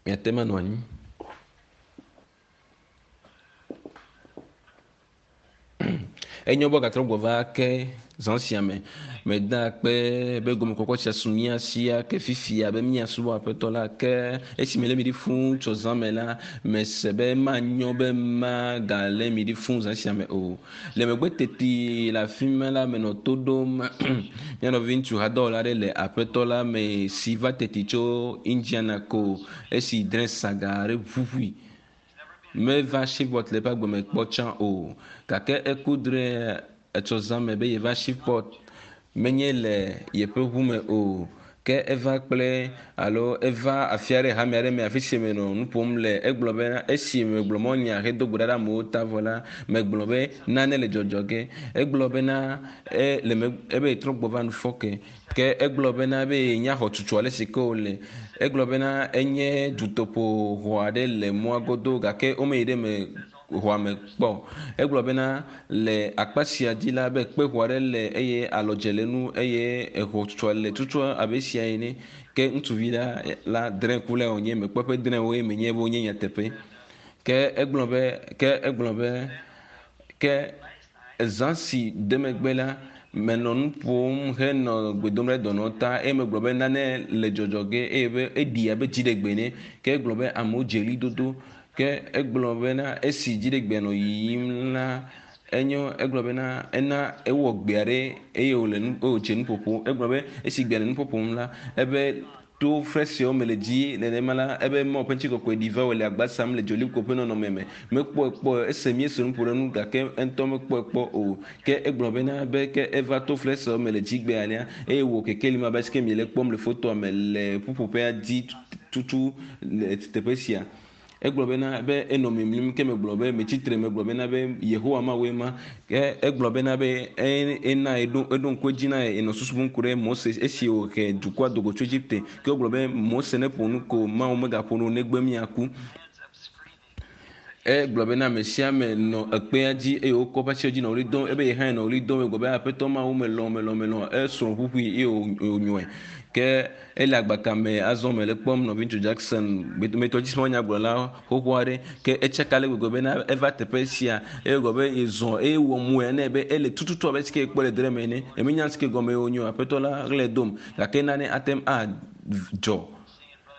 Miate ŋu anɔ anyi. Enyo be woagatrɔ gbɔ va ke zã sia me. Meda akpe be gomekɔkɔ sia su mía si ake fifia be míasubɔ Aƒetɔ la. Ke esi melé mi ɖi fũu tso zã me la, mese be manyo be magalé mi ɖi fũu zã sia me o. Le megbe teti le afi ma la, menɔ to ɖom mía nɔviŋutsu hadɔwɔla aɖe le Aƒetɔ la me si va teti tso Indiana ko esi drẽ saga aɖe ʋuʋui. Meva Shreveport le eƒe agbe me kpɔ tsã o, gake eku drɔ̃e etsɔ zã me be yeva Shreveport menye le yeƒe ʋu me o, ke eva kple alo eva afi aɖe hame aɖe me afi si menɔ nu ƒom le. Egblɔ be esi megblɔ mɔnya hedo gbe ɖa ɖe amewo ta vɔ la, megblɔ be nane le dzɔdzɔ ge. Egblɔ bena e le me ebe yetrɔ gbɔ va nufɔke. Ke egblɔ bena be yenya xɔtutu ale si ke wòle. Egblɔ bena enye dutoƒo xɔ aɖe le mɔa godo gake womeyi ɖe eme xɔa me kpɔ o. Egblɔ bena le akpa sia dzi la be kpexɔ aɖe le eye alɔdze le enu eye exɔtutua le tutua abe esia ene. Ke ŋutsuvi la la drẽkulae wònye. Mekpɔ eƒe drẽwo eye menyae be wonye nyateƒe. Ke egblɔ be ke egblɔ be ke Zã si de megbe la, menɔ nu ƒom henɔ gbe dom ɖe dɔnɔ ta eye megblɔ be nane le dzɔdzɔ ge eye be eɖi abe dziɖegbe ene. Ke egblɔ be amewo dze ɣlidodo. Ke egblɔ bena esi dziɖegbea nɔ yiyim la, enyo egblɔ bena ena ewɔ gbe aɖe eye wòle nu eye wòdze nuƒoƒo. Egblɔ be esi gbea le nuƒoƒom la, ebe To fesrewo me le dzi nenema la, ebe Mawu ƒe ŋutikɔkɔe ɖi va wòle agba sam le dzolikpo ƒe nɔnɔme me. Mekpɔe kpɔ, ese míese nu ƒo ɖe nu gake eŋutɔ mekpɔe kpɔ o. Ke egblɔ bena, be ke eva to fesrewo me le dzigbe alea, eye wò kekeli ma abe alesi ke miele ekpɔm le fotoa me le ƒuƒoƒea dzi tutu le teƒe sia. Egblɔ bena be enɔ mimlim ke megblɔ be metsi tre megblɔ bena be Yehowa Mawue ma. Ke egblɔ bena be ena eɖo eɖo ŋku edzi na enɔ susu bum ku ɖe Mose esi wòhe dukɔa do go tso Egipte. Ke wogblɔ be Mose neƒo nu ko Mawu megaƒo nu o negbe míaku. Egblɔ bena ame sia ame nɔ ekpea dzi eye wokɔ eƒe asiwo dzi nɔ ɣli dom ebe ye hã nɔ ɣli dom egblɔ be Aƒetɔ Mawu melɔ̃ melɔ̃ melɔ̃ esrɔ̃ ʋuʋui eye wònyɔe. Ke Ele agbaka me azɔ mele kpɔm nɔviŋutsu Jackson, metɔdzismɔnyagblɔla xoxo aɖe. Ke etsaka ale gbegbe bena eva teƒe sia eye wògblɔ be yezɔ eye wɔ moya nɛ be ele tututu abe sike yekpɔ le dre me ene. Nyemenya sike gɔme wònye o, Aƒetɔ la ɣlae dom. Gake nane ate ŋu adzɔ.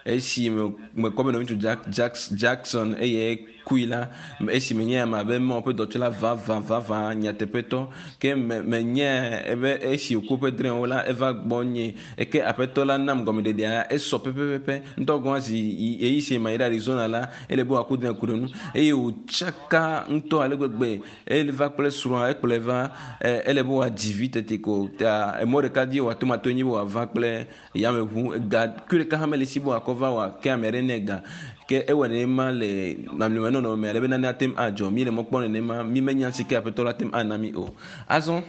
Esi mekpɔ be nɔviŋutsu Jackson eye kui la, esi menye ame abe Mawu ƒe dɔtsɔla vavã vavã nyateƒetɔ, ke me, menye ebe esi wòku eƒe drɔ̃ewo la, eva gbɔnye. Eke Aƒetɔ la nam gɔmeɖeɖea, esɔ pɛpɛpɛpɛ. Ŋutɔ gɔ̃ hã zi ɣeyiɣi si mayi ɖe Arizona la, ele be wòaku drɔ̃e ku ɖe nu. Eye wòtsaka ŋutɔ ale gbegbe. Eva kple srɔ̃a, ekplɔe va, ele be wòadzi vi teti ko. Ta emɔ ɖeka dzi wòato matoe nye be wòava kple yameʋu ga kui ɖeka hã mele esi be wòakɔ va wòake ame aɖe nɛ ga. Ke ewɔ nenema le mamlɛme nɔnɔme ale be nane ate ŋu adzɔ. Míele mɔ kpɔm nenema. Mímenya si ke Aƒetɔ la ate ŋu ana mí o. Azɔ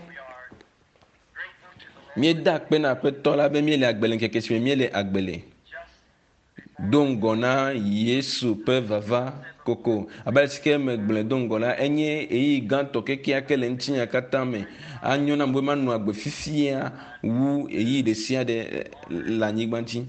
míeda akpe na Aƒetɔ la be míele agbe le ŋkeke si me míele agbe le. Do ŋgɔ na Yesu ƒe vava koko. Abe ale si ke megblɔe do ŋgɔ la, enye ɣeyiɣi gãtɔ kekeake le ŋutinya katã me. Anyo nam be manɔ agbe fifia wu ɣeyiɣi ɖe sia ɖe le anyigba dzi.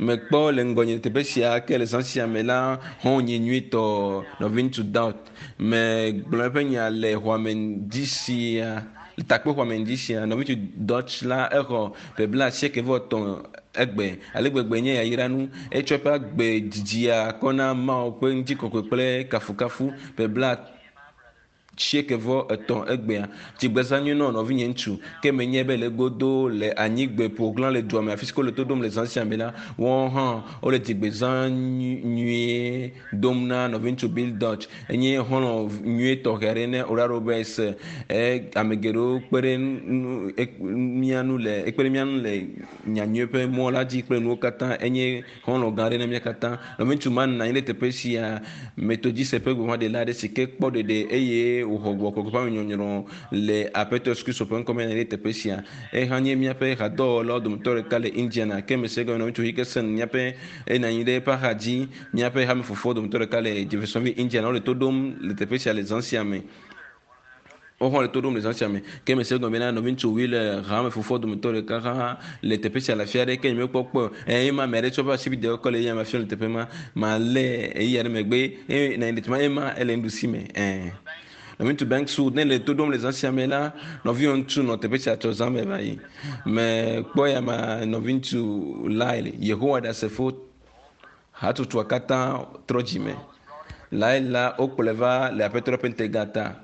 Mekpɔ le ŋgɔnye teƒe sia ke le zã sia me la, xɔ̃nye nyuitɔ, nɔviŋutsu Daud. Megblɔ eƒe nya le xɔa me ŋdi sia, le takpexɔa me ŋdi sia. Nɔviŋutsu Dutch la, exɔ ƒe blaasieke-vɔ-etɔ̃ egbe. Ale gbegbe nye yayranu. Etsɔ eƒe agbe didia kɔ na Mawu ƒe ŋutikɔkɔe kple kafukafu ƒe 90 egbea. Dzigbezã nyui nɔ nɔvinye ŋutsu. Ke menye be le egodo le anyigbe ƒoɣlã le dua me afi si ke wole to ɖom le zã sia me la, woawo hã wole dzigbezã nyuie dom na nɔviŋutsu Bill Dutch. Enye xɔlɔ̃ nyui tɔxɛ aɖe ne Oral Roberts. E, ame geɖewo kpe ɖe nu, e, mía ŋu le, ekpe ɖe mía ŋu le nyanyui ƒe mɔ la dzi kple nuwo katã. Enye xɔlɔ̃ gã aɖe na mía katã. Nɔviŋutsu ma nɔ anyi ɖe teƒe sia, Metodiste ƒe gbeƒãɖela aɖe si ke kpɔ ɖeɖe eye wòxɔ gbɔgbɔ kɔkɔe ƒe amenyɔnyrɔ le Aƒetɔ Yesu Kristo ƒe ŋkɔ me nɔ anyi ɖe teƒe sia. Eha nye míaƒe hadɔwɔlawo dometɔ ɖeka le Indiana. Ke mese egɔme nɔviŋutsu Hickerson, míaƒe enɔ anyi ɖe eƒe axa dzi, míaƒe hame fofowo dometɔ ɖeka le Jeffersonville, Indiana. Wole to ɖom le teƒe sia le zã sia me. Wohã le to ɖom le zã sia me. Ke mese egɔme bena nɔviŋutsu wui le hame fofoa dometɔ ɖeka hã le teƒe sia le afi aɖe ke nyemekpɔ kpɔe o. Eye ma ame aɖe tsɔ eƒe asibidewo kɔ le eya ma fiam le teƒe ma. Malé ɣeyiɣi aɖe megbe eye nɔ anyi ɖe teƒe ma eye ma ele nuɖusi me. Ẽ. Nɔviŋutsu Banks Wood, ne le to ɖom le zã sia me la, nɔviwò ŋutsu nɔ teƒe sia tsɔ zã me va yi. Mekpɔ ya ma nɔviŋutsu Lyle, Yehowa Ɖasefo hatsotsoa katã trɔ dzime. Lyle la, wokplɔe va le Aƒetɔ la ƒe ŋutega ta.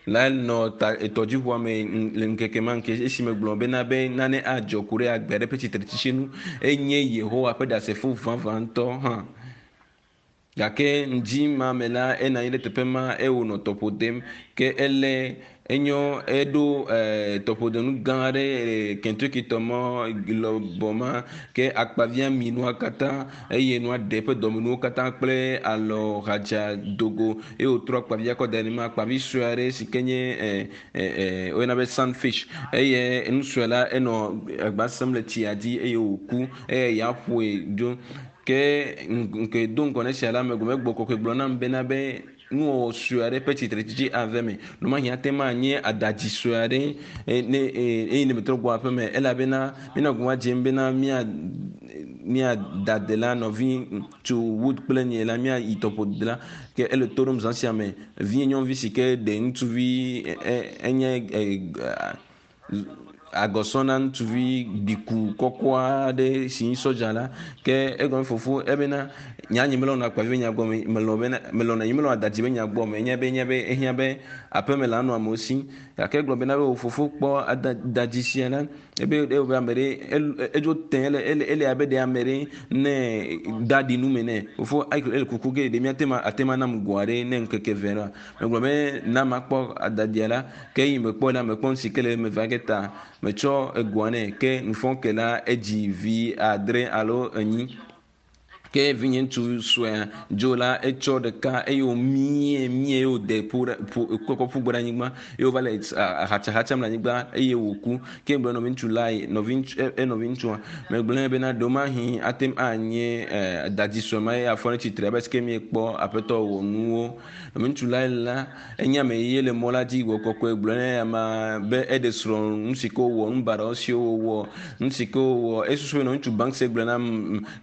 Lyle nɔ ta etɔdziʋua me le ŋkeke ma ŋke esime gblɔ bena be nane adzɔ ku ɖe agbe aɖe ƒe tsitretsitsi ŋu. Enye Yehowa ƒe Ɖasefo vavãtɔ hã. Gake ŋdi ma me la, enɔ anyi ɖe teƒe ma eye wònɔ tɔƒo dem. Ke elé enyo eɖo tɔƒodenu gã aɖe Kentucky tɔ mɔ lɔbɔ ma ke akpavia mi nua katã eye nua ɖe eƒe dɔmenuwo katã kple alɔ hadza dogo eye wòtrɔ akpavia kɔ da ɖe ma akpavi sue aɖe si ke nye woyɔna be sunfish eye nu sue la enɔ agba sem le tsia dzi eye wòku eye ya ƒoe dzo. Ke ŋke do ŋgɔ ne sia la megbe megbɔ kɔkɔe gblɔ nam bena be nuwɔwɔ sue aɖe ƒe tsitretsitsi ave me. Ɖewomahi ate ŋu anye adadzi sue aɖe ne eye ne metrɔ gbɔ aƒe me elabena míenɔ gɔme dzem bena mía mía dada nɔvi tso Wood kple nye la míayi tɔƒo de la ke ele to ɖom zã sia me. Vinye nyɔnuvi si ke ɖe ŋutsuvi enye agɔsɔ na ŋutsuvi gbiku kɔkɔ aɖe si nyi sɔdza la ke egɔme fofo ebena nya nye melɔna akpavi be nya gbɔ me melɔ bena melɔna nye melɔna adadzi be nya gbɔ me enya be enya be ehiã be aƒeme la nɔ amewo si gake egblɔ bena be wò fofo kpɔ adadzi sia la ebe ebe ame ɖe edzo te ele ele ele abe ɖe ame ɖe ne da ɖi nu me nɛ fofo ele kuku ge ɖe míate ma ate ma nam go aɖe ne ŋkeke ve la megblɔ be na makpɔ adadia la ke yi mekpɔ la mekpɔ nu si ke le eme va ge ta metsɔ egoa nɛ ke nufɔke la edzi vi 7 alo 4 ke vinye ŋutsu suea dzo la etsɔ ɖeka eye wòmie mie eye wòde ƒo ɖe ƒo kɔkɔ ƒu gbe ɖe anyigba eye wòva le hatsahatsam le anyigba eye wòku. Ke gblɔ nɔvi ŋutsu la nɔvi ŋutsu nɔvi ŋutsua megblɔ nɛ bena ɖewomahi ate ŋu anye dadzi sue ma eye afɔ ne tsitre abe sike miekpɔ aƒetɔ wɔ nuwo. Nɔvi ŋutsu la la enye ame ye le mɔ la dzi wɔ kɔkɔe gblɔ nɛ ama be eɖe srɔ̃ nu si ke wòwɔ nu baɖawo siwo wòwɔ nu si ke wòwɔ esusu be nɔvi ŋutsu Banks gblɔ na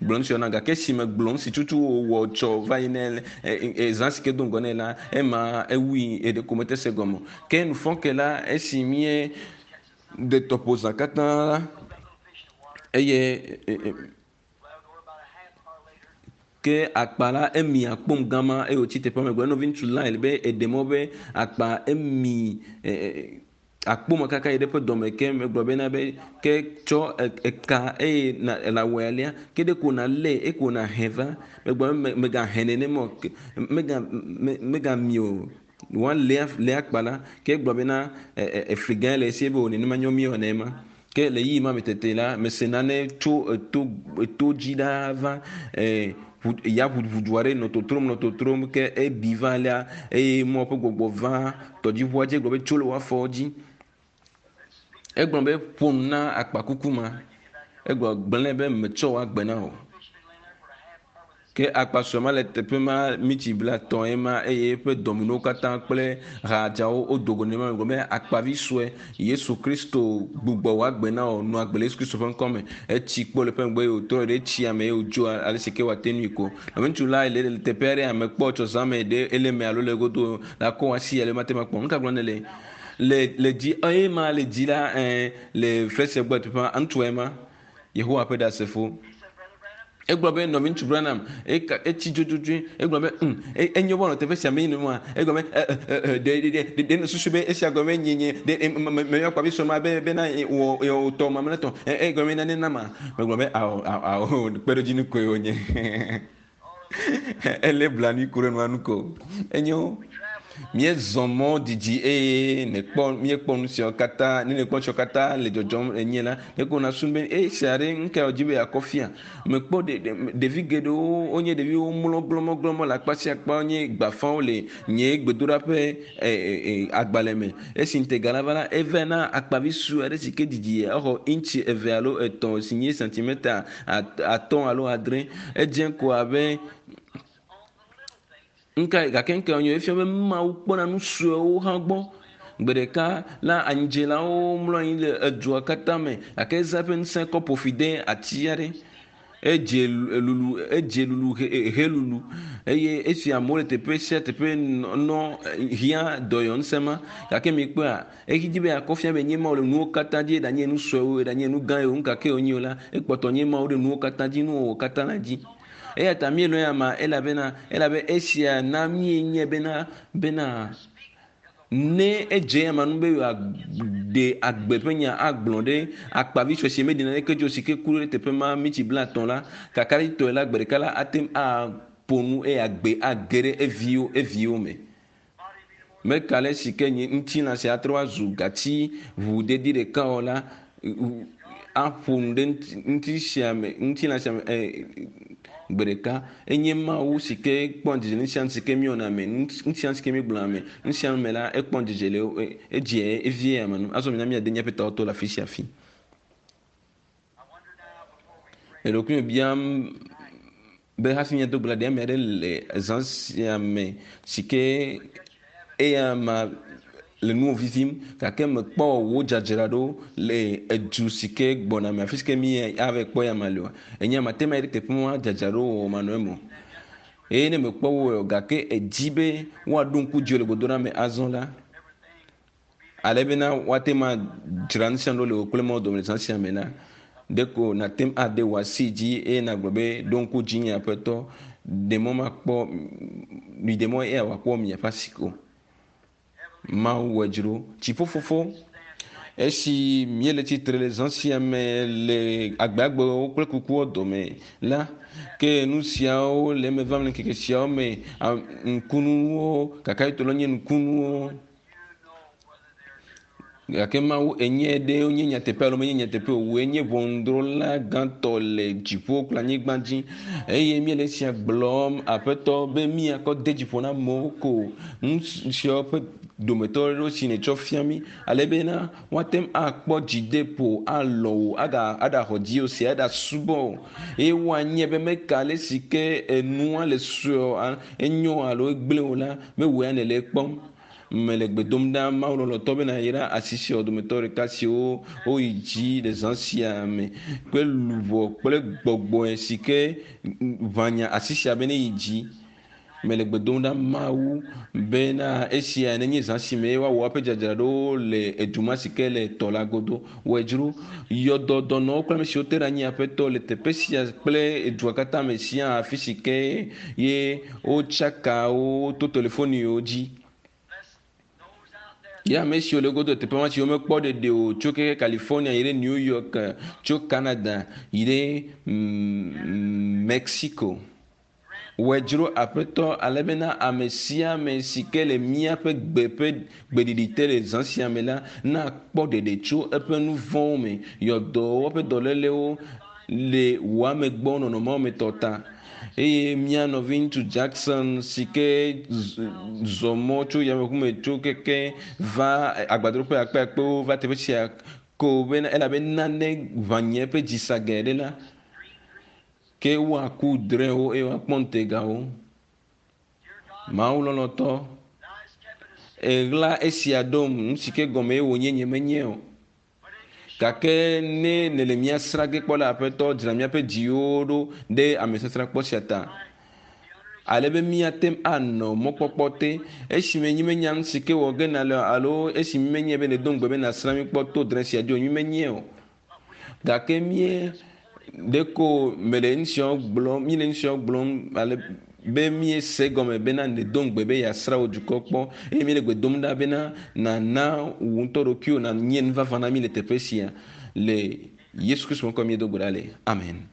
gblɔ nu siwo na gake esi megblɔ nu si tutu wòwɔ tsɔ va yi ne zã si ke do ŋgɔ nɛ la ema ewui eɖe ko mete se gɔme o. Ke nufɔke la esi mie ɖe tɔƒo zã katã la eye ke akpa la emi akpom gama eye wòtsi teƒea me gblɔ nɔvi ŋutsu Lyle be eɖe mɔ be akpa emi akpome kaka yi ɖe eƒe dɔme ke megblɔ bena be ke tsɔ eka eye na nawɔe alea ke ɖe ko nalé eko nahe va megblɔ be megahe nenema o mega megami o woalé lé akpa la ke gblɔ bena efli gã le esi be o nenema nyɔ mi wɔ nema ke le yiyi ma me tete la mese nane tso eto eto dzi ɖaa va ya ʋuʋudu aɖe nɔ totrom nɔ totrom ke ebi va alea eye mɔ ƒe gbɔgbɔ va tɔdziʋua dzi gblɔ be tso le wò afɔwo dzi. Egblɔ be ƒo nu na akpakuku ma. Egblɔ gblẽ be metsɔ wò agbe na wò. Ke akpa sue ma le teƒe ma mitsi 30 ye ma eye eƒe dɔmenuwo katã kple hadzawo wodo go nenema gblɔ be akpavi sue Yesu Kristo gbugbɔ wò agbe na wò nɔ agbe le Yesu Kristo ƒe ŋkɔ me. Etsi kpɔ le ƒe ŋgɔ eye wòtrɔ ɖe etsia me eye wòdzo ale si ke wòate ŋui ko. Nɔvi ŋutsu la le teƒe aɖe ame kpɔ tsɔ zã me ɖe ele me alo le godo la kɔ asi ale mate ŋu akpɔ. Nu ka gblɔm nèle? Le le dzi eye ma le dzi la le flɛsɛ gbɔ teƒe ma ŋutsua ye ma Yehowa ƒe ɖasefo. Egblɔ be nɔvi ŋutsu Branham etsi dzodzodzoe. Egblɔ be enyo be wòanɔ teƒe sia me yi nua. Egblɔ be ɖe ɖe ɖe ɖe susu be esia gɔme nye nye ɖe meyɔ akpavi sue ma be bena wɔ wò tɔ mamlɛtɔ. Egɔme be nane nama. Megblɔ be awɔ awɔ kpeɖodzinu koe wònye. Ele blanui ku ɖe nua nu ko. Enyo. Míezɔ mɔ didi eye nekpɔ míekpɔ nu siawo katã ne nekpɔ nu siawo katã le dzɔdzɔm enye la neko nasu be esia ɖe nuka wòdzi be yeakɔ fia. Mekpɔ ɖevi geɖewo wonye ɖeviwo mlɔ glɔmɔglɔmɔ le akpa sia akpa wonye gbafawo le nye gbedoɖaƒe agbalẽ me. Esi ŋutega la va la eva na akpavi sue aɖe si ke didi exɔ intsi 2 alo 3 si nye sentimeta 5 alo 6. Edze ko abe nka gake ŋke wònye efia be Mawu kpɔna nu suewo hã gbɔ. Gbe ɖeka la anyidzelawo mlɔ anyi le edua katã me gake ezã eƒe ŋusẽ kɔ ƒo fi de ati aɖe. Edze lulu edze lulu helulu eye esi amewo le teƒe sia teƒe nɔ hiã dɔyɔ ŋusẽ ma gake mi kpɔa eyi dzi be akɔ fia be nye Mawu le nuwo katã dzi eɖanye nu suewo eɖanye nu gã yiwo nu kake wonye o la ekpɔtɔ nye Mawu ɖe nuwo katã dzi nuwɔwɔ katã la dzi. Eya ta míelɔ̃ ya ma elabena elabe esia na míenye bena bena ne edze ama nu be yeaɖe agbe ƒe nya agblɔ ɖe akpavi sue si meɖi naneke dzo si ke ku ɖe teƒe ma mitsi 50 la kakaɖitɔe la gbe ɖeka la ate ŋu aƒo nu eye agbe age ɖe eviwo eviwo me. Meka le si ke nye ŋutilã sia atrɔ azu gati ʋu dedi ɖeka o la aƒo nu ɖe ŋuti sia me ŋutilã sia me gbe ɖeka enye Mawu si ke kpɔ dzidzedze nu sia nu si ke míewɔna me nu sia nu si ke míegblɔna me nu sia nu me la ekpɔ dzidzedze le edze evie ame nu azɔ mina míade míaƒe tawo to le afi sia afi. Le ɖokuinye biam be hafi míado gbe la ɖe ame aɖe le zã sia me si ke eya ma le nuwo vivim gake mekpɔ wò dzadzraɖo le edu si ke gbɔna me afi si ke mi ava kpɔ ya ma le oa enye ame ate ma yi ɖe teƒe ma dzadzraɖo wɔ manɔ eme o eye ne mekpɔ wo o gake edzi be woaɖo ŋku dzi le gbedoɖa me azɔ la ale bena woate ma dzra nu sia nu ɖo le wò kple Mawu dome le zã sia me la ɖeko nàte ŋu ade wò asi dzi eye nàgblɔ be ɖo ŋku dzinye aƒetɔ ɖe mɔ makpɔ mi ɖe mɔ eya wòakpɔ miaƒe asi ko. Mawu wɔ dzro dziƒofofo esi míele tsitre le zã sia me le agbagbewo kple kukuwo dome la ke nu siawo le eme vam le ŋkeke siawo me ŋkunuwo kakaɖitɔ la nye ŋkunuwo gake Mawu enye ɖe wonye nyateƒe alo menye nyateƒe o wòe nye ʋɔnudrɔ̃la gãtɔ le dziƒo kple anyigba dzi eye míele esia gblɔm aƒetɔ be míakɔ de dziƒo na amewo ko nu siawo ƒe dometɔ aɖewo si nètsɔ fia mí ale bena woate ŋu akpɔ dzideƒo alɔ wò aga aɖaxɔ dziwò si aɖasubɔ wò eye woanye be meka ale si ke enua le sue enyo alo egblẽ o la mewòe ya nèle ekpɔm. Mele gbe dom ɖa Mawu lɔlɔ̃tɔ bena yra asi siawo dometɔ ɖeka siwo woyi dzi le zã sia me kple luʋɔ kple gbɔgbɔe si ke ʋãnya asi sia be ne yi dzi. Mele gbe dom ɖa Mawu bena esia nenye zã si me woawɔ woƒe dzadzraɖowo le edu ma si ke le tɔ la godo. Wɔe dzro yɔdɔ dɔnɔwo kple ame siwo te ɖe anyi aƒetɔ le teƒe sia kple edua katã me sia afi si ke ye wotsaka wo to telefoniwo dzi. Ye ame siwo le godo teƒe ma siwo mekpɔ ɖeɖe o tso keke California yi ɖe New York, tso Canada yi ɖe Mexico. Wɔe dzro aƒetɔ ale bena ame sia ame si ke le míaƒe gbe ƒe gbeɖiɖi te le zã sia me la nakpɔ ɖeɖe tso eƒe nu vɔ̃wo me, yɔdɔwo ƒe dɔlélewo le wò ame gbɔ nɔnɔmewo me tɔ ta. Eye mía nɔvi ŋutsu Jackson si ke zɔ mɔ tso yameʋu me tso keke va agbadroƒe akpeakpewo va teƒe sia ko bena elabe nane ʋã nye eƒe dzi sa geɖe ɖe la ke woaku drɔ̃ewo eye woakpɔ ŋutegawo. Mawu lɔlɔ̃tɔ, eɣla esia ɖom nu si ke gɔme wònye nye menye o. Gake ne nèle mía srã ge kpɔ la aƒetɔ dzra míaƒe dziwo ɖo ɖe amesasrãkpɔ sia ta. Ale be míate ŋu anɔ mɔkpɔkpɔ te esime nyi menya nu si ke wɔ ge nale alo esi menye be nèdo ŋugbe be nàsrã mí kpɔ to drɔ̃e sia dzi o nyi menye o. Gake mí ɖeko mele nu siawo gblɔm míele nu siawo gblɔm ale be míese gɔme bena nèdo ŋugbe be yeasrã wò dukɔ kpɔ eye míele gbe dom ɖa bena nàna wò ŋutɔ ɖokuiwò nànye nu vavã na mí le teƒe sia le Yesu Kristo ŋkɔ míedo gbe ɖa le. Amen.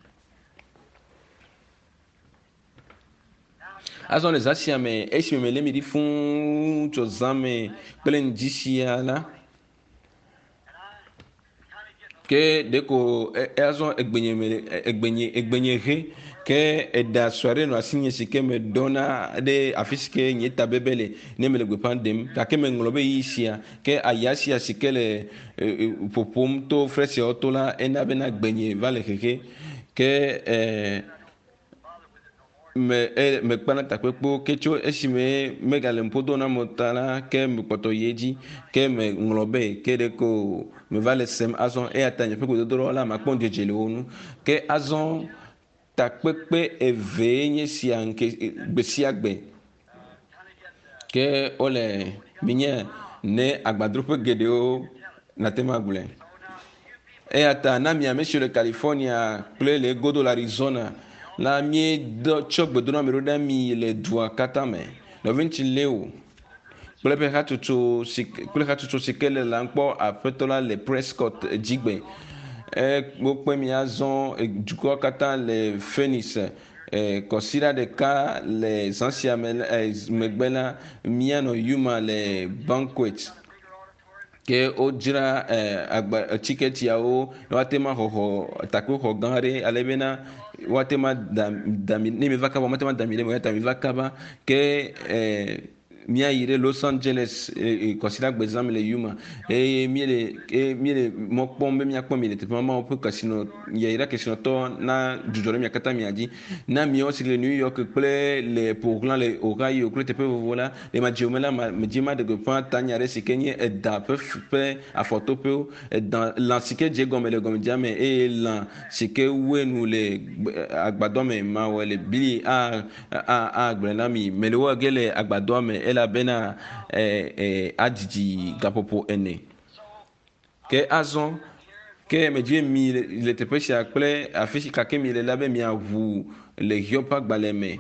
Azɔ le zã sia me esime mele mi ɖi fũu tso zã me kple ŋdi sia la ke ɖeko azɔ egbenye me egbenye egbenye he ke eɖa sue aɖe nɔ asinye si ke meɖɔna ɖe afi si ke nye tabebe le ne mele gbeƒã ɖem gake meŋlɔ be ɣeyiɣi sia ke aya sia si ke le ƒoƒom to fresiawo to la ena bena gbenye va le xexe ke. Me e mekpana takpekpewo ke tso esime megale ŋpo do na mo ta la ke mekpɔtɔ yi edzi ke meŋlɔ be ke ɖe ko meva le sem azɔ eya ta nye ƒe gbedodoɖa la makpɔ ŋudzedze le wo ŋu ke azɔ takpekpe evee nye sia ŋke gbe sia gbe ke wole minye ne agbadroƒe geɖewo nate ŋu agblɔe. Eya ta na mi ame siwo le California kple le egodo le Arizona la míedɔ tsɔ gbedoname ɖo ɖe mi le dua katã me. Nɔviŋutsu Leo kple eƒe hatsotso si kple hatsotso si ke le la kpɔ aƒetɔ la le Prescott dzigbe. E wokpe mi azɔ dukɔa katã le Phoenix. E kɔsiɖa ɖeka le zã sia me e megbe la míanɔ Yuma le banquet. Ke wodzra agba tiketiawo ne woate ŋu axɔxɔ takpexɔ gã aɖe ale bena woate ŋu ada da mi ne miva kaba woate ŋu ada mi ɖe eme eya ta miva kaba. Ke míayi ɖe Los Angeles kɔsiɖagbe zã me le Yuma eye míele eye míele mɔ kpɔm be míakpɔ mi le teƒe ma. Mawu ƒe kesinɔ yayra kesinɔtɔ na dzudzɔ ɖe mia katã mia dzi. Na miawo si le New York kple le Portland le Ohio kple teƒe vovovo la, le madziwo me la, medzi maɖe gbeƒã tanya ɖe si ke nye eda ƒe ƒe afɔtoƒewo, eda lã si ke dze egɔme le gɔmedzea me eye lã si ke wue nu le agbadɔ me mawɔe le bli a a agblɔe na mi. Mele wɔ ge le agbadɔa me elabena e, e, adidi gaƒoƒo ene. Ke azɔ, ke medzi be mi le teƒe sia kple afi si kake mi le la be miaʋu le Hiob ƒe agbalẽ me.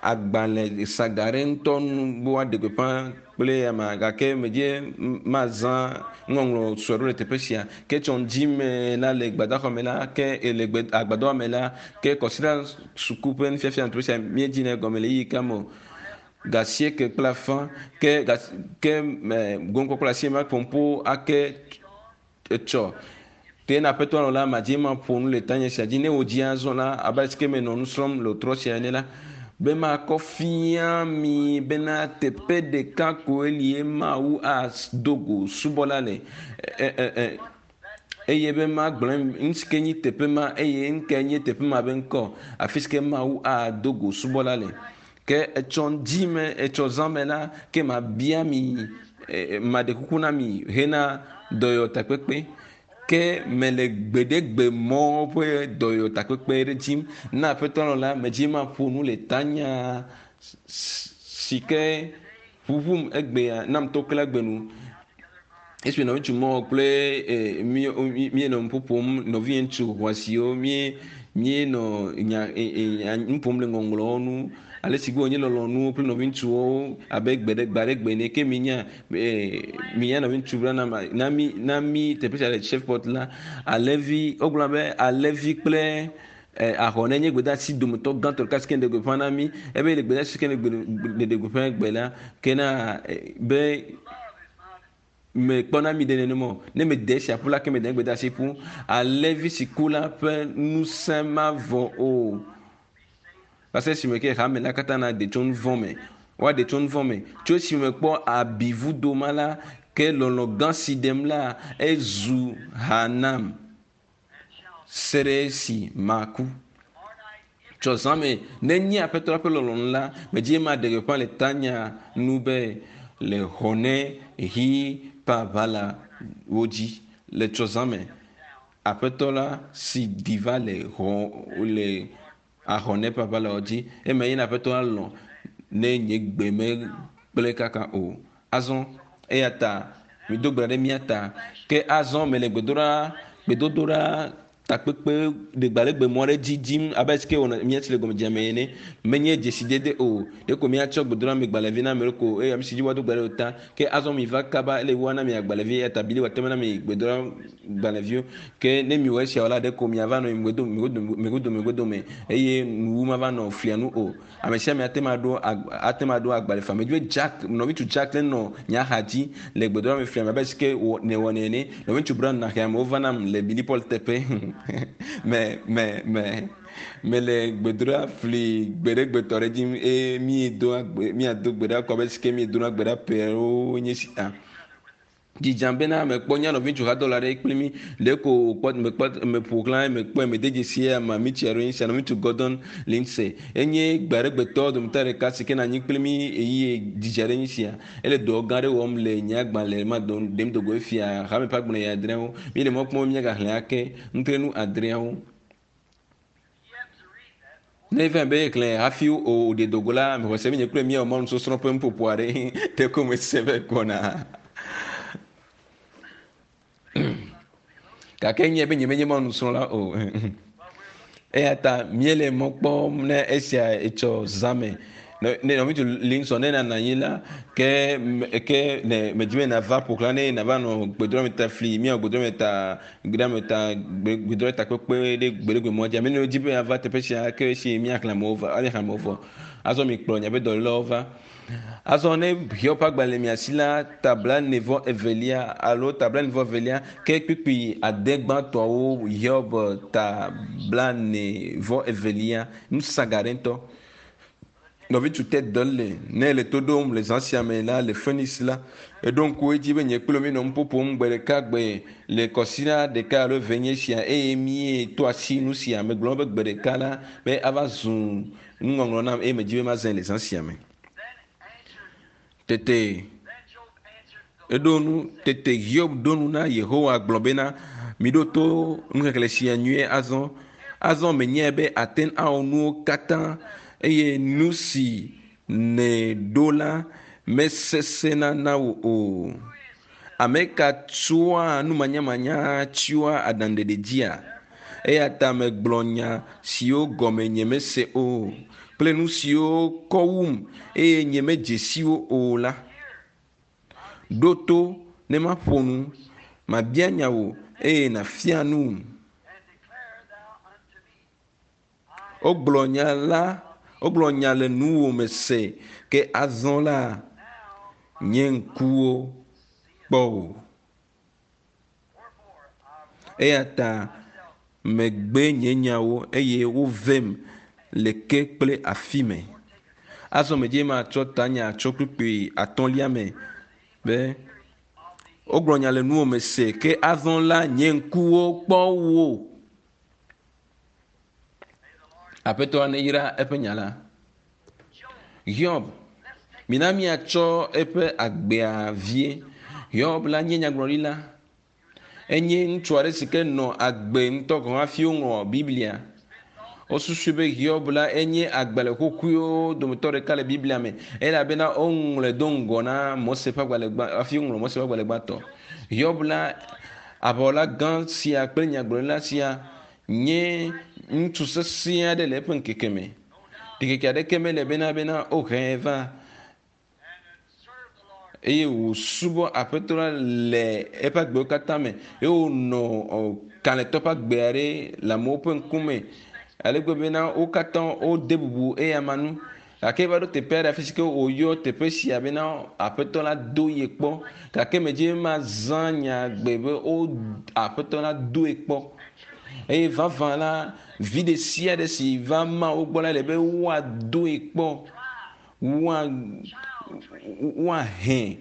Agbalẽ saga ɖe ŋutɔ nu be woaɖe gbeƒã kple ama gake medzi mazã ŋɔŋlɔ sue ɖo le teƒe sia. Ke tsɔ ŋdi me la le gbadaxɔ me la ke le gbe agbadɔa me la ke kɔsiɖa suku ƒe nufiafia le teƒe sia míedzi ne gɔme le ɣeyiɣi ka me o. Gasieke kple afã ke gas ke me gomkpɔkpɔ le asie ma ƒomƒo ake etsɔ. Ke na aƒetɔ lɔ la madzi ma ƒo nu le tanye sia dzi ne wò dzi azɔ la abe ale si ke menɔ nu srɔ̃m le trɔ sia ene la be makɔ fia mi bena teƒe ɖeka koe li ye Mawu ado go subɔla le e, e, e, eye be magblɔ nu si ke nyi teƒe ma eye nu kae nye teƒe ma be ŋkɔ afi si ke Mawu ado go subɔla le. Ke etsɔ ŋdi me, etsɔ zã me la, ke mabia mi, maɖe kuku na mi hena dɔyɔtakpekpe. Ke mele gbeɖegbe mɔ ƒe dɔyɔtakpekpe ɖe dim na Aƒetɔ lɔ la, medzi maƒo nu le tanya si ke ʋuʋum egbea nam to kple gbe nu. Esime nɔviŋutsu mɔ kple míenɔ nu ƒom, nɔviŋutsu xɔasiwo míenɔ nya nu ƒom le ŋɔŋlɔwo ŋu, ale si wònye lɔlɔ̃nuwo kple nɔviŋutsuwo abe gbe ɖe gbe aɖe gbe ene. Ke minya minya nɔviŋutsu Branham na mí na mí teƒe sia le Shreveport la, alẽvi wogblɔ be alẽvi kple ahɔne nye gbedeasi dometɔ gãtɔ ɖeka si ke ɖe gbeƒã na mí. Ebe le gbedeasi si ke ɖe gbeƒã gbe la, ke na be mekpɔna mi ɖe nenema o. Ne mede esia ƒu la, ke mede gbedeasi ƒu. Alẽvi si ku la ƒe ŋusẽ mavɔ o. Va se esime ke hame la katã naɖe tso nu vɔ̃ me. Woaɖe tso nu vɔ̃ me. Tso esime mekpɔ abi vudo ma la, ke lɔlɔ̃ gã si ɖem la, ezu ha nam. Se ɖe esi maku. Tsɔ zã me, ne nye Aƒetɔ la ƒe lɔlɔ̃nu la, medzi be maɖe gbeƒã le tanya nu be le xɔne ɣi ƒe aʋala wo dzi. Le tsɔ zã me, Aƒetɔ la si ɖi va le xɔ le ahɔne ƒe aʋala wo dzi. Eme ye na Aƒetɔ la lɔ̃ ne nye gbe megblẽ kaka o. Azɔ eya ta mido gbe ɖa ɖe mía ta. Ke azɔ mele gbedoɖa gbedodoɖa takpekpe ɖegbaɖegbe mɔ aɖe dzi dim abe ale si ke wɔna míatsi le gɔmedzea me ene. Menye dzesidede o. Ɖeko míatsɔ gbedoɖamegbalẽvi na ame ɖe ko eye ame si dzi woado gbe ɖe o ta. Ke azɔ miva kaba ele woana mi agbalẽvi eya ta Bili wòate ŋu ana mi gbedoɖagbalẽviwo. Ke ne miwɔ esiawo la, ɖeko miava nɔ megbedo megbedo megbedo megbedome eye nuwu mava nɔ flia nu o. Ame sia ame ate ŋu aɖo ate ŋu aɖo agbalẽ faa. Medi be Jack, nɔviŋutsu Jack nenɔ nye axa dzi le gbedoɖa me flia me abe ale si ke wò nèwɔnɛ ene. Nɔviŋutsu Brown na xeame wova nam le Billy Paul teƒe. me me me mele gbedoɖa fli gbeɖegbetɔ ɖe dzi eye míedoa gbe míado gbe ɖa kɔ abe ale si ke míedona gbe ɖa ƒeawo nye si ta. Dzidzam bena mekpɔ nye nɔviŋutsu hadɔla aɖe kpli mí le ko wòkpɔ mekpɔ meƒo xlã mekpɔe mede dzesi eya ma mitsi aɖewo nye sia nɔviŋutsu Gordon Lindsay enye gbe aɖe gbetɔ dometɔ ɖeka si ke nɔ anyi kpli mí eye dzidzi aɖe nye sia. Ele dɔ gã aɖe wɔm le nye agbalẽ ma ɖem dogo efia hame ƒe agbalẽ ya adreawo. Míele mɔ kpɔm be míagaxlẽ ake nutrenu adreawo. Ne eva be yexlẽ hafi wòɖe dogo la, mexɔ se be nye kple míawɔ Mawu nusɔsrɔ̃ ƒe nuƒoƒo aɖe ɖeko mese be gbɔna. Gake nye be nyemenye Mawu nusrɔ̃la o. Eya ta míele mɔ kpɔm ne esia etsɔ zã me. Ne nɔviŋutsu Linson ne nànɔ anyi la, ke ke ne medi be nàva ƒo xlã ne nàva nɔ gbedoɖa ta fli míawɔ gbedoɖa ta gbedoɖa ta gbedoɖa ta kpekpe ɖe gbeɖegbe mɔ dzi. Ame yiwo di be yeava teƒe sia ke esi míaxlẽ amewo va, míaxlẽ amewo vɔ. Azɔ mikplɔ miaƒe dɔlélewo va. Azɔ ne Hiob ƒe agbalẽ le mia si la, ta blaene vɔ evelia alo ta blaene vɔ evelia ke kpukpui ade gbãtɔawo Hiob ta blaene vɔ evelia nusaga ɖe ŋutɔ. Nɔviŋutsu te dɔ le ne le to ɖom le zã sia me la le Phoenix la, eɖo ŋku edzi be nye kple míenɔ nuƒo ƒom gbe ɖeka gbe le kɔsiɖa ɖeka alo eve nye sia eye míeto asi nu sia. Megblɔ be gbe ɖeka la be ava zu nuŋɔŋlɔ nam eye medi be mazãe le zã sia me. Tete eɖo nu tete Hiob ɖo nu na Yehowa gblɔ bena, miɖo to nuxexlẽ sia nyuie azɔ. Azɔ menyae be àte ŋu awɔ nuwo katã eye nu si nèɖo la mesesẽna na wò o. Ame ka tsɔa numanyamanya tsyɔa aɖaŋuɖeɖe dzia? Eya ta megblɔ nya siwo gɔme nyemese o kple nu siwo kɔ wum eye nyemedze si wo o la. Ɖo to ne maƒo nu, mabia nya wò eye nàfia num. Wogblɔ nya la, wogblɔ nya le nuwò me se, ke azɔ la, nye ŋkuwo kpɔ wò. Eya ta megbe nye nyawo eye wovem le ke kple afi me. Azɔ medze matsɔ tanya tso kpukpui atɔ̃lia me be wogblɔ nya le nuwò me se, ke azɔ la nye ŋkuwo kpɔ wò. Aƒetɔ neyra eƒe nya la. Hiob, mina míatsɔ eƒe agbea vie. Hiob la nye nyagblɔɖila. Enye ŋutsu aɖe si ke nɔ agbe ŋutɔ gɔ̃ hafi woŋlɔ Biblia. Wosusui be Hiob la enye agbalẽ xoxoewo dometɔ ɖeka le Biblia me elabena woŋlɔe do ŋgɔ na Mose ƒe agbalẽ gbã hafi woŋlɔ Mose ƒe agbalẽ gbãtɔ. Hiob la aʋawɔla gã sia kple nyagblɔɖila sia nye ŋutsu sesẽ aɖe le eƒe ŋkeke me. Ɖikeke aɖeke mele bena bena wohee va eye wòsubɔ Aƒetɔ la le eƒe agbewo katã me eye wònɔ kalẽtɔ ƒe agbe aɖe le amewo ƒe ŋkume ale gbegbe bena wo katã wode bubu eyama ŋu. Gake eva ɖo teƒe aɖe afi si ke wòyɔ teƒe sia bena Aƒetɔ la do ye kpɔ. Gake medzi be mazã nyagbe be wo Aƒetɔ la doe kpɔ. Eye vavã la, vi ɖe sia ɖe si va Mawu gbɔ la, ele be woadoe kpɔ, woa woahɛ,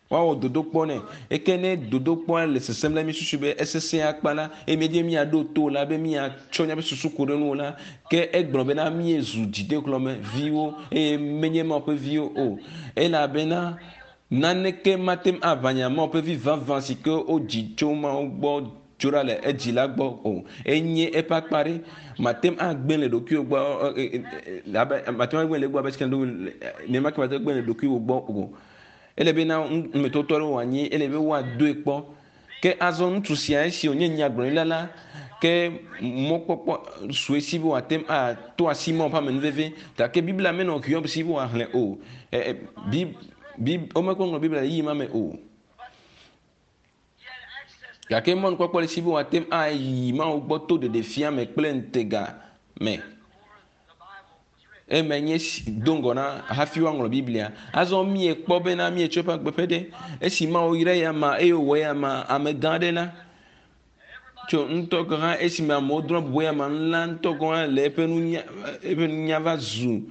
woawɔ dodokpɔ nɛ. Eke ne dodokpɔa le sesẽm la, míesusu be esesẽ akpa la, eye míedi be míaɖo to la, be míatsɔ míaƒe susu ku ɖe eŋu o la, ke egblɔ bena míezu dzidehlɔ̃me viwo eye menye Mawu ƒe viwo o. Elabena naneke mate ŋu aʋã nya Mawu ƒe vi vavã si ke wodzi tso Mawu gbɔ tso ɖa le edzi la gbɔ o. Enye eƒe akpa ɖe. Mate ŋu agblẽ le ɖokuiwò gbɔ abe mate ŋu agblẽ le egbɔ abe sika nenema ke mate ŋu agblẽ le ɖokuiwò gbɔ o. Ele be na numetɔtɔ ɖe wòanyi, ele be woadoe kpɔ. Ke azɔ ŋutsu sia esi wònye nyagblɔɖila la, ke mɔkpɔkpɔ su esi be wòate ŋu ato asi Mawu ƒe amenuveve. Gake Biblia menɔ Hiob si be wòaxlẽ o. Womekpɔ ŋlɔ Biblia le ɣeyiɣi ma me o. Gake mɔnukpɔkpɔ le esi be wòate ŋu ayi Mawu gbɔ to ɖeɖefia me kple ŋutega me. Eme nye do ŋgɔ na hafi woaŋlɔ Biblia. Azɔ míekpɔ bena míetsɔ eƒe agbe ƒe ɖe. Esi Mawu yra eya ma eye wòwɔ eya ma amegã aɖe la, tso ŋutɔ gɔ̃ hã esime amewo drɔ̃ bubu eya ma ŋu la ŋutɔ gɔ̃ hã le eƒe nunya eƒe nunya va zu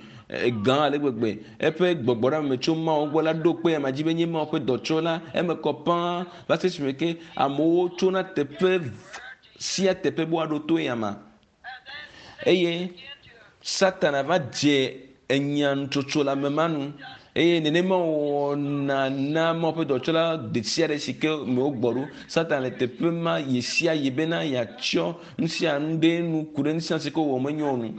gã ale gbegbe. Eƒe gbɔgbɔ ɖe ame tso Mawu gbɔ la ɖo kpe ama dzi be nye Mawu ƒe dɔtsɔla. Eme kɔ pãa va se esime ke amewo tsona teƒe sia teƒe be woaɖo to eyama. Eye Satana va dze enya nutsotso le ame ma nu eye nenema wɔna na Mawu ƒe dɔtsɔla ɖe sia ɖe si ke me wogbɔ ɖo. Satana le teƒe ma ɣe sia ɣi bena yeatsɔ nu sia nu ɖe nu ku ɖe nu sia nu si ke wòwɔ menyo o nu.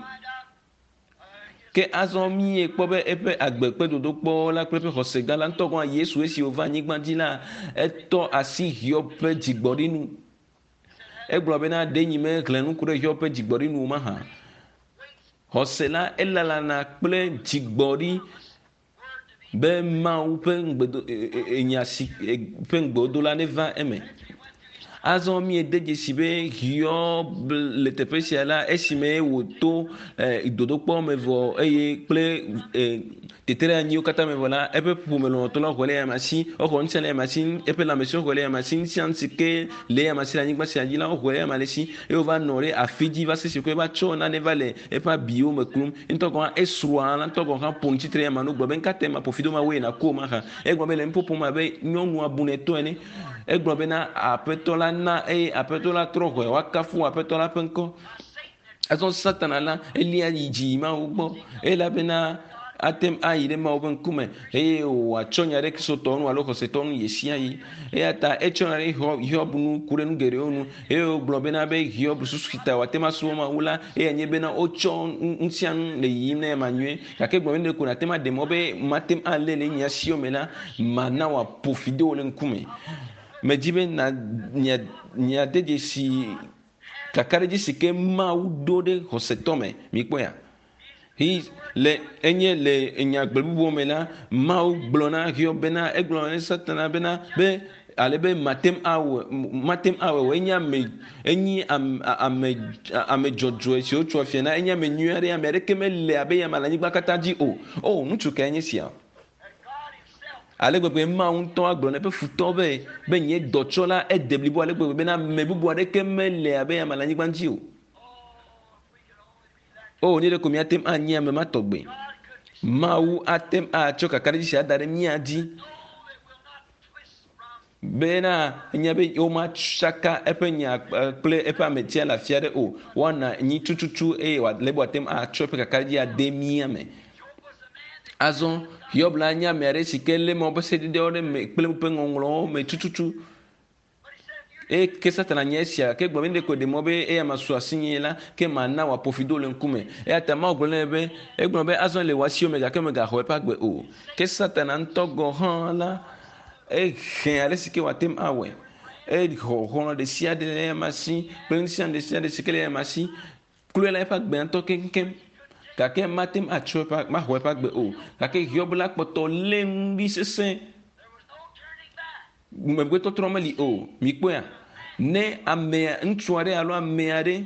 Ke azɔ míekpɔ be eƒe agbe kple dodokpɔ la kple eƒe xɔse gã la ŋutɔ gɔ̃ hã Yesu esi wòva anyigba dzi la, etɔ asi Hiob ƒe dzigbɔɖi nu. Egblɔ bena, ɖe nyi mexlẽ nu ku ɖe Hiob ƒe dzigbɔɖi nu o mahã? Xɔse la elalana kple dzigbɔɖi be Mawu ƒe ŋugbedo enya si ƒe ŋugbewodo la neva eme. Azɔ míede dzesi be Hiob le teƒe sia la, esime wòto dodokpɔ me vɔ eye kple teteɖeanyiwo katã me vɔ la, eƒe ƒome lɔlɔ̃tɔ la xɔe le eyama si, exɔ ŋusẽ le eyama si, eƒe lãmesẽ xɔe le eyama si, nu sia nu si ke le eyama si le anyigba sia dzi la, woxɔe le eyama le si eye wova nɔ ɖe afi dzi va se esi ke va tsɔ nane va le eƒe abiwo me klum. Ŋutɔ gɔ̃ hã esrɔ̃a la ŋutɔ gɔ̃ hã ƒo nu tsitre eyama nu gblɔ be, Nukatae maƒo fi do ma woe nàku o mahã? Egblɔ be le nuƒoƒo me abe nyɔnua bunɛtɔ ene. Egblɔ bena, Aƒetɔ la na eye Aƒetɔ la trɔ xɔe, woakafu Aƒetɔ la ƒe ŋkɔ. Azɔ Satana la, elia yi dzi yi Mawu gbɔ elabena ate ŋu ayi ɖe Mawu ƒe ŋkume eye wòatsɔ nya ɖe Kristotɔwo nu alo xɔsetɔwo nu ɣesiaɣi. Eya ta etsɔ nya ɖe Hiob nu ku ɖe nu geɖewo nu eye wògblɔ bena be Hiob susu si ta wòate ŋu asubɔ Mawu la, eyae nye bena wotsɔ nu sia nu le yiyim na ema nyuie. Gake egblɔ be nu ɖe ko nàte ŋu aɖe mɔ be mate ŋu alé le nye asiwo me la, mana wòaƒo fi de wò le ŋkume. Medi be na mia miade dzesi kakaɖedzi si ke Mawu ɖo ɖe xɔsetɔ me. Mikpɔea? Hi le enye le nyagbe bubuwo me la, Mawu gblɔ na Hiob bena egblɔ na Satana bena be ale be mate ŋu awɔe mate ŋu awɔe o. Enye ame enyi ame ame ame dzɔdzɔe si wotso afia na enye ame nyui aɖe ame aɖeke mele abe ya me le anyigba katã dzi o. O ŋutsu kae nye sia? Ale gbegbe Mawu ŋutɔ agblɔ na eƒe futɔ be be nye dɔtsɔla ede blibo ale gbegbe bena ame bubu aɖeke mele abe ame le anyigba dzi o. O, ne ɖeko míate ŋu anyi ame ma tɔgbe. Mawu ate ŋu atsɔ kakaɖedzi sia da ɖe mía dzi bena enya be womatsaka eƒe nya kple eƒe ametia le afi aɖe o. Woana anyi tututu eye wòale be wòate ŋu atsɔ eƒe kakaɖedzi ade mía me. Azɔ Hiob la nye ame aɖe si ke lé Mawu ƒe sededewo ɖe me kple woƒe ŋɔŋlɔwo me tututu. Eye ke Satana nye esia gake egblɔ be ne ɖeko ɖe mɔ be eya masu asinye la, ke mana wòaƒo fi do le ŋkume. Eya ta Mawu gblɔ nɛ be, egblɔ be azɔ le wò asiwo me gake mègaxɔ eƒe agbe o. Ke Satana ŋutɔ gɔ̃ hã la, ehe ale si ke wòate ŋu awɔe. Exɔ xɔlɔ̃ ɖe sia ɖe le eyama si kple nu sia nu ɖe sia ɖe si ke le eyama si. Kloe la eƒe agbea ŋutɔ keŋkeŋ. Gake mate ŋu atsɔ eƒe maxɔ eƒe agbe o. Gake Hiob la kpɔtɔ lé nu ɖi sesẽ. Megbetɔtrɔ meli o. Mikpɔea? Ne amea, ŋutsu aɖe alo ame aɖe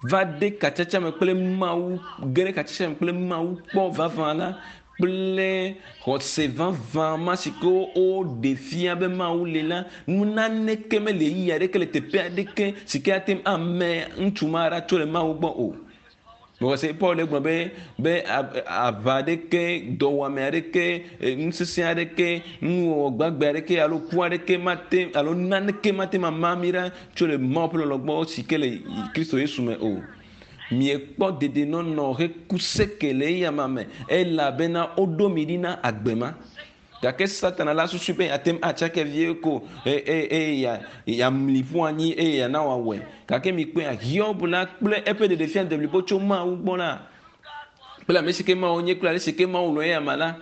va de katsatsa me kple Mawu, ge ɖe katsatsa me kple Mawu kpɔ vavã la, kple xɔse vavã ma si ke woɖe fia be Mawu li la, nu naneke meli ɣeyiɣi aɖeke le teƒe aɖeke si ke ate ŋu ame ŋutsu ma ɖa tso le Mawu gbɔ o. Mexɔse Paul gblɔ be be aʋa aɖeke, dɔwɔame aɖeke, nusese aɖeke, nuwɔwɔ gbagbe aɖeke alo ku aɖeke mate alo naneke mate ŋu ama mí ɖa tso le Mawu ƒe lɔlɔ̃ gbɔ si ke le Kristo Yesu me o. Miekpɔ dedienɔnɔ heku seke le eyama me elabena woɖo mi ɖi na agbe ma. Gake Satana la susui be yeate ŋu atsake vie ko eye yeamli ƒu anyi eye yeana wòawɔe. Gake mikpɔea, Hiob la kple eƒe ɖeɖefia deblibo tso Mawu gbɔ la, kple ame si ke Mawu nye kple ale si ke Mawu lɔ̃ eyama la,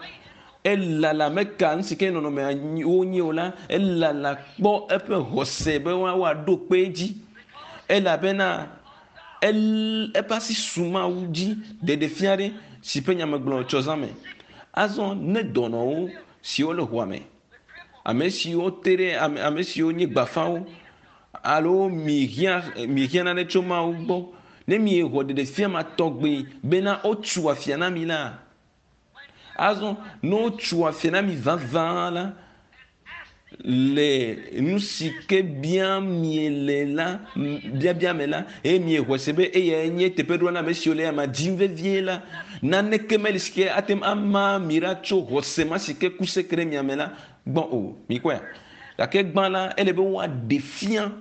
elala meka nu si ke nɔnɔmea wonye o la, elala kpɔ eƒe xɔse be woaɖo kpe edzi. Elabena eƒe asi su Mawu dzi ɖeɖefia ɖe si ƒe nya megblɔ tsɔ zã me. Azɔ ne dɔnɔwo siwo le ʋua me, ame siwo te ɖe ame, ame siwo nye gbafawo alo mihiã mihiã nane tso Mawu gbɔ, ne miexɔ ɖeɖefia ma tɔgbi bena wotso afia na mi la, azɔ ne wotso afia na mi vavã la, Le nu si ke biam miele la biabia me la eye miexɔe se be eyae nye teƒeɖoa na ame siwo le ama dim vevie la naneke meli si ke ate ŋu ama mi ɖa tso xɔse ma si ke ku seke ɖe mia me la gbɔ o. Mikpɔea? Gake gbã la ele be woaɖe fia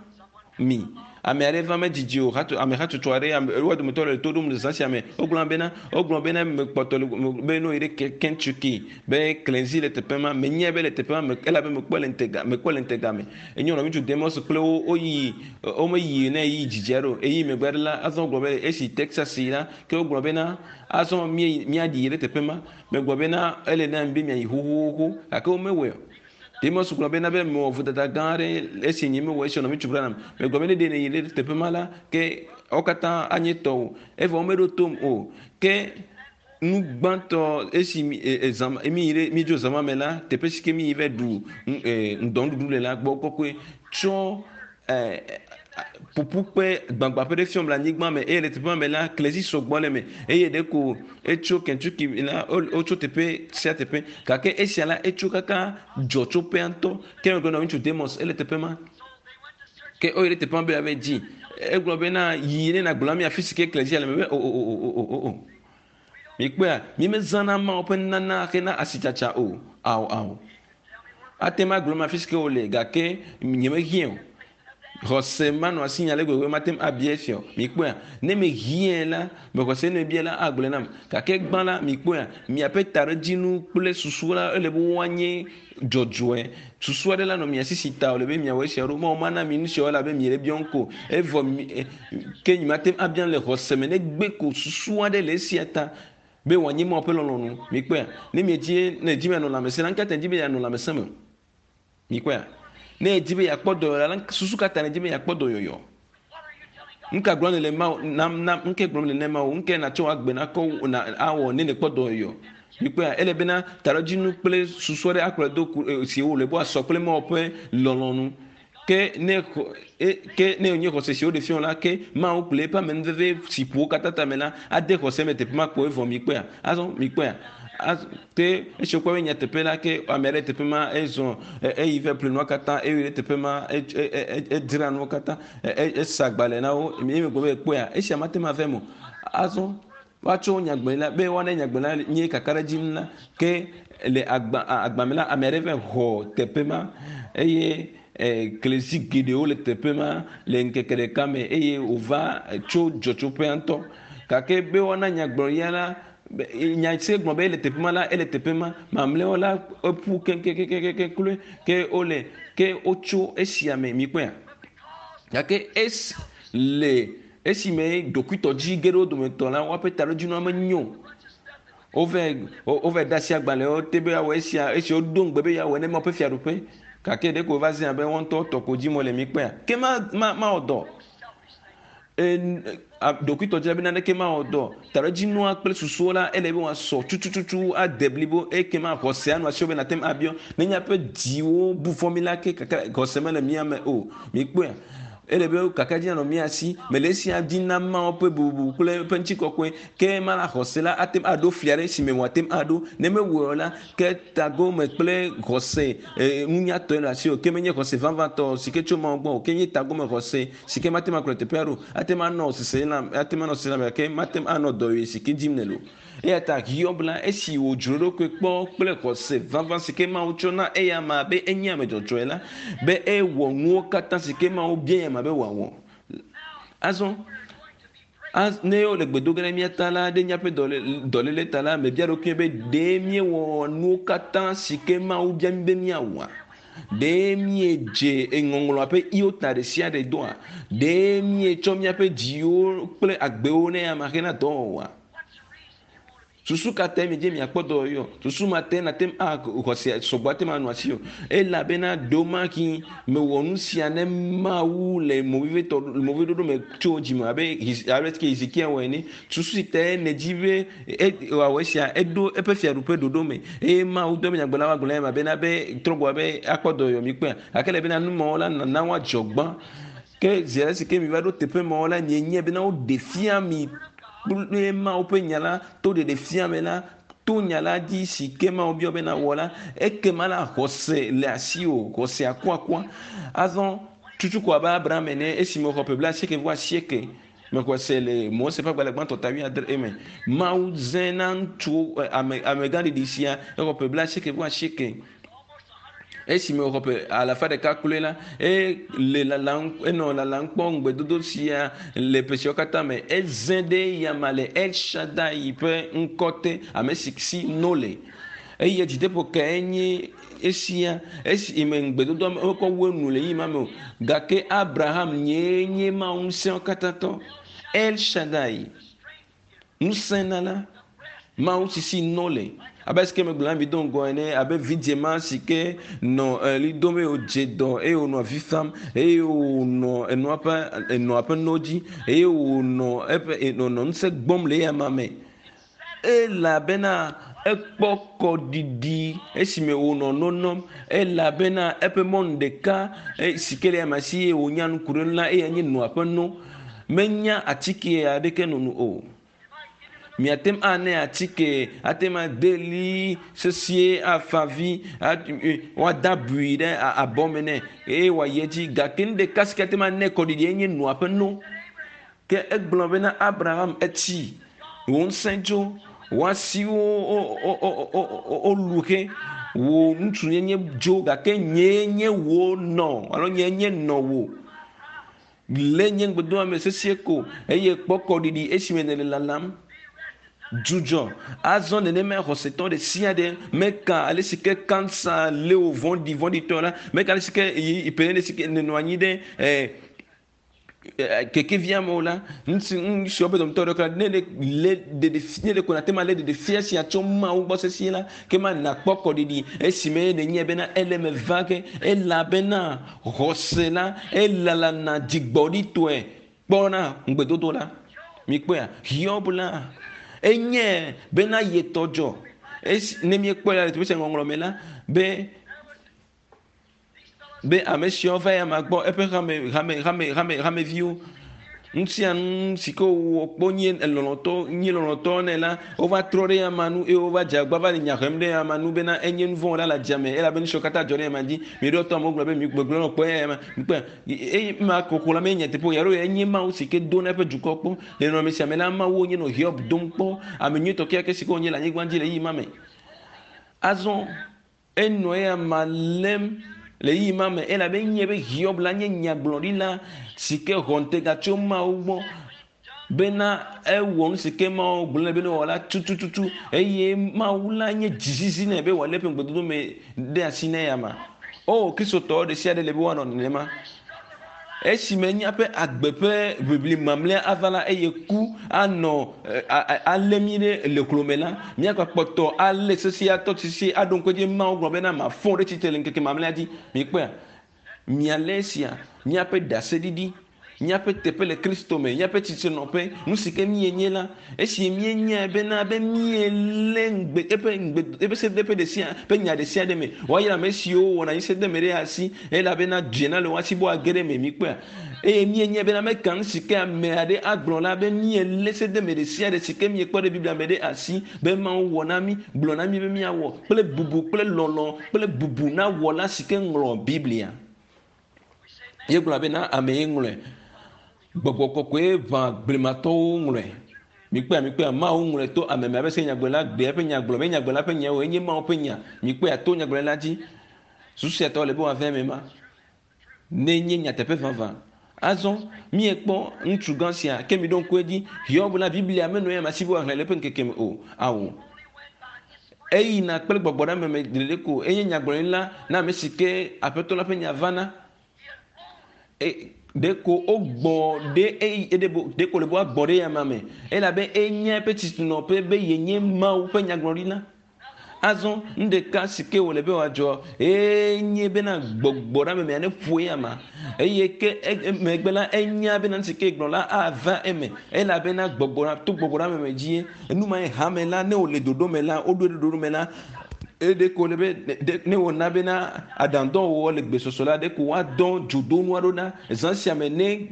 mi. Ame aɖe va medzidzi o hato ame hatsotso aɖe ame wo dometɔ le to ɖom le zã sia me. Wogblɔ bena wogblɔ bena mekpɔtɔ le be no yi ɖe Kentucky be klẽzi le teƒe ma. Menyae be le teƒe ma me elabe mekpɔe le ŋutega mekpɔe le ŋutega me. Enye nɔviŋutsu Demos kple wo woyi womeyi ne yi dzidzi aɖe o. Eyi megbe aɖe la azɔ wogblɔ be esi Texas yi la ke wogblɔ bena azɔ míeyi míaɖi ɖe teƒe ma. Megblɔ bena ele na mi be miayi xoxoxo gake womewɔe o. Demos gblɔ bena be mewɔ vodada gã aɖe esi nye mewɔ esi nɔviŋutsu Branham. Megblɔ be ne ɖe nèyi ɖe teƒe ma la ke wo katã anye tɔwò. Evɔ womeɖo tom o. Ke nu gbãtɔ esi mi e zã mi yi ɖe míedzo zã ma me la teƒe si ke mi yi va ɖu ŋdɔnuɖuɖu le la gbɔ kɔkɔe tsɔ ƒuƒukpe gbagbãƒe ɖe fiɔm le anyigba me eye le teƒe ma me la klezi sɔgbɔ le eme eye ɖeko etso Kentucky la wotso teƒe sia teƒe gake esia la etso kaka dzɔtsoƒea ŋutɔ ke megblɔ na ŋutsu Demos ele teƒe ma ke woyi ɖe teƒe ma be yeava dzi egblɔ bena yi ne nàgblɔ na mi afi si ke klezia le me be o o o o o o o mikpɔea mi mezãna Mawu ƒe nunana hena asitsatsa o ao ao ate ŋu agblɔ ma afi si ke wole gake nyemehiã o xɔse manɔ asinye ale gbegbe mate ŋu abia esia o. Mikpɔea? Ne mehiãe la, mexɔse ne mebia la agblɔe nam. Gake gbã la, mikpɔea? Miaƒe taɖodzinu kple susu la ele be woanye dzɔdzɔe. Susu aɖe la nɔ mia si si ta wòle be miawɔ esia ɖo. Mawu mana mi nu siawo elabe miele biɔm ko. Evɔ mi ke nyemate ŋu abiam le xɔse me negbe ko susu aɖe le esia ta be wòanye Mawu ƒe lɔlɔ̃nu. Mikpɔea? Ne miedzi ne èdi be yeanɔ lãmesẽ la, nu ka ta nèdi be yeanɔ lãmesẽ me? Mikpɔea? Ne èdi be yeakpɔ dɔyɔyɔ la, susu ka ta nèdi be yeakpɔ dɔyɔyɔ? Nu ka gblɔm nèle Mawu na na nu ke gblɔm nèle na Mawu? Nu ke nàtsɔ agbe nakɔ na awɔ ne nèkpɔ dɔyɔyɔ? Mikpɔea? Ele bena taɖodzinu kple susu aɖe akplɔe do ku si wòle be wòasɔ kple Mawu ƒe lɔlɔ̃nu. Ke ne e ke ne wònye xɔse si woɖe fia wò la, ke Mawu kple eƒe amenuveve si ƒo wo katã tame la ade xɔse me teƒe ma kpɔ evɔ mikpɔea? Azɔ mikpɔea? Ke esi wokpɔ be nyateƒe la ke ame aɖe teƒe ma ezɔ eyi va ƒle nua katã eyi ɖe teƒe ma edzra nuwo katã esa agbalẽ na wo eye megblɔ be ekpɔea esia mate ŋu ava eme o. Azɔ woatsɔ nyagblɔɖila be woana nyagblɔɖila nye kakaɖedzi nu la ke le agba agba me la ame aɖe va xɔ teƒe ma eye klezi geɖewo le teƒe ma le ŋkeke ɖeka me eye wòva tso dzɔtsoƒea ŋutɔ gake be woana nyagblɔɖia la nya si gblɔ be ele teƒe ma la ele teƒe ma mamlɛawo la eƒu keŋkeŋkeŋkeŋ kloe ke wole ke wotso esia me mikpɔea gake esi le esime ɖokuitɔdzi ge ɖe wo dometɔ la woaƒe taɖodzinua menyo wove wove de asi agbalẽwo te be yeawɔ esia esi wodo ŋugbe be yeawɔ ne Mawu ƒe fiaɖuƒe gake ɖeko wova zi abe woa ŋutɔ tɔ ko dzim wole mikpɔea ke ma ma mawɔ dɔ ɖokuitɔdzila be naneke mawɔ dɔ taɖodzinua kple susuwo la ele be wòasɔ tutututu ade blibo ekema xɔsea nɔ asiwò be nàte ŋu abiɔ ne míaƒe dziwo bu fɔ mí la ke kaka xɔse mele mía me o mikpɔea ele be kakaɖedzi nanɔ mía si mele esia dim na Mawu ƒe bubu kple eƒe ŋutikɔkɔe ke mana xɔse la ate ŋu aɖo fli aɖe si me wòate ŋu aɖo ne mewɔe o la ke tagome kple xɔse nunyatɔe le asiwò ke menye xɔse vavãtɔ si ke tso Mawu gbɔ o ke nye tagome xɔse si ke mate ŋu akplɔ teƒea ɖo ate ŋu anɔ seselelãme ate ŋu anɔ seselelãme gake mate ŋu anɔ dɔyɔe si ke dim nèle o. Eya ta Hiob la, esi wòdzro eɖokui kpɔ kple xɔse vavã si ke Mawu tsɔ na eya amea be enye ame dzɔdzɔe la, be ewɔ nuwo katã si ke Mawu bia eya amea be wòawɔ. Azɔ ne wole gbe do ge ɖe mía ta la, ɖe míaƒe dɔléle ta la, mebia ɖokuinye be ɖe míewɔ nuwo katã si ke Mawu bia mí be míawɔa? Ɖe míedze ŋɔŋlɔa ƒe iota ɖe sia ɖe doa? Ɖe míetsɔ míaƒe dziwo kple agbewo ne ame hena dɔwɔwɔa? Susu ka tae miedze miakpɔ dɔyɔyɔ? Susu ma tae nàte ŋu axɔse sɔgbɔ ate ŋu anɔ asiwò. Elabena ɖewomahi mewɔ nu sia ne Mawu le movivitɔ moviɖoɖo me tso dzime abe ale ke Hezekia wɔ ene. Susu si tae nèdi be wòawɔ esia, eɖo eƒe fiaɖuƒe ɖoɖo me eye Mawu do eƒe nyagblɔɖila woagblɔ nɛ bena be trɔ gbɔ be akpɔ dɔyɔyɔ mi kpɔea. Gake ele bena nu mawo la nana woadzɔ gbã. Ke zi ale si ke miva ɖo teƒe mawo la, mienyae bena woɖe fia mi kple Mawu ƒe nya la to ɖeɖe fia me la. To nya la dzi si ke Mawu biɔ be nawɔ la, ekema la xɔse le asiwò, xɔse akuakua. Azɔ tutu ko abe Abraham ene esime wòxɔ ƒe 88 mexɔe se le Mose ƒe agbalẽ gbãtɔ ta 70 eme. Mawu zẽ na ŋutsuwo ame amegãɖiɖi sia exɔ ƒe 88. Esime wòxɔ ƒe 100 kloe la, ele lalam enɔ lalam kpɔ ŋugbedodo sia le ƒe siawo katã me. Ezẽ ɖe eyama le El Shaddai ƒe ŋkɔ te, ame si si no le. Eye dzideƒo kae nye esia esime ŋugbedodoa mekɔ wu enu le ɣeyiɣi ma me o. Gake Abraham nyee nye Mawu ŋusẽwo katã tɔ. El Shaddai, ŋusẽnala, Mawu si si no le. Abe esike megblɔ na mi do ŋgɔ ene, abe vidzĩ ma si ke nɔ ɣli dom eye wòdze dɔ eye wònɔ avi fam eye wònɔ enɔa ƒe enɔa ƒe no dzi eye wònɔ eƒe nɔ ŋusẽ gbɔm le eyama me. Elabena ekpɔ kɔɖiɖi esime wònɔ no nom elabena eƒe mɔnu ɖeka si ke le eyama si eye wònya nu ku ɖe enu la eyae nye nɔa ƒe no. Menya atike aɖeke nono o. Miate ŋu ane atike, ate ŋu ade li sesie afa vi, woade abui ɖe abɔ me nɛ eye wòayi edzi. Gake nu ɖeka si ke ate ŋu ane kɔɖiɖi enye nɔa ƒe no. Ke egblɔ bena Abraham etsi, wò ŋusẽ dzo, wò asiwo wolu xe, wò ŋutsunyenye dzo gake nyee nye wò nɔ alo nyee nye nɔ wò. Le nye ŋugbedoame me sesie ko eye kpɔ kɔɖiɖi esime nèle lalam. Dzudzɔ. Azɔ nenemae xɔsetɔ ɖe sia ɖe meka ale si ke kansa lé wò vɔ̃ɖi vɔ̃ɖitɔ la, meka ale si ke ƒe ɖe si ke nènɔ anyi ɖe kekevia me o la, ŋuti ŋusiwo ƒe dometɔ ɖeka ne ɖe lé ɖeɖe ne ɖe ko nàte ŋu alé ɖeɖefia sia tso Mawu gbɔ sesĩe la, ke ma nàkpɔ kɔɖiɖi esime nènyae bena ele eme va ge elabena xɔse la elalana dzigbɔɖitɔe kpɔna ŋugbedodo la. Mikpɔea? Hiob la enye bena yetɔ dzɔ. Esi ne míekpɔe la le teƒe sia ŋɔŋlɔ me la be be ame siawo va ya ma gbɔ eƒe hame hame hame hame hameviwo ŋutia nu si ke wowɔ kpɔ nye lɔlɔtɔ nye lɔlɔtɔ nɛ la wova trɔ ɖe ama nu eye wova dze agba va le nya hem ɖe ama nu bena enye nu vɔ̃ la le adzame elabe nu siwo katã dzɔ ɖe ama dzi miɖo tɔ amewo gblɔ be migbegblɔ nɔ kpɔ eya ma mikpɔe eye ma koko la menye nyateƒe o ya ɖo enye Mawu si ke do na eƒe dukɔ kpɔ le nɔnɔme sia me la Mawu nye nɔ Hiob dom kpɔ ame nyuitɔ kekeake si ke wonye le anyigba dzi le ɣeyiɣi ma me azɔ Enɔ eya ma lém le ɣeyiɣi ma me elabe enyae be Hiob la nye nyagblɔɖila si ke xɔ ŋutega tso Mawu gbɔ bena ewɔ nu si ke Mawu gblɔ nɛ be newɔ la tutututu eye Mawu la nye dzizizi nɛ be wòalé eƒe ŋugbedodo me ɖe asi na eyama. O, Kristotɔ ɖe sia ɖe le be woanɔ nenema. Esime míaƒe agbe ƒe ʋiʋli mamlɛa ava la eye ku anɔ alé mí ɖe le klo me la, míagakpɔtɔ alé sesĩe atɔ sesĩe aɖo ŋku edzi Mawu gblɔ bena mafɔ ɖe tsitre le ŋkeke mamlɛa dzi. Mikpɔea? Mialé esia, míaƒe ɖaseɖiɖi, míaƒe teƒe le Kristo me, míaƒe tsitrenɔƒe, nu si ke míenye la, esi míenyae bena be míelé ŋugbe eƒe ŋugbe eƒe sedeƒe ɖe sia ƒe nya ɖe sia ɖe me. Woayra ame siwo wɔna anyi sede me ɖe asi elabena dzena le wo asi be woage ɖe eme. Mikpɔea? Eye míenyae bena meka nu si ke ame aɖe agblɔ la be míelé sede me ɖe sia ɖe si ke míekpɔ ɖe Biblia me ɖe asi be Mawu wɔ na mí, gblɔ na mí be míawɔ kple bubu kple lɔlɔ̃ kple bubu na Wɔla si ke ŋlɔ Biblia. Míegblɔ bena ame ye ŋlɔe. Gbɔgbɔ kɔkɔe ʋã blematɔwo ŋlɔe. Mikpɔea, mikpɔea, Mawu ŋlɔe to ame me abe se nyagblɔɖila gbe eƒe nya gblɔ be nyagblɔɖila ƒe nyawo enye Mawu ƒe nya. Mikpɔea, to nyagblɔɖila dzi. Susu sia tɔ le be wòava eme ma. Ne nye nyateƒe vavã. Azɔ, míekpɔ ŋutsu gã sia, ke miɖo ŋku edzi, Hiob la, Biblia menɔ eya me asi be wòaxlẽ le eƒe ŋkeke me o. Ao. Eyina kple gbɔgbɔ ɖe ame me ɖeɖe ko. Enye nyagblɔɖila na ame si ke Aƒetɔ la ƒe nya vana. Ɖeko wogbɔ ɖe eyi ɖeko le be woagbɔ ɖe eyama me elabe enya eƒe tsitsinɔƒe be yenye Mawu ƒe nyagblɔɖila. Azɔ nu ɖeka si ke wòle be wòadzɔ enye bena gbɔgbɔ ɖe ame mea neƒo eyama eye ke emegbe la enya bena nu si ke gblɔ la ava eme elabena gbɔgbɔ to gbɔgbɔ ɖe ame me dzie. Enu ma ye hame la ne wòle ɖoɖo me la woɖoe ɖe ɖoɖo me la. Eɖe ko le be ne wòna bena aɖaŋudɔwɔwɔ le gbesɔsɔ la, ɖeko woadɔ dzodonu aɖewo na zã sia me ne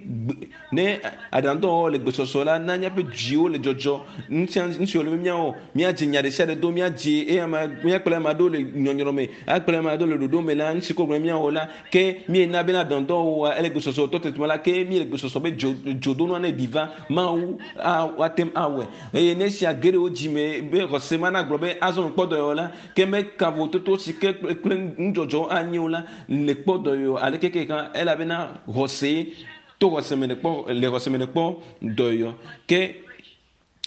ne aɖaŋudɔwɔwɔ le gbesɔsɔ la na míaƒe dziwo le dzɔdzɔ. Nu sia nu si wòle be míawɔ, míadze nya ɖe sia ɖe do, míadze eye ame míakplɔ ame aɖewo le nyɔnyrɔ me, akplɔ ame aɖewo le ɖoɖo me la, nu si ko gblɔm míawɔ la, ke míena bena aɖaŋudɔwɔwɔa ele gbesɔsɔ tɔ tete la, ke míele gbesɔsɔ be dzo dzodonua ne ɖi va Mawu a woate ŋu awɔe. Eye ne esia ge ɖe wo dzi me be xɔse ma nagblɔ be azɔ mekpɔ dɔyɔyɔ la, ke meka vovototo si ke kple nudzɔdzɔwo anyi o la, le kpɔ dɔyɔyɔ aleke ke hã, elabena xɔse to xɔse me nèkpɔ le xɔse me nèkpɔ dɔyɔyɔ. Ke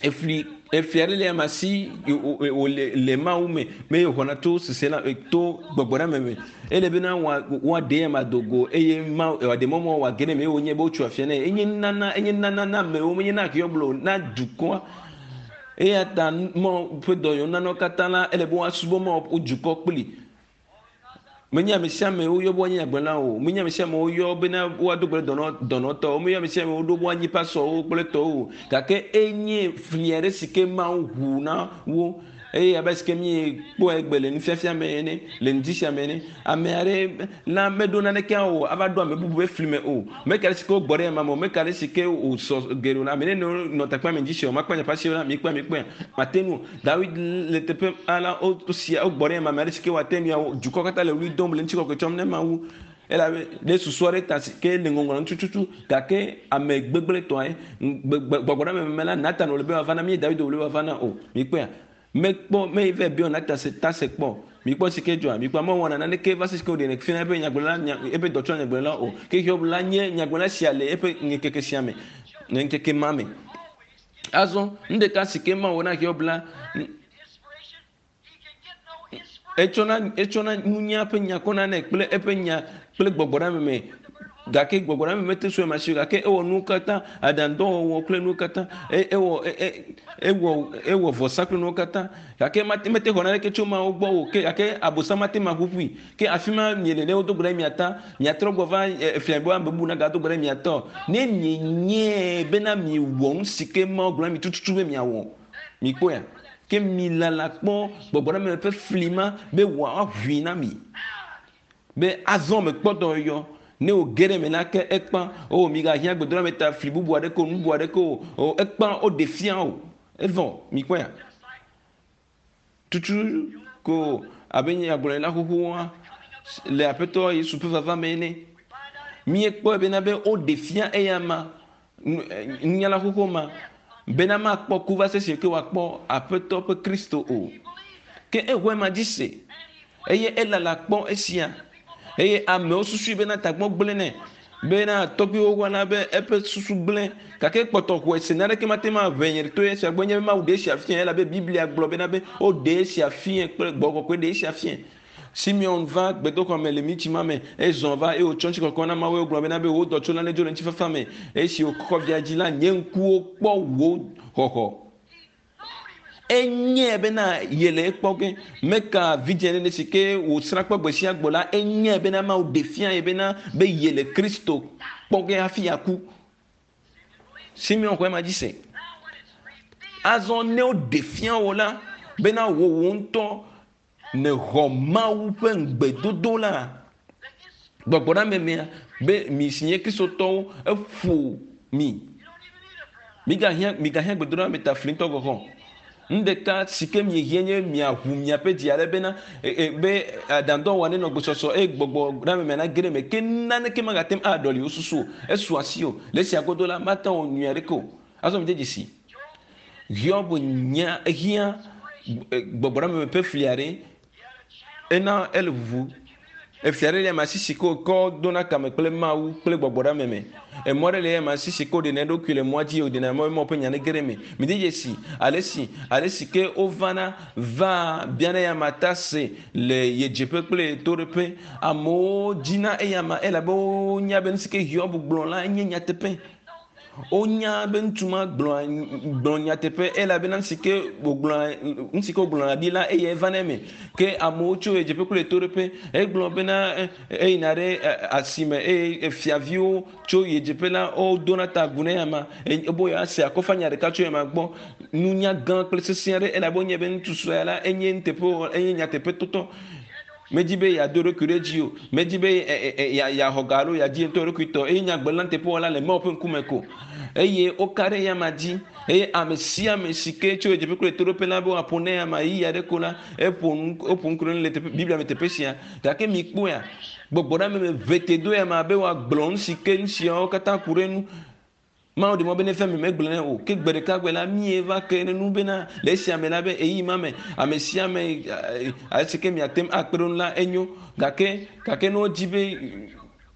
efli efli aɖe le ame si wòle le Mawu me me xɔna to sese la to gbɔgbɔ ɖe ame me. Ele bena woaɖe ame do go eye ma wòaɖe mɔ mɔ wòage ɖe eme eye wònye be wotso afia nɛ. Enye nunana enye nunana na amewo menye na Hiob o na dukɔa. Eya ta Mawu ƒe dɔyɔyɔ nunanawo katã la ele be woasubɔ Mawu ƒe dukɔ kpli. Menye ame sia ame woyɔ be woanye nyagblɔla o. Menye ame sia ame woyɔ bena woado gbe ɖe dɔnɔ dɔnɔtɔwo. Menye ame sia ame woɖo be woanyi pasɔwo kple tɔwo o. Gake enye fli aɖe si ke Mawu ʋu na wo. Eye abe si ke míekpɔe egbe le nufiafia me ene, le ŋdi sia me ene, ame aɖe la meɖo naneke o, ava ɖo ame bubu ƒe fli me o. Meka ɖe si ke wogbɔ ɖe ema me o, meka ɖe si ke wòsɔ geɖe o. Ame nene nɔ takpea me ŋdi sia o, makpɔ nye ƒe la, mikpɔe, mikpɔe, mate ŋu o. Dawid le teƒe ala wosia wogbɔ ɖe ema me aɖe si ke wòate ŋu awɔ. Dukɔ katã le ɣli dom le ŋutikɔkɔe tsɔm ne Mawu. Elabe ɖe susu aɖe ta si ke le ŋɔŋlɔ ŋu tututu gake ame gbegblẽtɔe gbɔgbɔ ɖe ame me la Natan wòle be wòava na mí David wòle be wòava na o. Mikpɔea? Mekpɔ me va biɔ Natan se ta se kpɔ. Mikpɔ si ke dzɔa. Mikpɔ amewo wɔna naneke va se si ke woɖenɛ fia eƒe nyagblɔla nya eƒe dɔtsɔ nyagblɔla o. Ke Hiob la nye nyagblɔla sia le eƒe ŋkeke sia me le ŋkeke ma me. Azɔ nu ɖeka si ke Mawu na Hiob la etsɔna etsɔna nunya ƒe nya kɔna nɛ kple eƒe nya kple gbɔgbɔ ɖe ame me gake gbɔgbɔ ɖe ame mete sue ma si o gake ewɔ nuwo katã aɖaŋudɔwɔwɔ kple nuwo katã ewɔ ewɔ ewɔ vɔsa kple nuwo katã gake mate mete xɔ naneke tso Mawu gbɔ o ke gake abosam mate ma ƒuƒui ke afi ma miele ne wodo gbe ɖe mia ta miatrɔ gbɔ va efia be ame bubu nagado gbe ɖe mia tɔ ne mienyae bena miewɔ nu si ke Mawu gblɔ na mi tututu be miawɔ mikpɔea ke milala kpɔ gbɔgbɔ ɖe ame ƒe fli ma be wòaʋui na mi be azɔ mekpɔ dɔyɔyɔ ne wòge ɖe eme la ke ekpã o migahiã gbedoɖa ta fli bubu aɖeke o nu bubu aɖeke o o ekpã woɖe fia o evɔ mikpɔea tutu ko abe nyagblɔɖila xoxoa le aƒetɔ Yesu ƒe vava me ene míekpɔe bena be woɖe fia eya ma nunyala xoxo ma bena makpɔ ku va se si ke wòakpɔ aƒetɔ ƒe Kristo o. Ke exɔe ma dzi se eye elala kpɔ esia eye amewo susui bena tagbɔ gblẽ nɛ bena tɔgbuiwo wɔna be eƒe susu gblẽ gake kpɔtɔ xɔe se naneke mate ŋu aʋe nye to esia gbɔ nye be Mawu ɖe esia fia elabe Biblia gblɔ bena be woɖe esia fia kple gbɔgbɔ kɔkɔe ɖe esia fia. Simeon va gbedoxɔ me le mitsi ma me ezɔ va eye wòtsɔ ŋutikɔkɔ na Mawu wogblɔ bena be wò dɔtsola nedzo le ŋutifafa me esi wòkɔ via dzi la nye ŋkuwo kpɔ wò xɔxɔ. Enyae bena yele ekpɔ ge meka vidzĩ nene si ke wòsrã kpɔ gbe sia gbe la enyae bena Mawu ɖe fia ye bena be yele Kristo kpɔ ge hafi yeaku. Simeon xɔ ema dzi se. Azɔ ne woɖe fia wò la bena wò wò ŋutɔ nèxɔ Mawu ƒe ŋugbedodo la, gbɔgbɔ ɖe ame mea be mi si nye Kristotɔwo eƒo mi. Migahiã migahiã gbedoɖa me ta fli ŋutɔ gɔ̃ hã. Nu ɖeka si ke miehiã nye miaʋu miaƒe dzi ale bena be aɖaŋudɔwɔwɔ nenɔ gbesɔsɔ eye gbɔgbɔ ɖe ame mea nage ɖe eme ke naneke magate ŋu aɖɔli wò susu o. Esu asi o. Le esia godo la, mate ŋu awɔ nyui aɖeke o. Azɔ mide dzesi. Hiob nya ehiã gbɔgbɔ ɖe ame ƒe fli aɖe ena ele ʋuʋu. Efli aɖe le ame si si ke wòkɔ dona kame kple Mawu kple gbɔgbɔ ɖe ame me. Emɔ ɖe le ame si si ke woɖena eɖokui le mɔa dzi wòɖena mɔ Mawu ƒe nya nege ɖe eme. Mide dzesi ale si ale si ke wovana vaa biana eya ta se le yedzeƒe kple yetoɖoƒe. Amewo dzina eya ma elabe wonya be nu si ke Hiob gblɔ la enye nyateƒe. Wonya be ŋutsu ma gblɔa gblɔ nyateƒe elabena nu si ke wògblɔa nu si ke wògblɔna ɖi la eye eva na eme. Ke amewo tso ɣedzeƒe kple ɣetoɖoƒe egblɔ bena eyina ɖe asime eye fiaviwo tso ɣedzeƒe la wodona ta agu ne ama ebe yewoase akɔfanya ɖeka tso ema gbɔ. Nunya gã kple sesẽ aɖe elabe wonyae be ŋutsu sue la enye nuteƒewɔla enye nyateƒetotɔ. Medi be yeado eɖokui ɖe dzi o. Medi be yeaxɔ ga alo yeadi ye ŋutɔ ɖokui tɔ. Eye nyagblɔla nuteƒewɔla le Mawu ƒe ŋkume ko. Eye woka ɖe eyama dzi. Eye ame sia ame si ke tso ɣedzeƒe kple ɣetoɖoƒe la be woaƒo na eyama ɣeyiɣi aɖe ko la, eƒo nu, woƒo nu ku ɖe eŋu le teƒe, Biblia me teƒe sia. Gake mikpɔea, gbɔgbɔ ɖe ame me ʋete do eyama be woagblɔ nu si ke nu siawo katã ku ɖe enu. Mawu ɖe mɔ be ne fia mi megblɔe nɛ o. Ke gbe ɖeka gbe la, mie va ke ɖe nu bena le esia me la be ɣeyiɣi ma me ame sia ame ale si ke miate ŋu akpe ɖe ŋu la enyo. Gake gake ne wodi be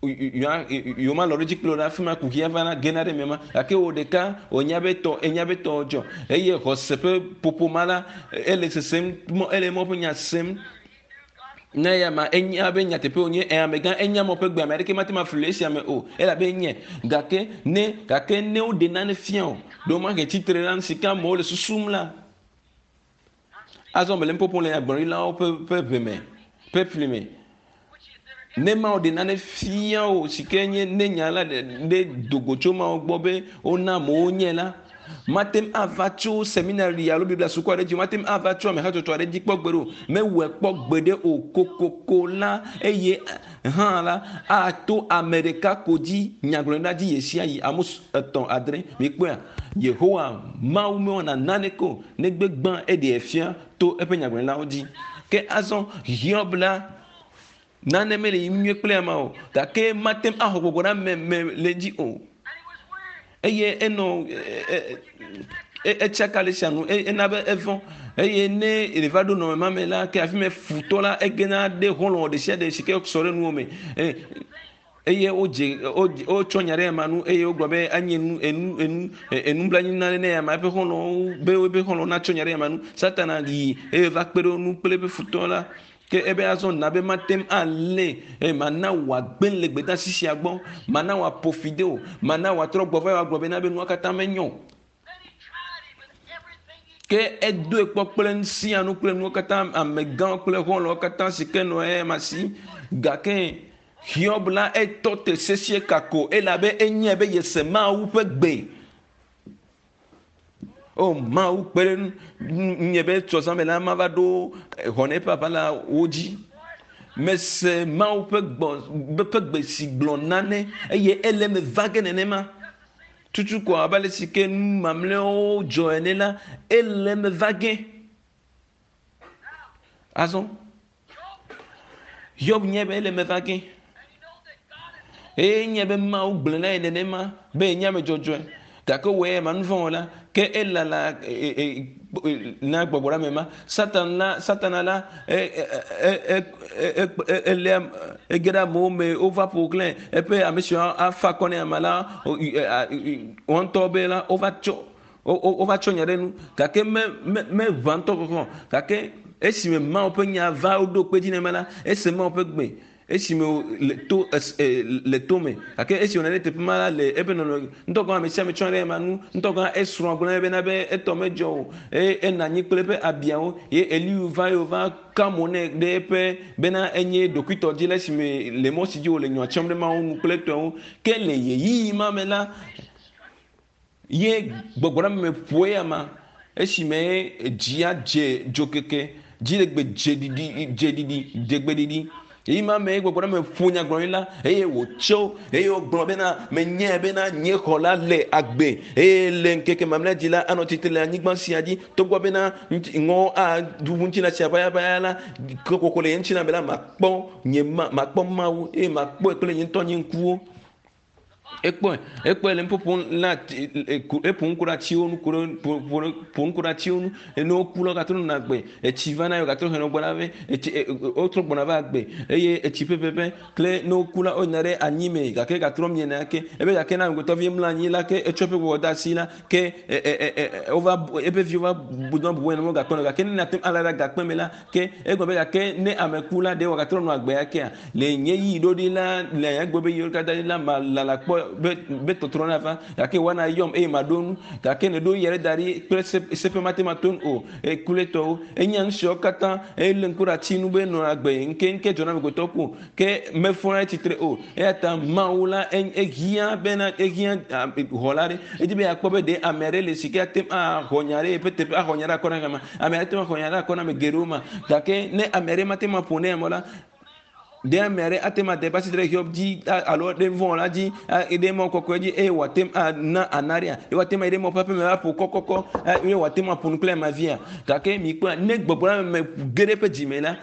yewomalɔ̃ ɖe edzi kpli o la, afi ma kuxia va gena ɖe eme ma. Gake wò ɖeka wònya be tɔ enya be tɔ dzɔ eye xɔse ƒe ƒoƒo ma la ele sesem ele Mawu ƒe nya sem. Ne eya ma enya be nyateƒe wònye ɛ amegã enya mɔ ƒe gbe ame aɖeke mate ŋu afli le esia me o elabe enye gake ne gake ne woɖe nane fia o ɖe womahe tsitre la si ke amewo le susum la azɔ mele nuƒoƒom le nyagblɔɖilawo ƒe ƒe ʋe me ƒe fli me ne Mawu ɖe nane fia o si ke nye ne nya la ɖe dogo tso Mawu gbɔ be wona amewo nye la Mate ŋu ava tso seminari alo Biblia suku aɖe dzi o, mate ŋu ava tso ame hatsotso aɖe dzi kpɔ gbeɖe o. Mewɔe kpɔ gbeɖe o. Kokoko la, eye hã la, ato ame ɖeka ko dzi nyagblɔɖila dzi ɣesiaɣi. Amos 3:6. Mikpɔea? Yehowa Mawu mewɔna naneke o, negbe gbã eɖee fia to eƒe nyagblɔɖilawo dzi. Ke azɔ Hiob la, nane mele yiyim nyuie kple ama o, gake mate ŋu axɔ gbɔgbɔ ɖe ame me le edzi o. Eye enɔ etsaka le sia nu ena be evɔ̃ eye ne ɖeva ɖo nɔnɔme ma me la ke afi ma futɔ la egena ɖe xɔlɔ̃ ɖe sia ɖe si ke sɔ ɖe nuwo me eye wodze wotsɔ nya ɖe ema nu eye wogblɔ be enye nu enu enu enublanui nane ne ama eƒe xɔlɔ̃wo be woƒe xɔlɔ̃wo natsɔ nya ɖe ema nu. Satana yi eye va kpe ɖe wo ŋu kple eƒe futɔ la. Ke ebe azɔ na be mate ŋu alé eye mana wòagbe le gbedeasi sia gbɔ, mana wòaƒo fi de o, mana wòatrɔ gbɔ va wòagblɔ bena be nua katã menyo o. Ke edoe kpɔ kple nu sia nu kple nuwo katã, amegãwo kple xɔlɔ̃wo katã si ke nɔ eya si. Gake Hiob la etɔ te sesĩe kako elabe enyae be yese Mawu ƒe gbe. O Mawu kpe ɖe ŋunye be tsɔzãme la mava ɖo xɔ na eƒe aʋala wo dzi. Mese Mawu ƒe gbɔ ƒe gbe si gblɔ nane eye ele eme va ge nenema. Tutu ko abe ale si ke nu mamlɛawo dzɔ ene la, ele eme va ge. Azɔ Hiob nyae be ele eme va ge. Eye enyae be Mawu gblɔe na ye nenema be yenye ame dzɔdzɔe. Gake wòe ya nu vɔ̃ wɔla. Ke elala na gbɔgbɔ ɖe ame ma. Satan la, Satana la, eléa ege ɖe amewo me wova ƒo xlãe. Eƒe ame siwo afa akɔ nɛ ame la, woa ŋutɔ be la wova tsɔ wova tsɔ nya ɖe nu gake me me meʋã ŋutɔ kɔkɔ gake esime Mawu ƒe nya va woɖo kpe dzi nɛ la, ese Mawu ƒe gbe esime le to es, e, le to me gake esi wònɔ ɖe teƒe ma la le eƒe nɔnɔ ŋutɔ gɔ̃ ame sia ame tsɔ ɖe ema nu ŋutɔ gɔ̃ esrɔ̃ gblɔ nɛ bena be etɔ medzɔ o eye enɔ anyi kple eƒe abiawo ye Elihu va ye wòva ka mo nɛ ɖe eƒe bena enye ɖokuitɔdila esime le mɔ si dzi wòle nyɔ tsɔm ɖe Mawu nu kple etɔwo ke le ɣeyiɣi ma me la Ye gbɔgbɔ la me ƒo eya ma esime dzia dze dzokeke, dziɖegbe dze ɖiɖi, dze ɖiɖi, dze gbeɖiɖi. Eyi ma me gbɔgbɔ la me ƒo nyagblɔɖi la eye wòtso eye wògblɔ bena, menyae bena nye xɔla le agbe eye le ŋkeke mamlɛa dzi la anɔ tsitre le anyigba sia dzi. Togbɔ bena ŋɔ aɖu ŋutilã sia ʋayaʋaya la, kokoko le nye ŋutilã me la, makpɔ nye ma, makpɔ Mawu eye makpɔe kple nye ŋutɔ nye ŋkuwo. Ekpɔe, ekpɔe le nuƒoƒo na eƒo nu ku ɖe atiwo nu ku ɖe ƒo nu ku ɖe atiwo nu. Ne woku la, wogatrɔ nɔna agbe. Etsi vana ye wogatrɔ hena gbɔna vɛ. Etsi wotrɔ gbɔna va agbe eye etsi ƒeƒeƒe kple ne woku la, woyina ɖe anyi me gake gatrɔ miena ake. Ebe gake ne amegbetɔvi mlɔ anyi la ke etsɔ eƒe gbɔgbɔ de asi la ke wova eƒe viwo va bu dɔ bubu ene wogakpɔnɛ o. Gake ne nàte ŋu alé ɖe agakpe me la ke egblɔ be gake ne ame ku la ɖe wòagatrɔ nɔ agbe akea? Le nye ɣeyiɣi ɖoɖi la, le nye agbe ƒe ɣeyiɣiwo katã dzi la, malala kpɔ akpɔ be be tɔtrɔ nava gake woana yɔm eye maɖo nu gake ne ɖo ɣeyiɣi aɖe da ɖi kple se seƒe mate ŋu ato nu o ekuletɔwo enya nu siawo katã ele ŋku ɖe ati nu be nɔ agbe ŋkeŋke dzɔna amegbetɔ ku o ke mefɔna ɖe tsitre o eya ta Mawu la ehiã bena ehiã xɔla ɖe edi be yeakpɔ be ɖe ame aɖe le si ke ate ŋu axɔ nya ɖe yeƒe teƒe axɔ nya ɖe akɔ na ame ame aɖe te ŋu axɔ nya ɖe akɔ na ame geɖewo ma gake ne ame aɖe mate ŋu aƒo ne ame la ɖe ame aɖe ate ŋu ade eƒe asi ɖe Hiob dzi alo ɖe vɔ̃ la dzi ɖe mɔ kɔkɔe dzi eye wòate ŋu ana ana ɖea eye wòate ŋu ayi ɖe mɔ ƒe aƒeme aƒo kɔkɔkɔ eye wòate ŋu aƒo nu kple amea via gake mikpɔa ne gbɔgbɔ la me ge ɖe eƒe dzime la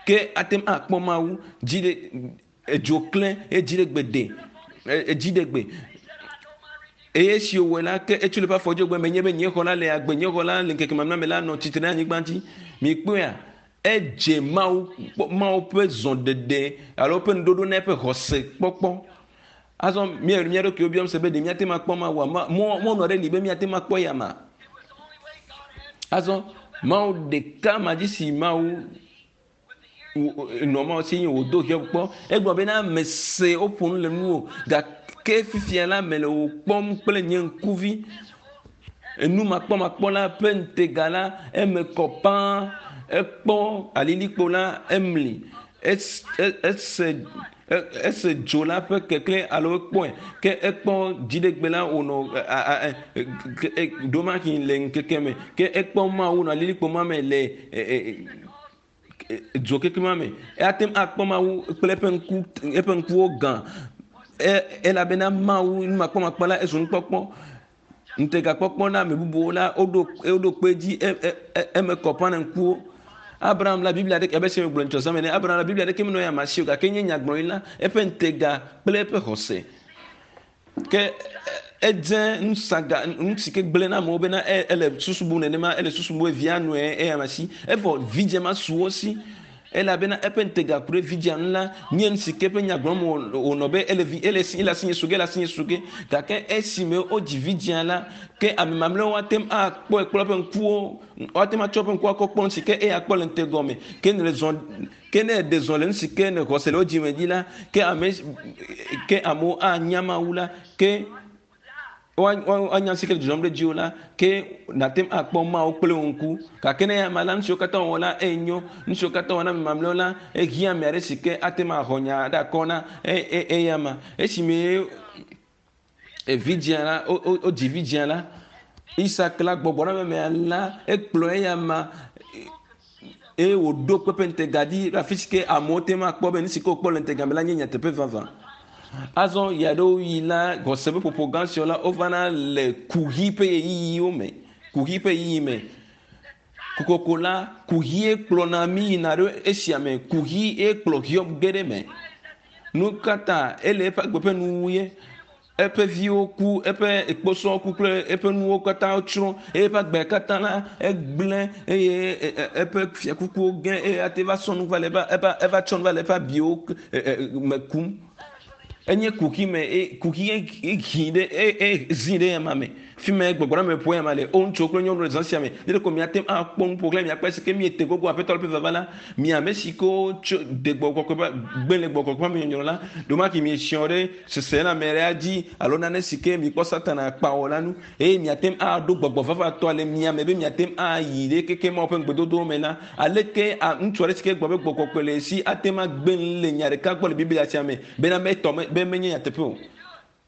ke ate ŋu akpɔ Mawu dzi ɖe edzo klẽ eye dzi ɖe gbe de edzi ɖe gbe eye esi wòwɔe la ke etso le eƒe afɔ dzi gbe menye be nye xɔ la le agbe nye xɔ la le ŋkeke mamlɛ me la nɔ tsitre ɖe anyigba dzi mikpɔea edze Mawu Mawu ƒe zɔɖeɖe alo eƒe nuɖoɖo na eƒe xɔse kpɔkpɔ azɔ mía mía ɖokuiwo biam se be ɖe míate ŋu akpɔ Mawua mɔnu aɖe li be míate ŋu akpɔ ya ma azɔ Mawu ɖeka ma dzi si Mawu nɔ Mawu si nye wòdo Hiob kpɔ egblɔ bena mese woƒo nu le nuwò gake fifia la mele wò kpɔm kple nye ŋkuvi enumakpɔmakpɔ la ƒe ŋutega la eme kɔ pãa ekpɔ alilikpo la emli ese ese dzo la ƒe keklẽ alo ekpɔe ke ekpɔ dziɖegbe la wònɔ ɖomahi le ŋkeke me ke ekpɔ Mawu nɔ alilikpo ma me le dzo keke ma me ate ŋu akpɔ Mawu kple eƒe ŋku eƒe ŋkuwo gã elabena Mawu numakpɔmakpɔ la ezu nukpɔkpɔ ŋutegakpɔkpɔ na ame bubuwo la woɖo woɖo kpe dzi eme kɔ ƒã na ŋkuwo Abraham la Biblia ɖeke abe esi megblɔ ŋutsɔ zãme ne Abraham la Biblia ɖeke menɔ ya ma si o gake nye nyagblɔɖi la eƒe ŋutega kple eƒe xɔse ke edze nusaga nu si ke gblẽ na amewo bena ele susu bum nenema ele susu bum via nɔe eya ma si evɔ vidzĩa ma su wo si elabena eƒe ŋutega ku ɖe vidzĩa ŋu la nye nu si ke eƒe nya gblɔm wònɔ be ele vi ele si ele asi nye su ge ele asi nye su ge gake esime wodzi vidzĩa la ke ame mamlɛwo ate ŋu akpɔe kple woƒe ŋkuwo woate ŋu atsɔ woƒe ŋkuwo akɔ kpɔ nu si ke eya kpɔ le ŋutegɔ ke ne le zɔ ke ne eɖe zɔ le nu si ke ne xɔse le wo dzime dzi la ke ame ke amewo anya Mawu la ke woanya si ke le dzɔdzɔm ɖe dziwò la ke nàte ŋu akpɔ Mawu kple wò ŋku gake ne ame la nu siwo katã wòwɔ la enyo nu siwo katã wòwɔ na ame mamlɛwo la ehiã ame aɖe si ke ate ŋu axɔ nya ɖe akɔ na eya ma esime vidzĩa la wodzi vidzĩa la Isak la gbɔgbɔ na mea la ekplɔ eya ma eye wòɖo kpeƒe ŋutega dzi le afi si ke amewo te ŋu akpɔ be nu si ke wokpɔ le ŋutega me la nye nyateƒe vavã. Azɔ ɣeaɖewo ɣi la xɔse ƒe ƒoƒo gã siawo la wovana le kuxi ƒe ɣeyiɣiwo me kuxi ƒe ɣeyiɣi me. Kokoko la kuxie kplɔna mí yina ɖe esia me kuxi ye kplɔ Hiob ge ɖe me. Nu ka ta ele eƒe agbe ƒe nuwuwu ye eƒe viwo ku eƒe kposɔwo ku kple eƒe nuwo katã tsrɔ̃ eye eƒe agbe katã la egblẽ eye eƒe fiakukuwo ge eye ate va sɔ nu va le eva eva tsɔ nu va le eƒe abiwo me kum. Enye kuxi me e kuxi hi ɖe e zi ɖe ema me. Fi me gbɔgbɔ la me ƒo ema le. O ŋutsuwo kple nyɔnuwo le zã sia me. Ne ɖeko miate ŋu akpɔ nu ƒo xlã miakpɔ esi ke miete gogo Aƒetɔ la ƒe vava la, mi ame si ke tso de gbɔgbɔ kɔkɔe gbe le gbɔgbɔ kɔkɔe me nyɔnyrɔ la, ɖomaki miesiɔ ɖe seselãme ɖea dzi alo nane si ke mikpɔ Satana kpa wɔ la nu eye miate ŋu aɖo gbɔgbɔ vavatɔa le mia me be miate ŋu ayi ɖe keke Mawu ƒe ŋugbedodowo me la, aleke ŋutsu aɖe si ke gblɔ be gbɔgbɔ kɔkɔe le esi ate ŋu agbe nu le nya ɖeka gbɔ le Biblia sia me bena metɔ me be menye nyateƒe o.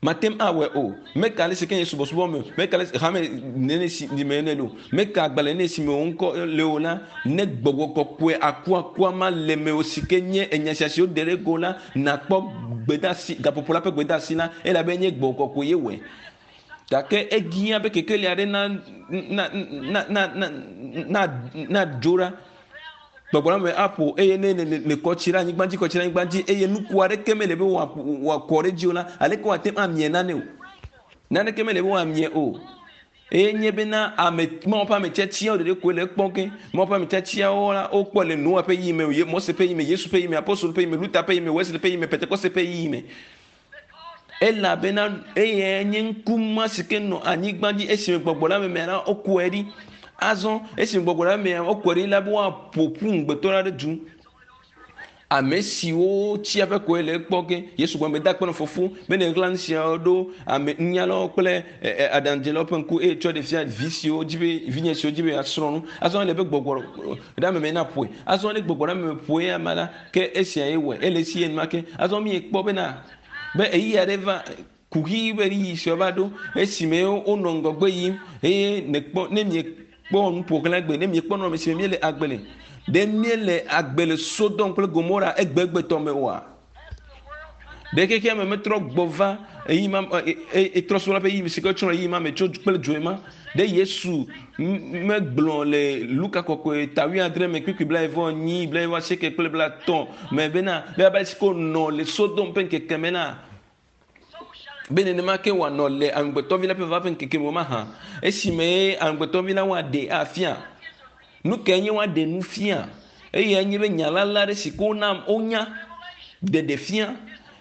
Mate ŋu awɔe o. Meka ale si ke nye subɔsubɔ me o. Meka ale si hame nene si me ne le o. Meka agbalẽ nene si me wò ŋkɔ le o la, ne gbɔgbɔ kɔkɔe akuakua ma le mewò si ke nye enya sia si woɖe ɖe go la, nakpɔ gbedeasi gaƒoƒo la ƒe gbedeasi la elabe nye gbɔgbɔ kɔkɔe ye wɔe. Gake ehiã be kekeli aɖe na na na na na na nadzo ɖa. Gbɔgbɔ la me aƒo eye ne ne ne kɔ tsi ɖe anyigba dzi kɔ tsi ɖe anyigba dzi eye nuku aɖeke mele be wòakɔ ɖe edzi o la, aleke wòate ŋu amie nane o? Naneke mele be wòamie o. Eye nye bena ame Mawu ƒe ame tiatiawo ɖeɖe koe le ekpɔ ge. Mawu ƒe ame tiatiawo la wokpɔe le Noa ƒe ɣeyiɣi me, Mose ƒe ɣeyiɣi me, Yesu ƒe ɣeyiɣi me, Apostolo ƒe ɣeyiɣi me, Luther ƒe ɣeyiɣi me, Wesley ƒe ɣeyiɣi me, Pentekoste ƒe ɣeyiɣi me. Elabena eyae nye ŋku ma si ke nɔ anyigba dzi esime gbɔgbɔ la memea la wokɔe ɖi. Azɔ esime gbɔgbɔ la memea wokɔe ɖi la be woaƒo ƒu ŋugbetɔ la ɖe du. Ame siwo tsi aƒe koe le ekpɔ ge. Yesu gblɔ be, Da akpe na Fofo be nèɣla nu siawo ɖo ame nunyalawo kple aɖaŋudzelawo ƒe ŋku eye tsɔe ɖe fia vi siwo dzi be vinye siwo dzi be yeasrɔ̃ nu. Azɔ ele be gbɔgbɔ ɖe ame me naƒoe. Azɔ ne gbɔgbɔ ɖe ame me ƒoe ama la, ke esia ye wɔe. Ele esi enumake. Azɔ míekpɔ bena be ɣeyiɣi aɖe va kuxi ƒe ɣeyiɣi sia va ɖo esime wonɔ ŋgɔgbe yim eye nèkpɔ ne miekpɔ nuƒoxlã gbe ne miekpɔ nɔnɔme si me míele agbe le ɖe míele agbe le Sodom kple Gomora egbegbetɔ me oa? Ɖe xexea me metrɔ gbɔ va eyi ma etrɔ srɔ̃la ƒe ɣeyiɣi si ke tsrɔ̃ ɣeyiɣi ma me tso kple dzoe ma? Ɖe Yesu megblɔ le Luka kɔkɔe ta wuiadre me kpukpui blaeve enyi, blaeve asieke kple blaetɔ̃ me bena be abe ale si ke wònɔ le Sodom ƒe ŋkeke me la, be nenema ke wòanɔ le Amegbetɔvi la ƒe vava ƒe ŋkeke me mahã, esime Amegbetɔvi la woaɖee afia. Nu kae nye woaɖe nu fia? Eyae nye be nya lalã aɖe si ke wona wonya ɖeɖe fia.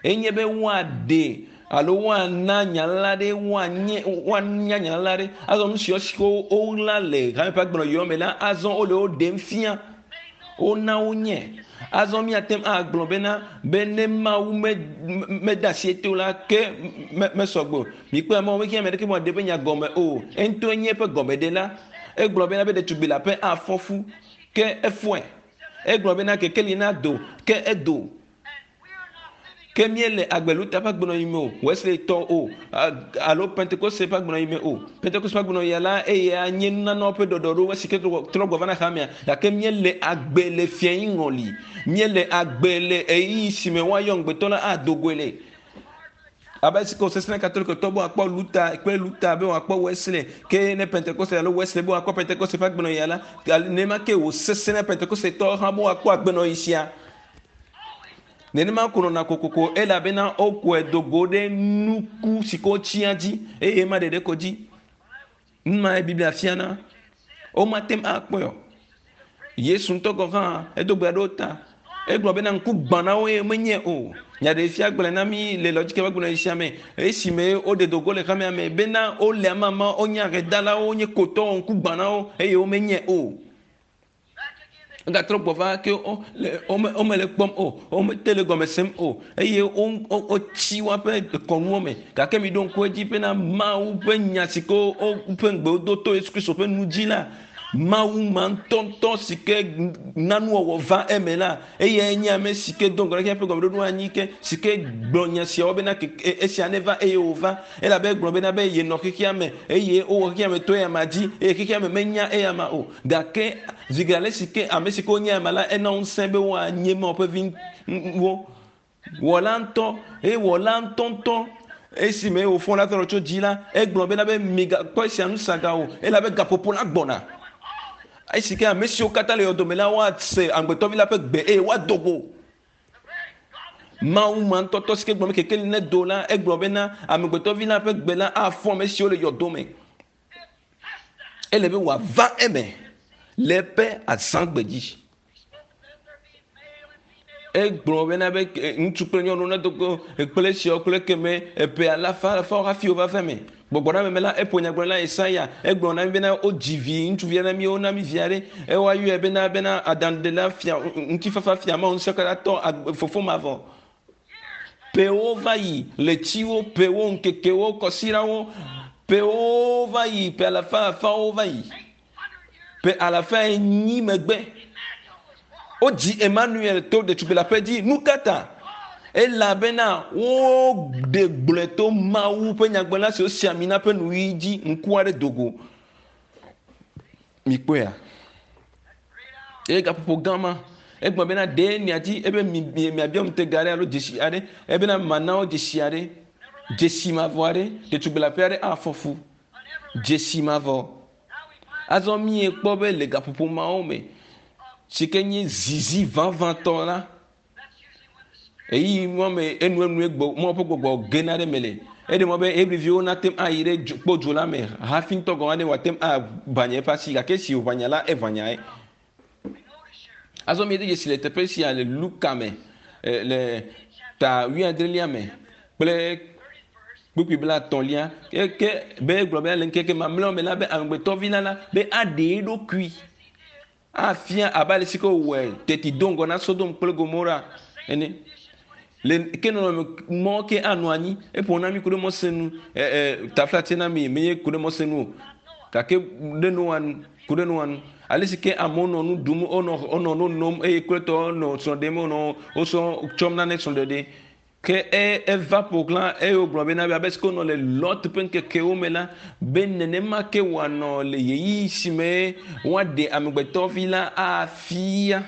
Enye be woaɖe alo woana nya lalã aɖe woanye woanya nya lalã aɖe. Azɔ nu siwo si woɣla le hame ƒe agbenɔɣiwo me la, azɔ wole wo ɖem fia. Wona wonye. Azɔ míate ŋu agblɔ bena be ne Mawu me, mede asi ete o la, ke me, mesɔ gbɔ o. Mikpɔe Mawu mehiã ame aɖeke be wòaɖe eƒe nya gɔme o. Eŋutɔe nye eƒe gɔmeɖela. Egblɔ bena be ɖetugbui leaƒe afɔ fu, ke efɔe. Egblɔ bena kekeli nado, ke edo. Ke míele agbe Luther ƒe agbenɔɣi me o, Wesley tɔ o, alo Pentekoste ƒe agbenɔɣi me o. Pentekoste ƒe agbenɔɣia la, eya nye nunanawo ƒe ɖɔɖɔɖo esi ke trɔ gbɔ va na hamea. Gake míele agbe le fiayi ŋɔli. Míele agbe le ɣeyiɣi si me woayɔ ŋugbetɔ la ado goe le. Abe esi ke wòsesẽ na Katolikotɔ be wòakpɔ Luther kple Luther be wòakpɔ Wesley, ke ne Pentekoste alo Wesley be wòakpɔ Pentekoste ƒe agbenɔɣia la, nenema ke wòsesẽ na Pentekostetɔwo hã be woakpɔ agbenɔɣi sia. Nenema ko nɔna kokoko elabena wokɔe do go ɖe nuku si ke wotsia dzi eye ema ɖeɖe ko dzi. Nu mae Biblia fiana. Womate ŋu akpɔe o. Yesu ŋutɔ gɔ̃ hã edo gbe ɖe wo ta. Egblɔ bena ŋku gbã na wo eye menye o. Nyaɖeɖefia gblɔe na mí le Lɔdzike ƒe agbenɔɣi sia me esime woɖe do go le hamea me bena wole amama, wonye ahedalawo, wonye kotɔwo, ŋku gbã na wo eye womenye o. Egatrɔ gbɔ va ke le womele kpɔm o, womete le gɔme sem o eye wotsi woaƒe kɔnuwo me. Gake miɖo ŋku edzi bena Mawu ƒe nya si ke woƒe ŋugbe wodo to Yesu Kristo ƒe nu dzi la, Mawu ma ŋutɔŋutɔ si ke na nuwɔwɔ va eme la, eyae nye ame si ke do ŋgɔ na xexea ƒe gɔmeɖoɖo anyi ke, si ke gblɔ nya siawo bena esia neva eye wòva. Elabe egblɔ bena be yenɔ xexea me eye wowɔ xexea me to eyama dzi eye xexea me menya eyama o. Gake zi geɖe ale si ke ame si ke wonye ama la, ena ŋusẽ be woanye Mawu ƒe viwo. Wɔla ŋutɔ eye wɔla ŋutɔŋutɔ esime wòfɔ Lazaro tso dzi la, egblɔ bena be migakpɔ esia nu saga o, elabe gaƒoƒo la gbɔna. Esi ke ame siwo katã le yɔdo me la woase Amegbetɔvi la ƒe gbe eye woado go. Mawu ma ŋutɔtɔ si ke gblɔ be kekeli nedo la, egblɔ bena Amegbetɔvi la ƒe gbe la afɔ ame siwo le yɔdo me. Ele be wòava eme le eƒe azãgbe dzi. Egblɔ bena be ŋutsu kple nyɔnu nedo go kple esiawo kple ekeme eƒe alafa alafawo hafi wova va eme. Gbɔgbɔ ɖe ame la eƒo nyagblɔɖila Yesaya egblɔ na mi bena wodzi vi ŋutsuvi na mi wona mi vi aɖe eye woayɔe bena bena aɖaŋuɖela fia ŋutifafa fia Mawu ŋusẽkatãtɔ fofo mavɔ. Ƒewo va yi, ɣletiwo, ƒewo, ŋkekewo, kɔsiɖawo, ƒewo va yi, ƒe alafa alafawo va yi. Ƒe alafa enyi megbe, wodzi Emmanuel to ɖetugbui leaƒe dzi. Nu ka ta? Elabena woɖe gblɔe to Mawu ƒe nyagblɔɖila si wosi ami na ƒe nuyi dzi ŋku aɖe do go. Mikpɔea? Eye gaƒoƒo gã ma, egblɔ bena ɖe miadi ebe miabiɔ ŋutega aɖe alo dzesi aɖe, ebena mana wo dzesi aɖe, dzesi mavɔ aɖe, ɖetugbui leaƒe aɖe afɔ fu, dzesi mavɔ. Azɔ míekpɔ be le gaƒoƒo mawo me, si ke nye zizi vavãtɔ la, Ɣeyiɣi ma me enuenue gbɔ Mawu ƒe gbɔgbɔ gena ɖe eme le. Eɖe mɔ be Hebriviwo nate ŋu ayi ɖe dzo, kpɔ dzo la me hafi ŋutɔ gɔ̃ hã ne wòate ŋu aʋanya eƒe asi gake esi wòʋanya la, eʋanyae. Azɔ míede dzesi le teƒe sia le Luka me le ta wuiadrelia me kple kpukpui blaetɔ̃lia ke ke be egblɔ be le ŋkeke mamlɛawo me la be amegbetɔvi la la be aɖe eɖokui. Afia abe ale si ke wòwɔe teti do ŋgɔ na Sodom kple Gomora ene. Le ke nɔnɔme mɔ ke anɔ anyi eƒo na mi ku ɖe Mose nu ɛ ɛ taflatse na mi menye ku ɖe Mose nu o gake ɖe Noa nu ku ɖe Noa nu. Ale si ke amewo nɔ nu ɖum wonɔ wonɔ no nom eye kple tɔwo nɔ srɔ̃ ɖem wonɔ wosɔ tsɔm nane srɔ̃ɖeɖe. Ke e eva ƒo xlã eye wògblɔ bena abe si ke wonɔ le Lot ƒe ŋkekewo me la, be nenema ke wòanɔ le ɣeyiɣi si me woaɖe amegbetɔvi la afia.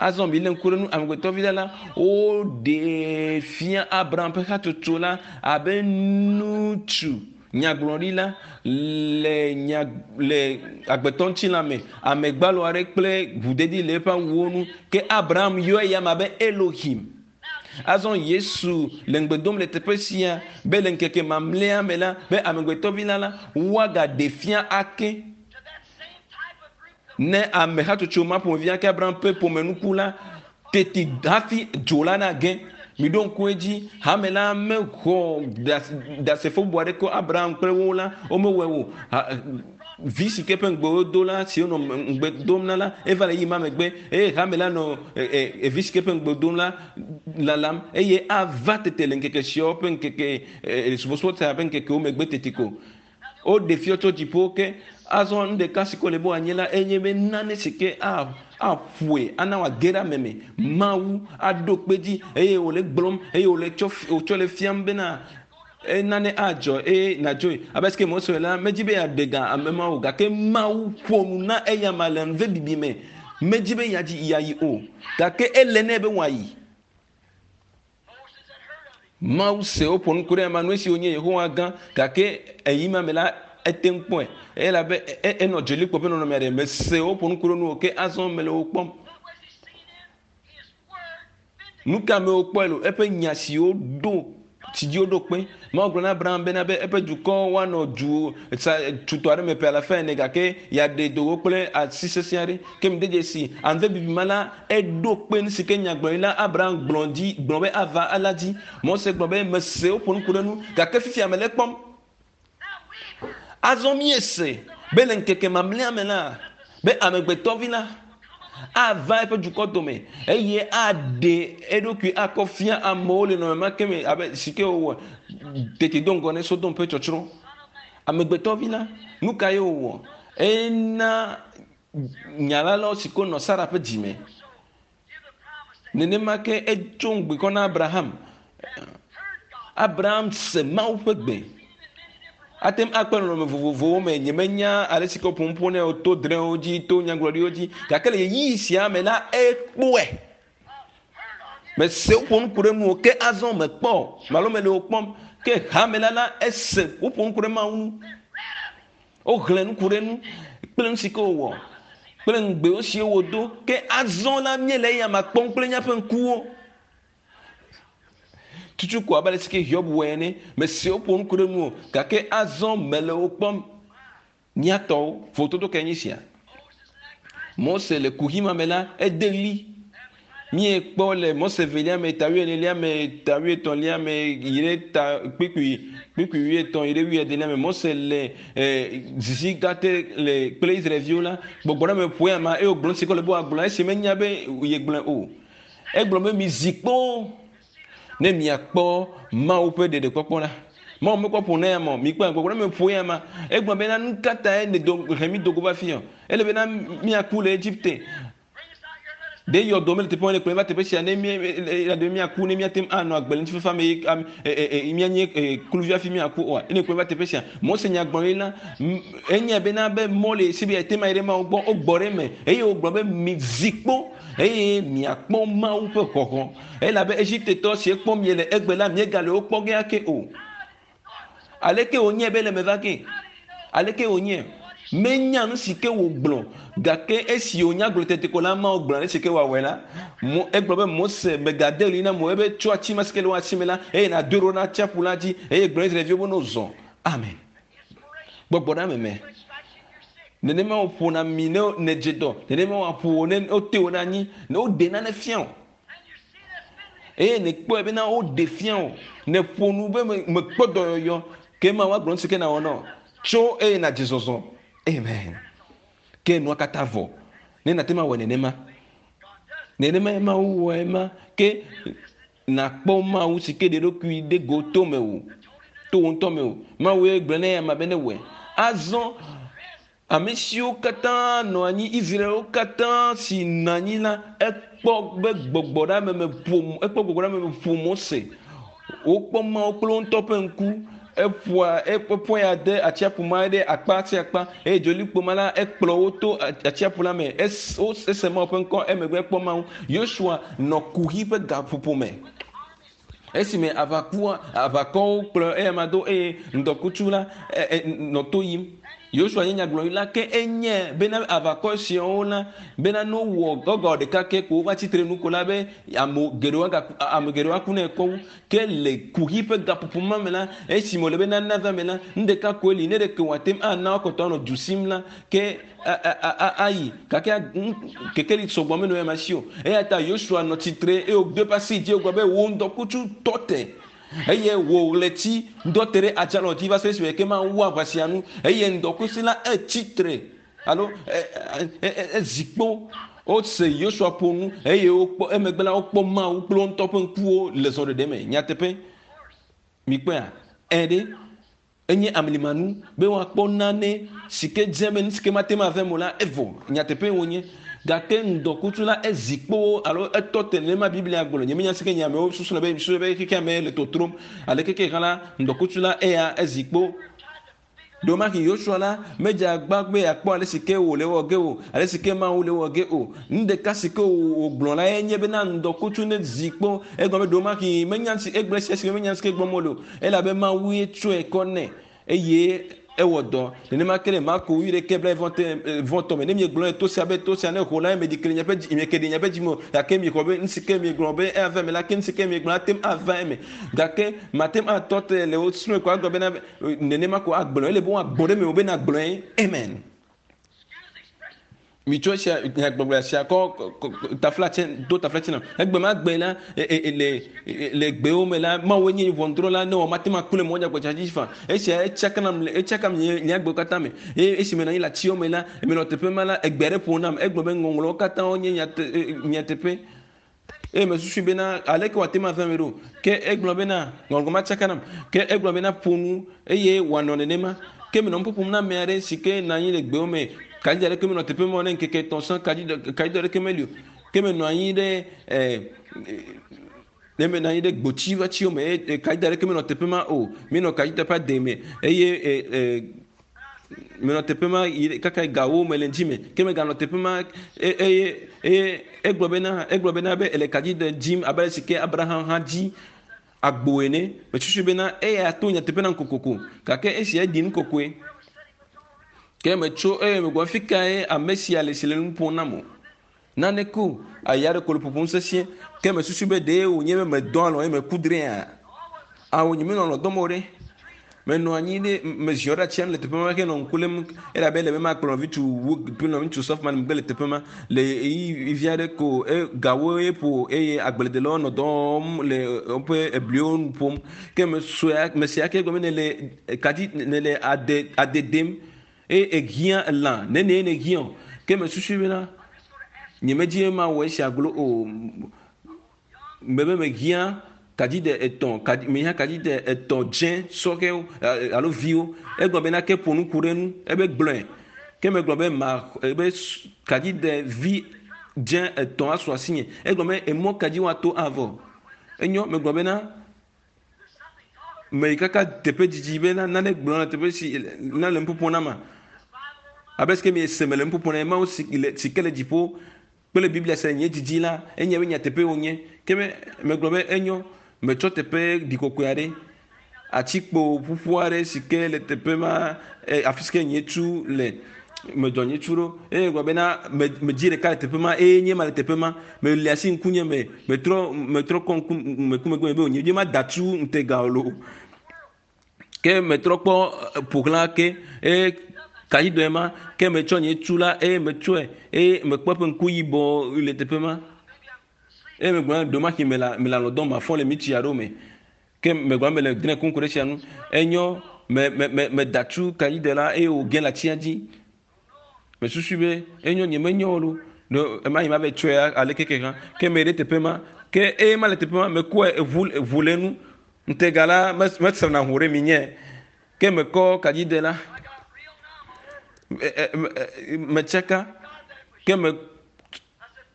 Azɔ milé ŋku ɖe nu amegbetɔvi la la, woɖee fia Abraham ƒe hatsotso la abe ŋutsu nyagblɔɖila le nya le agbetɔ ŋutilã me, ame gbalo aɖe kple ʋudedi le eƒe awuwo nu. Ke Abraham yɔ eya ma be Elohim. Azɔ Yesu le ŋugbe dom le teƒe sia be le ŋkeke mamlɛa me la, be amegbetɔvi la la, woagaɖe fia ake. Ne ame hatsotso ma ƒomevi ake Abraham ƒe ƒomenuku la, teti hafi dzo la nage. Miɖo ŋku edzi, hame la mexɔ ɖasefo bubu aɖeke Abraham kple wo la, womewɔe o. Vi si ke ƒe ŋugbe wodo la, si wonɔ ŋugbe dom na la, eva le ɣeyiɣi ma megbe eye hame la nɔ vi si ke ƒe ŋugbe dom la lalam eye ava tete le ŋkeke siawo ƒe ŋkeke subɔsubɔ sia ƒe ŋkekewo megbe teti ko. Woɖe fiɔ tso dziƒo ke. Azɔ nu ɖeka si ke wòle be wòanye la enye be nane si ke aƒoe ana wòage ɖe ame me. Mawu aɖo kpe edzi eye wòle gblɔm eye wòle tsɔ wòtsɔ le fiam bena nane adzɔ eye nàdzoe. Abe esike Mose la, medzi be yeaɖe ga ame ma o gake Mawu ƒo nu na eyama le nuvebibi me. Medzi be yeadzi yeayi o gake ele nɛ be wòayi. Mawu se woƒo nu ku ɖe ema nu esi wonye Yehowa gã gake eyi ma me la ete ŋu kpɔe elabe enɔ dzolikpo ƒe nɔnɔme aɖe me se woƒo nu ku ɖe nu o ke azɔ mele wo kpɔm. Nu ka me wokpɔe lo? Eƒe nya siwo ɖo si dzi woɖo kpe. Mawu gblɔ na Abraham bena be eƒe dukɔ woanɔ du sa tutɔ aɖe me ƒe alafa ene gake yeaɖe do wo kple asi sesẽ aɖe. Ke mide dzesi ave bibi ma la eɖo kpe nu si ke nyagblɔɖila Abraham gblɔ dzi gblɔ be ava la dzi. Mose gblɔ be mese woƒo nu ku ɖe nu gake fifia mele ekpɔm. Azɔ míese be le ŋkeke mamlɛa me la, be amegbetɔvi la ava eƒe dukɔ dome eye aɖe eɖokui akɔ fia amewo le nɔnɔme ma ke me abe si ke wòwɔ tete do ŋgɔ ne Sodom ƒe tsɔtsrɔ̃. Amegbetɔvi la, nu kae wòwɔ? Ena nya la lɔ si ko nɔ Sara ƒe dzime. Nenema ke etso ŋugbe kɔ na Abraham. Abraham se Mawu ƒe gbe. Ate ŋu akpe nɔnɔme vovovowo me. Nyemenya ale si ke woƒo nu ƒo nɛ o to drɔ̃ewo dzi, to nyagblɔɖiwo dzi. Gake le ɣeyiɣi sia me la, ekpɔe. Mese woƒo nu ku ɖe nu o, ke azɔ mekpɔ malo mele wo kpɔm. Ke hame la la, ese woƒo nu ku ɖe Mawu ŋu. Woxlẽ nu ku ɖe nu kple nu si ke wòwɔ kple ŋugbewo siwo wòdo. Ke azɔ la, míele eyama kpɔm kple míaƒe ŋkuwo. Tutu ko abe ale si ke Hiob wɔe ene. Mese woƒo nu ku ɖe nu o, gake azɔ mele wo kpɔm. Mía tɔwo, vovototo kae nye sia? Mose le kuxi ma me la, ede ɣli. Míekpɔ le Mose evelia me, ta wuienelia me, ta wuietɔ̃lia me, yi ɖe ta kpukpui kpukpui wuietɔ̃ yi ɖe wuiadelia me. Mose le eh, zizi gã te le kple Israelviwo la, gbɔgbɔ ɖe me ƒoe ama eye wògblɔ nu si ke wòle be wòagblɔ esi menya be yegblɔe o. Egblɔ be mizi kpo ne miakpɔ Mawu ƒe ɖeɖekpɔkpɔ la. Mawu mekpɔ ƒo na ya ma o. Mikpɔe, gbɔgbɔ ɖe me ƒo ya ma. Egblɔ bena nu ka tae nèdo he mi do go va fi o? Ele bena míaku le Egipte. Ɖe yɔdo mele teƒe ma ne kplɔe va teƒe sia ne mí ɖe míaku ne míate ŋu anɔ agbe le ŋutifafa me ye míanye kluvi hafi míaku oa? Ne kplɔe va teƒe sia. Mose nya gblɔ ye la, enyae bena be mɔ le si be yeate ŋu ayi ɖe Mawu gbɔ. Wogbɔ ɖe eme eye wogblɔ be mizi kpo eye miakpɔ Mawu ƒe xɔxɔ. Elabe Egiptetɔ si kpɔm miele egbe la, miegale wo kpɔ ge ake o. Aleke wònye be le me va ge? Aleke wònye? Menya nu si ke wògblɔ, gake esi wònya gblɔ tete ko la, Mawu gblɔ ale si ke wòawɔe la. Mo, egblɔ be Mose megade ɣli na mo ebe tso ati ma si ke le wò asi me la, eye nàdoe ɖo ɖe atsiaƒu la dzi, eye gblɔ Israelviwo be ne wozɔ. Amen. Gbɔgbɔ ɖe ame me. Nenema wòƒona mi ne nèdze dɔ, nenema wòaƒo wò ne wote wò ɖe anyi, ne woɖe nane fia wò. Eye nèkpɔe bena woɖe fia wò, nèƒo nu be mekpɔ dɔyɔyɔ, ke Mawu agblɔ nu si ke nàwɔ na wò. Tso eye nàdze zɔzɔ. Amen. Ke nua katã vɔ. Ne nàte ŋu awɔe nenema. Nenema ye Mawu wɔe ma. Ke nakpɔ Mawu si ke ɖe eɖokui ɖe go to mewò, to wò ŋutɔ mewò. Mawu ye gblɔ na eyama be newɔe. Azɔ ame siwo katã nɔ anyi, Israelwo katã si nɔ anyi la, ekpɔ be gbɔgbɔ ɖe ame me ƒo, ekpɔ gbɔgbɔ ɖe ame me ƒo Mose. Wokpɔ Mawu kple wo ŋutɔ ƒe ŋku. Eƒoa eƒoa ya de atsiaƒu ma ɖe akpa sia akpa eye dzolikpo ma la ekplɔ wo to atsiaƒu la me. Es, ese Mawu ƒe ŋkɔ emegbe ekpɔ Mawu. Yosua nɔ kuxi ƒe gaƒoƒo me. Esime aʋakua aʋakɔwo kplɔ eyama do eye ŋdɔkutsu la nɔ to yim. Yosua nye nyagblɔɖila ke enye bena aʋakɔ siawo la bena ne wowɔ gɔgɔ ɖeka ke ko wova tsitre nu ko la be ame geɖewo agaku ame geɖewo aku ne ekpɔ wu. Ke le kuxi ƒe gaƒoƒo ma me la, esime wòle be nane ava eme la, nu ɖeka koe li, ne ɖeke wòate ŋu ana woakpɔtɔ anɔ du sim la, ke ayi. Gake kekeli sɔgbɔ menɔ eya si o. Eya ta Yosua nɔ tsitre eye wòdo eƒe asi dzi wògblɔ be, Wò ŋdɔkutsu tɔ te, eye wò ɣleti ŋdɔ te ɖe adzalɔ dzi va se ɖe esime ke mawu aʋa sia nu. Eye ŋdɔkutsu la etsi tre alo ezi kpo. Wose Yosua ƒo nu eye wokpɔ emegbe la wokpɔ Mawu kple wo ŋutɔ ƒe ŋkuwo le zɔɖeɖe me. Nyateƒe, mikpɔea? Ẽ ɖe, enye amlimanu be woakpɔ nane si ke dze be nu si ke mate ŋu ava eme o la evɔ. Nyateƒee wònye. Gake ŋdɔkutsu la ezi kpo alo etɔ te nenema Biblia gblɔ. Nyemenya si ke nye amewo susuna be susu be xexea me le totrom aleke ke hã la, ŋdɔkutsu la eya ezi kpo. Ɖewomahi Yosua la medze agbagba be yeakpɔ ale si ke wòle ewɔ ge o, ale si ke Mawu le ewɔ ge o. Nu ɖeka si ke wògblɔ lae nye bena ŋdɔkutsu nezi kpɔ. Egblɔ be ɖewomahi menya si egblɔ esia si menya si ke gblɔm wole o, elabe Mawu ye tsɔe kɔ nɛ eye ewɔ dɔ. Nenema ke le Marko wuiɖekɛ blaeve-vɔ-etɔ̃ me, ne miegblɔ to sia be to sia ne ho la, meɖi ke le miaƒe dzi, mieke ɖi miaƒe dzi me o, gake miexɔ be nu si ke miegblɔ be ava eme la, ke nu si ke miegblɔ ate ŋu ava eme. Gake mate ŋu atɔ te le wo srɔ̃e ko agblɔ bena nenema ko agblɔ ele be woagbɔ ɖe mewò be nàgblɔe. Amen. Mitsɔ esia nyagbɔgblɔ sia kɔ taflatse do taflatse na. Egbe ma gbe la le le gbewo me la Mawu nye ʋɔnudrɔ̃la ne wɔ mate ŋu aku le mɔ nyagbɔgblɔ dzi fa. Esia etsaka nam le etsaka nye nye agbewo katã me. Eye esime nɔ anyi le atiwo me la menɔ teƒe ma la egbe aɖe ƒo nam egblɔ be ŋɔŋlɔwo katã wonye nyateƒe. Eye mesusui bena, aleke wòate ŋu ava eme ɖo? Ke egblɔ bena, ŋɔŋlɔ matsaka nam. Ke egblɔ bena, ƒo nu, eye wòanɔ nenema. Ke menɔ nu ƒoƒom na ame aɖe si ke nɔ anyi le gbewo me. Kaɖi aɖeke menɔ teƒe ma o ne ŋkeke etɔ̃ sɔŋ, kaɖi kaɖi aɖeke meli o. Ke menɔ anyi ɖe e, ne menɔ anyi ɖe gboti ƒe atiwo me eye kaɖi aɖeke menɔ teƒe ma o. Míenɔ kaɖi teƒe ade me eye e, e, Menɔ teƒe ma yi kaka gawo me le ŋdi me. Ke meganɔ teƒe ma eye eye egblɔ bena egblɔ bena be ele kadzi de dzim abe ale si ke Abraham hã dzi agbo ene. Mesusu bena eya to nyateƒe nam kokoko gake esia eɖi nu kɔkɔe. Ke metso eye megblɔ fi kae ame sia le si le nu ƒom nam o. Nane ko aya ɖe ko le ƒoƒom sesĩe. Ke mesusu be ɖee wònye be medɔ alɔ̃ eye meku drẽa? Ao, nyemenɔ alɔ̃ dɔm o ɖe. Menɔ anyi ɖe meziɔ ɖe atsia nu le teƒe ma henɔ ŋku lém elabe ele be makplɔ nɔviŋutsu wu kple nɔviŋutsu Softman megbe le teƒe ma. Le ɣeyiɣi vi aɖe ko e gawo ye ƒo eye agbledelawo nɔ dɔ wɔm le woƒe ebliwo nu ƒom. Ke mesɔe mese ake gɔme nele kadzi nele ade ade dem Eye èhiã lã nenie nèhiã o. Ke mesusui bena, nyemedi be mawɔ esia glo o. Mebe mehiã kadzide etɔ̃, kadzi, mehiã kadzide etɔ̃ dzẽ sɔhɛwo alo viwo. Egblɔ bena ke ƒo nu ku ɖe enu. Ebe gblɔe. Ke megblɔ be ma, ebe kadzide vi dzẽ etɔ̃ asu asinye. Egblɔ be emɔ ka dzi woato avɔ. Enyo, megblɔ bena Meyi kaka teƒe didi be nane gblɔ na teƒe si na le nuƒoƒo na ma. Abe sike mi se me le nuƒoƒo na Mawu si le si ke le dziƒo kple Biblia se nye didi la, enye be nyateƒe wonye. Ke me megblɔ be enyo, metsɔ teƒe ɖikɔkɔe aɖe, atikpo ƒuƒu aɖe si ke le teƒe ma, afi si ke nye tu le. Medzɔ nye tsu ɖo eye gblɔ bena medzi ɖeka le teƒe ma eye nye ma le teƒe ma. Meli asi ŋkunye me, metrɔ metrɔ kɔ ŋku meku megbe be wònye dzi mada tu ŋutega o loo. Ke metrɔ kpɔ ƒo xlã ke eye kaɖi ma ke metsɔ nye tu la eye metsɔe eye mekpɔ eƒe ŋku yibɔ le teƒe ma. Eye megblɔ na ɖewomahi mele mele alɔ dɔm mafɔ le mitsi aɖewo me. Ke megblɔ mele drẽ kum ku ɖe esia ŋu. Enyo me me me meda tu kaɖi de la eye wòge le atsia dzi. Mesusui be enyo nye menyo o lo. No ema yi ma va tsɔe aleke ke hã. Ke me ɖe teƒe ma. Ke eye ma le teƒe ma mekɔe eʋu eʋu le nu. Ŋutega la mesrana ʋu ɖe mi nye. Ke mekɔ kadzide la. Metsaka. Ke me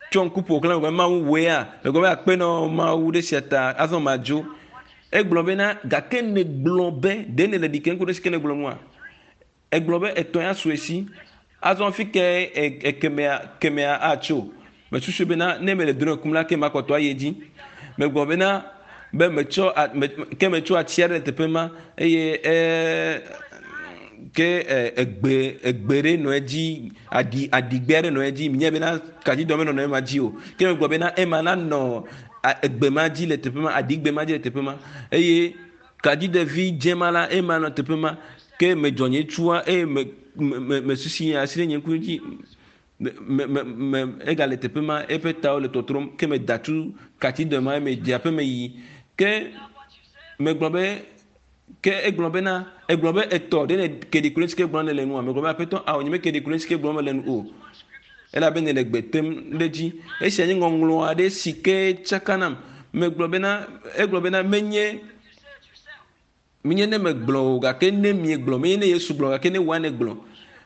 tsɔ ŋku ƒo xlã megblɔ Mawu wòea. Megblɔ be akpe nɔ Mawu ɖe sia ta azɔ madzo. Egblɔ bena gake negblɔ be ɖe ne le ɖi ke ŋku ɖe si ke negblɔ nua. Egblɔ be etɔ̃ ya su esi. Azɔ fi ke ekemea kemea atso. Mesusu bena ne mele drɔ̃e kum la ke makpɔtɔ ayi edzi. Megblɔ bena be metsɔ me ke metsɔ ati aɖe le teƒe ma eye e ke egbe egbe ɖe nɔ edzi aɖi aɖigbe aɖe nɔ edzi. Menye bena kadzidɔ menɔ ema dzi o. Ke megblɔ bena ema nanɔ egbe ma dzi le teƒe ma aɖigbe ma dzi le teƒe ma eye kadzidevi dze ma la ema nɔ teƒe ma ke medzɔ nye tsua eye me me me susi asi ɖe nye ŋku dzi me me me egale teƒe ma eƒe tawo le tɔtrɔm ke me da tu katsidɔ ma me dze aƒe me yi ke megblɔ be ke egblɔ bena egblɔ be etɔ ɖe ne ke ɖi ku ɖe si ke gblɔm nele nua megblɔ be aƒetɔ awo nye me ke ɖi ku ɖe si ke gblɔm mele nu o elabe ne le gbe tem ɖe dzi esia nye ŋɔŋlɔ aɖe si ke tsaka nam megblɔ bena egblɔ bena menye menye ne megblɔ o gake ne miegblɔ menye ne Yesu gblɔ gake ne woa ne gblɔ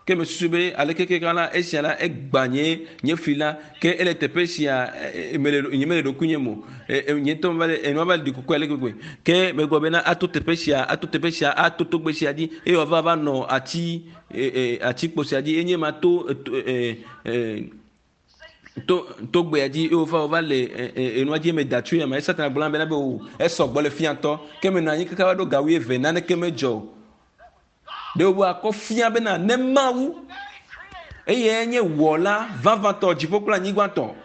ke mesusu be aleke ke la esia la egba nye nye fli la ke ele teƒe sia mele nye mele ɖokuinye mo nye ŋutɔ va le enua va le ɖi kuku ale gbegbe ke megblɔ bena ato teƒe sia ato teƒe sia ato togbe sia dzi eye wòava va nɔ ati atikpo sia dzi enye ma to to togbea dzi eye wova wova le enua dzi me da tso ya me Satana gblɔ bena be o esɔ gbɔ le fiatɔ ke menɔ anyi kaka va ɖo ga wuieve naneke medzɔ o. Ɖe wo akɔ fia bena ne Mawu eye nye wɔla vavãtɔ dziƒo kple anyigbatɔ.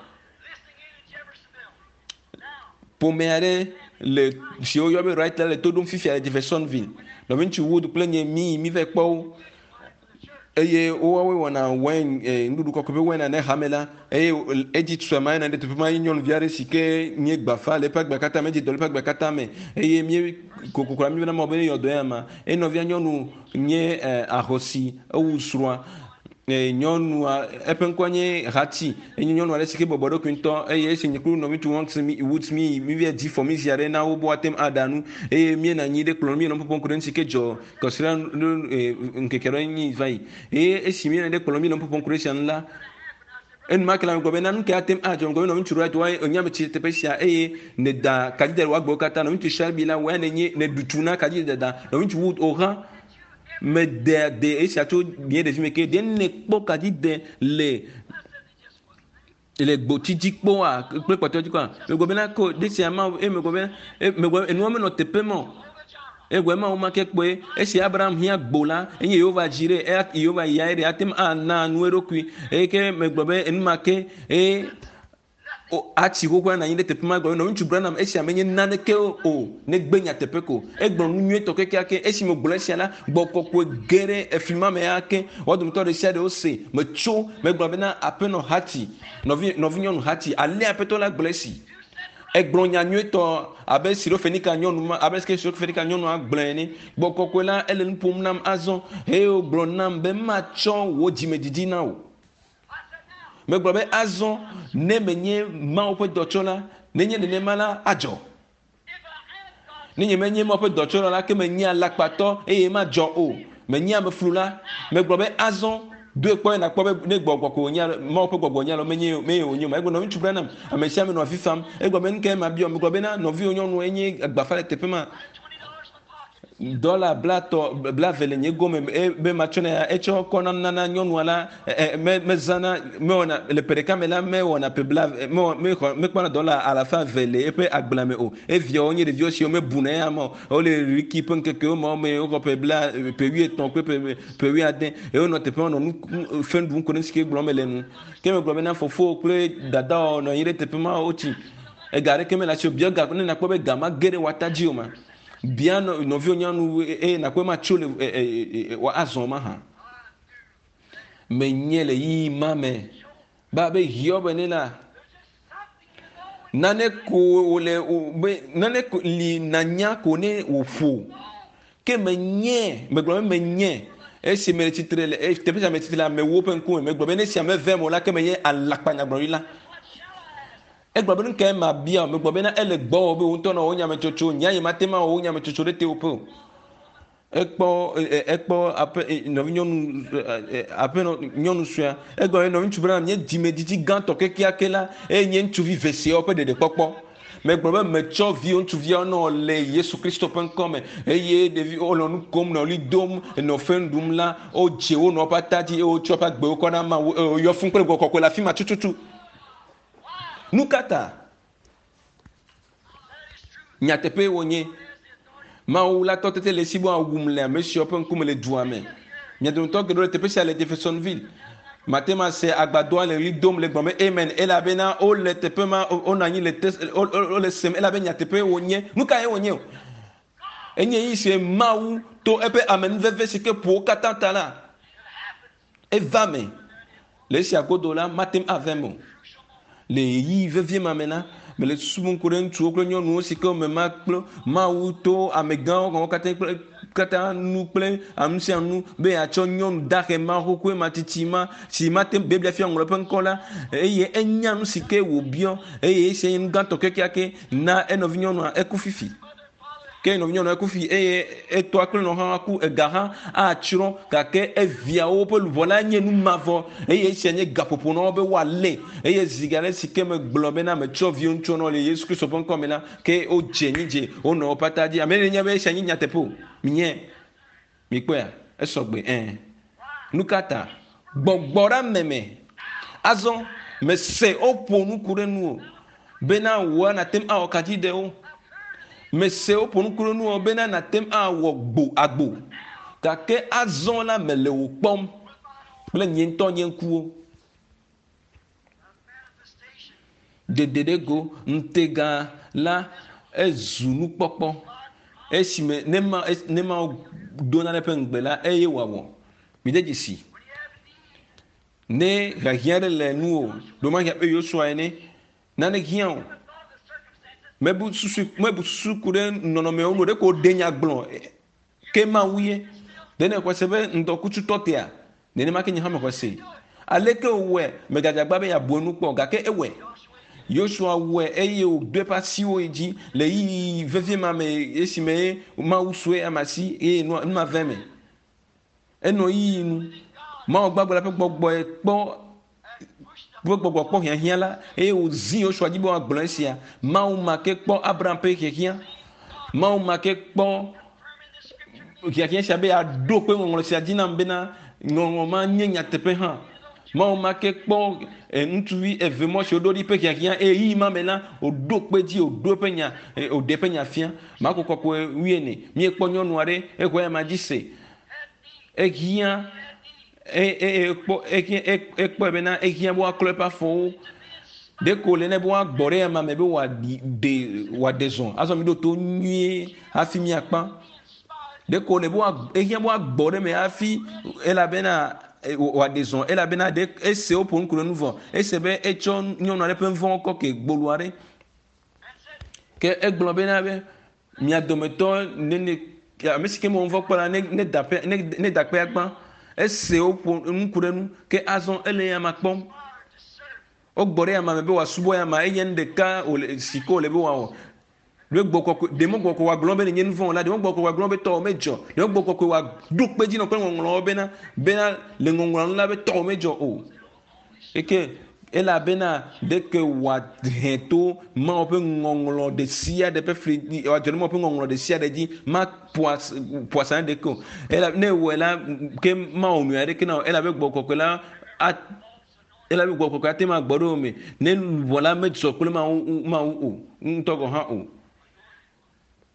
Ƒome aɖe le si woyɔ be Wright la le to ɖom fifia le Jeffersonville. Nɔviŋutsu Wood kple nye mi mi va kpɔ wo eye woawoe wɔna wine nuɖuɖu kɔkɔe ƒe wine ne hame la eye edzi tua ma yina ɖe teƒe ma ye nyɔnuvi aɖe si ke nye gbafa le eƒe agbe katã me edzi dɔ le eƒe agbe katã me eye mie kokoko mi bena mɔ be ne yɔ dɔ ya ma eye nɔvia nyɔnu nye ahosi ewu srɔ̃a nyɔnua eƒe ŋkɔ nye Hati enye nyɔnu aɖe si ke bɔbɔ ɖokui ŋutɔ eye esi nye kple nɔvi ŋutsu Woods mi mi va di fɔmizi aɖe na wo be woate ŋu aɖa nu eye míenɔ anyi ɖe kplɔ míenɔ ƒoƒom ku ɖe nu si ke dzɔ kɔsiɖa ŋkeke ɖe nyi va yi eye esi míenɔ ɖe kplɔ míenɔ ƒoƒom ku ɖe esia ŋu la enumake la megblɔ bena nu ke ate ŋu adzɔ megblɔ be nɔvi ŋutsu Wright wa enye ame tsi teƒe sia eye neda kadzidede le wò agbewo katã nɔvi ŋutsu Shelby la wòya nenye neɖu tu na kadzidede nɔvi ŋutsu Wood o hã mede de esia tso nye ɖevi me ke ɖe nekpɔ kadzide le le gbotsi dzi kpɔa kple kpɔtɔ dzi kpɔa megblɔ bena ko ɖe sia ma eye megblɔ bena megblɔ enua menɔ teƒe ma o egblɔ ma wo ma ke kpɔe esi Abraham hiã gbo la enye Yehova dzi ɖe eya Yehova ya ɖe ate ŋu ana nu eɖokui eye ke megblɔ be enumake eye atsi xoxoa nɔ anyi ɖe teƒe ma gblɔ be nɔvi ŋutsu Branham esia menye naneke o negbe nyateƒe ko egblɔ nu nyuietɔ kekeake esi megblɔ esia la gbɔ kɔkɔe ge ɖe efli ma me ya ke woa dometɔ ɖe sia ɖe wose metso megblɔ bena aƒenɔ Hati nɔvi nɔvinyɔnu Hati alea aƒetɔ la gblɔ esi egblɔ nya nyuietɔ abe Sirofenika nyɔnu ma abe ke Sirofenika nyɔnua gblɔe ene gbɔ kɔkɔe la ele nu ƒom nam azɔ eye wògblɔ nam be matsɔ wò dzimedidi na wò. Megblɔ be azɔ ne menye Mawu ƒe dɔtsɔla nenye nenema la adzɔ. Ne nye menye Mawu ƒe dɔtsɔla la ke menye alakpatɔ eye madzɔ o. Menye ameflula. Megblɔ be azɔ doe kpɔ ye nakpɔ be ne gbɔgbɔ ko wònye Mawu ƒe gbɔgbɔ wònye alo menye menye wònye o. Egblɔ nɔvi ŋutsu Branham ame sia ame nɔ avi fam. Egblɔ be nu kae mabiɔ? Megblɔ bena nɔviwò nyɔnu enye gbafa le teƒe ma. Dɔla blatɔ blave le nye gome be matsɔ ne etsɔ kɔ na nana nyɔnua la me mezãna mewɔna le ƒe ɖeka me la mewɔna ƒe bla mewɔ mexɔ mekpɔna dɔla alafa eve le eƒe agblea me o. Eviawo nye ɖeviwo siwo mebuna eya ma o. Wole Riki ƒe ŋkekewo ma me woxɔ ƒe bla ƒe wuietɔ̃ kple ƒe ƒe wuiade eye wonɔ teƒe ma nɔ nu fe ɖum ko ɖe nu si ke gblɔm mele nu. Ke megblɔ bena fofowo kple dadawo nɔ anyi ɖe teƒe ma wotsi. Ega aɖeke mele asi o. Bia ga ne nakpɔ be ga ma ge ɖe wò ata dzi o ma. Bia nɔviwò nyɔnu eye nakpɔ ma tso le wò azɔ ma hã. Menye le yiyi ma me ba be Hiob ene la nane ko wòle be nane ko li nanya ko ne wòƒo ke menye megblɔ be menye. Esi mele tsitre le teƒe sia me tsitre le amewo ƒe ŋkume megblɔ be ne esia meve eme o la ke menye alakpanyagblɔɖila. Egblɔ be nu kae mabia o? Megblɔ bena ele gbɔwò be wò ŋutɔ nɔ wò nyametsotso. Nye ya mate ŋu awɔ wò nyametsotso ɖe tewòƒe o. Ekpɔ ekpɔ aƒe nɔvinyɔnu aƒenɔ nyɔnu suea. Egblɔ be nɔviŋutsu bena nye dzimedidi gãtɔ kekeake la eye nye ŋutsuvi veseawo ƒe ɖeɖekpɔkpɔ. Megblɔ be metsɔ viwo ŋutsuviawo nɔ le Yesu Kristo ƒe ŋkɔ me eye ɖevi wonɔ nu kom nɔ ɣli dom nɔ fe ɖum la wodze wo nɔ woƒe ata dzi eye wotsɔ woƒe agbewo kɔ na Mawu eye woyɔ fũu kple gbɔgbɔ kɔkɔe le afi ma tututu. Nu ka ta? Nyateƒee wònye. Mawu la tɔ tete le esi be wòawum le ame siawo ƒe ŋkume le dua me. Mia dometɔ geɖewo le teƒe sia le Jeffersonville. Mate ŋu ase agbadɔa le ɣli dom le gblɔm be amen elabena wole teƒe ma, wonɔ anyi le te, wole sem elabe nyateƒee wònye. Nu kae wònye o? Enye ɣeyiɣi si Mawu to eƒe amenuveve si ke ƒo wo katã ta la, eva me. Le esia godo la, mate ŋu ava eme o. Le ɣeyiɣi vevie ma me la, mele susu bum ku ɖe ŋutsuwo kple nyɔnuwo si ke wome kple Mawu to amegãwo gɔ̃ katã kple katã nu kple ame sia nu be yeatsɔ nyɔnu dahe ma xoxoe ma tsitsi ma si mate ŋu Biblia fia ŋlɔ eƒe ŋkɔ la eye enya nu si ke wòbiɔ eye esia nye nu gãtɔ kekeake na enɔvi nyɔnua eku fifi. Ke nɔvinyɔnu eku fi eye etɔa kple nɔ hã ku ega hã atsrɔ̃ gake eviawo ƒe luʋɔ la nye nu mavɔ eye esia nye gaƒoƒo na wo be woalé eye zi geɖe si ke megblɔ bena metsɔ viwo ŋutsuwo nɔ le Yesu Kristo ƒe ŋkɔ me la ke wodze nyi dze wonɔ woƒe ata dzi. Ame ɖe nya be esia nye nyateƒe o. Minye mikpɔea esɔgbe ẽ. Nu ka ta? Gbɔgbɔ ɖe ame me. Azɔ mese woƒo nu ku ɖe nuwò bena wòa nàte ŋu awɔ kadzidewo. Mese woƒo nu ku ɖe nuwò bena nàte ŋu awɔ gbo agbo. Gake azɔ la mele wò kpɔm kple nye ŋutɔ nye ŋkuwo. Dede ɖe go ŋutega la ezu nukpɔkpɔ esime ne ma ne Mawu do nane ƒe ŋugbe la eye wòawɔ. Mide dzesi. Ne hiahiã aɖe le nuwò, ɖewomahi abe Yosua ene, nane hiã o. Mebu susu mebu susu ku ɖe nɔnɔmewo ŋu o, ɖeko wòɖe nya gblɔ ke Mawu ye. Ɖe nèxɔe se be ŋdɔkutsu tɔ tea? Nenema ke nye hã mexɔe se. Aleke wòwɔe? Megadze agbagba be yeabu enu kpɔ o, gake ewɔe. Yosua wɔe eye wòdo eƒe asiwo yi dzi le ɣeyiɣi vevie ma me esime Mawu sue ame asi eye nu ma va eme. Enɔ yiyi nu. Mawu gbagbe la ƒe gbɔgbɔe kpɔ ƒe gbɔgbɔ kpɔ hiahiã la eye wòzi Yosua dzi be wòagblɔ esia. Mawu ma ke kpɔ Abraham ƒe hiahiã. Mawu ma ke kpɔ hiahiã sia be yeaɖo kpe ŋɔŋlɔ sia dzi nam bena ŋɔŋlɔ ma nye nyateƒe hã. Mawu ma ke kpɔ eh, ŋutsuvi eve mɔ si woɖo ɖi ƒe hiahiã eye ɣeyiɣi ma me la wòɖo kpe dzi wòɖo eƒe nya eh, wòɖe eƒe nya fia. Marko kɔkɔe wuiene. Míekpɔ nyɔnu aɖe exɔ ya ma dzi se. Ehiã ekpɔ ekpɔe bena ehiã be woaklɔ eƒe afɔwo. Ɖeko wòle nɛ be woagbɔ ɖe ema me be wòaɖe wòaɖe zɔ. Azɔ miɖo to nyuie hafi miakpa. Ɖeko wòle be woa ehiã be woagbɔ ɖe eme hafi elabena wòaɖe zɔ elabena ɖe ese woƒo nu ku ɖe nu vɔ. Ese be etsɔ nyɔnu aɖe ƒe nuvɔ̃wo kɔ ke gbolo aɖe. Ke egblɔ bena be mia dometɔ nene ame si ke mewɔ nuvɔ̃ kpɔ la ne ne da ƒe ne ne da kpea gbã. Ese woƒo nu ku ɖe nu ke azɔ ele ya ma kpɔm. Wogbɔ ɖe ama me be wòasubɔ ya ma enye nu ɖeka wòle si ke wòle be wòawɔ. Ɖe gbɔ kɔkɔe ɖe mɔ gbɔ kɔkɔe wòagblɔ be nenye nu vɔ̃ la ɖe mɔ gbɔ kɔkɔe wòagblɔ be tɔwò medzɔ. Ɖe mɔ gbɔ kɔkɔe wòaɖo kpe dzi nɔ kple ŋɔŋlɔwo bena bena le ŋɔŋlɔa nu la be tɔwò medzɔ o. Eke elabena ɖeke wòahe to Mawu ƒe ŋɔŋlɔ ɖe sia ɖe ƒe fli wòadzɔ ɖe Mawu ƒe ŋɔŋlɔ ɖe sia ɖe dzi ma ƒo asa na ɖeke o. Ela ne ewɔe la ke mawɔ nyui aɖeke na o elabe gbɔgbɔ kɔkɔe la a elabe gbɔgbɔ kɔkɔe ate ŋu agbɔ ɖe wo me ne luʋɔ la medzɔ kple Mawu Mawu o ŋutɔ gɔ̃ hã o.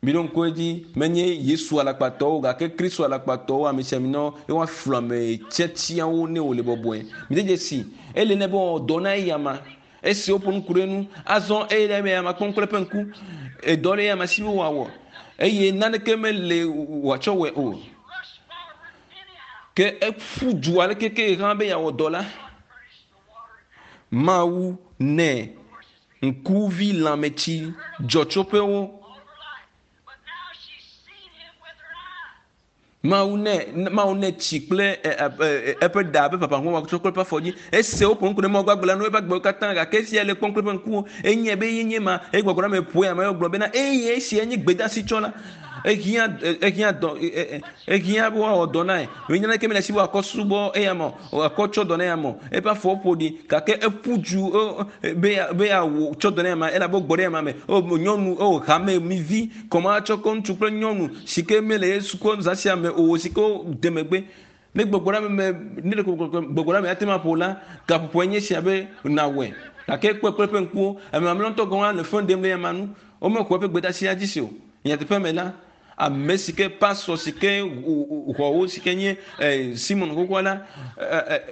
Miɖo ŋku edzi, menye Yesu alakpatɔwo o, gake Kristo alakpatɔwo, amesiaminawo, ye woaflu ame tiatiawo ne wòle bɔbɔe. Mide dzesi, ele nɛ be wòawɔ dɔ na eyama. Esi woƒo nu ku ɖe enu, azɔ eye ɖe eyama kpɔm kple eƒe ŋku. Edɔ le eyama si be wòawɔ eye naneke mele wòatsɔ wɔe o. Ke eƒu du aleke ke hã be yeawɔ dɔ la, Mawu nɛ Ŋkuvi lãmetsi dzɔtsoƒewo. Mawu nɛ Mawu nɛ tsi kple eƒe ɖa abe papahu wòatsɔ kple eƒe afɔ dzi. Ese woƒo nu ku ɖe Mawu gbagbe la nu eƒe agbewo katã gake esia le kpɔm kple eƒe ŋkuwo. Enyae be ye nye ma eye gbɔgbɔ la me ƒoe ame gblɔ bena eye esia nye gbedeasi tsɔla. Ehiã ehiã dɔ ehiã be woawɔ dɔ na ye. Menye naneke mele esi be wòakɔ subɔ eya ma o, wòakɔ tsɔ dɔ na eya ma o. Eƒe afɔwo ƒo ɖi gake eƒu du be be yeawɔ tsɔ dɔ na eya ma elabe wogbɔ ɖe eya ma me. O nyɔnu o hame mi vi kɔma tsɔ kɔ ŋutsu kple nyɔnu si ke mele Yesu kɔ zã sia me o si ke wode megbe. Ne gbɔgbɔ ɖe me ne ɖeko gbɔgbɔ ɖe me ate ŋu aƒo la, gaƒoƒoe nye esia be nàwɔe. Gake ekpɔe kple eƒe ŋkuwo. Ame mamlɛawo ŋutɔ gɔ̃ hã le fe ɖem ɖe eya ma nu. Womexɔ eƒe gbedeasia dzi se o. Nyateƒe me la, ame si ke pastor si ke xɔ wo si ke nye Simon xoxoa la,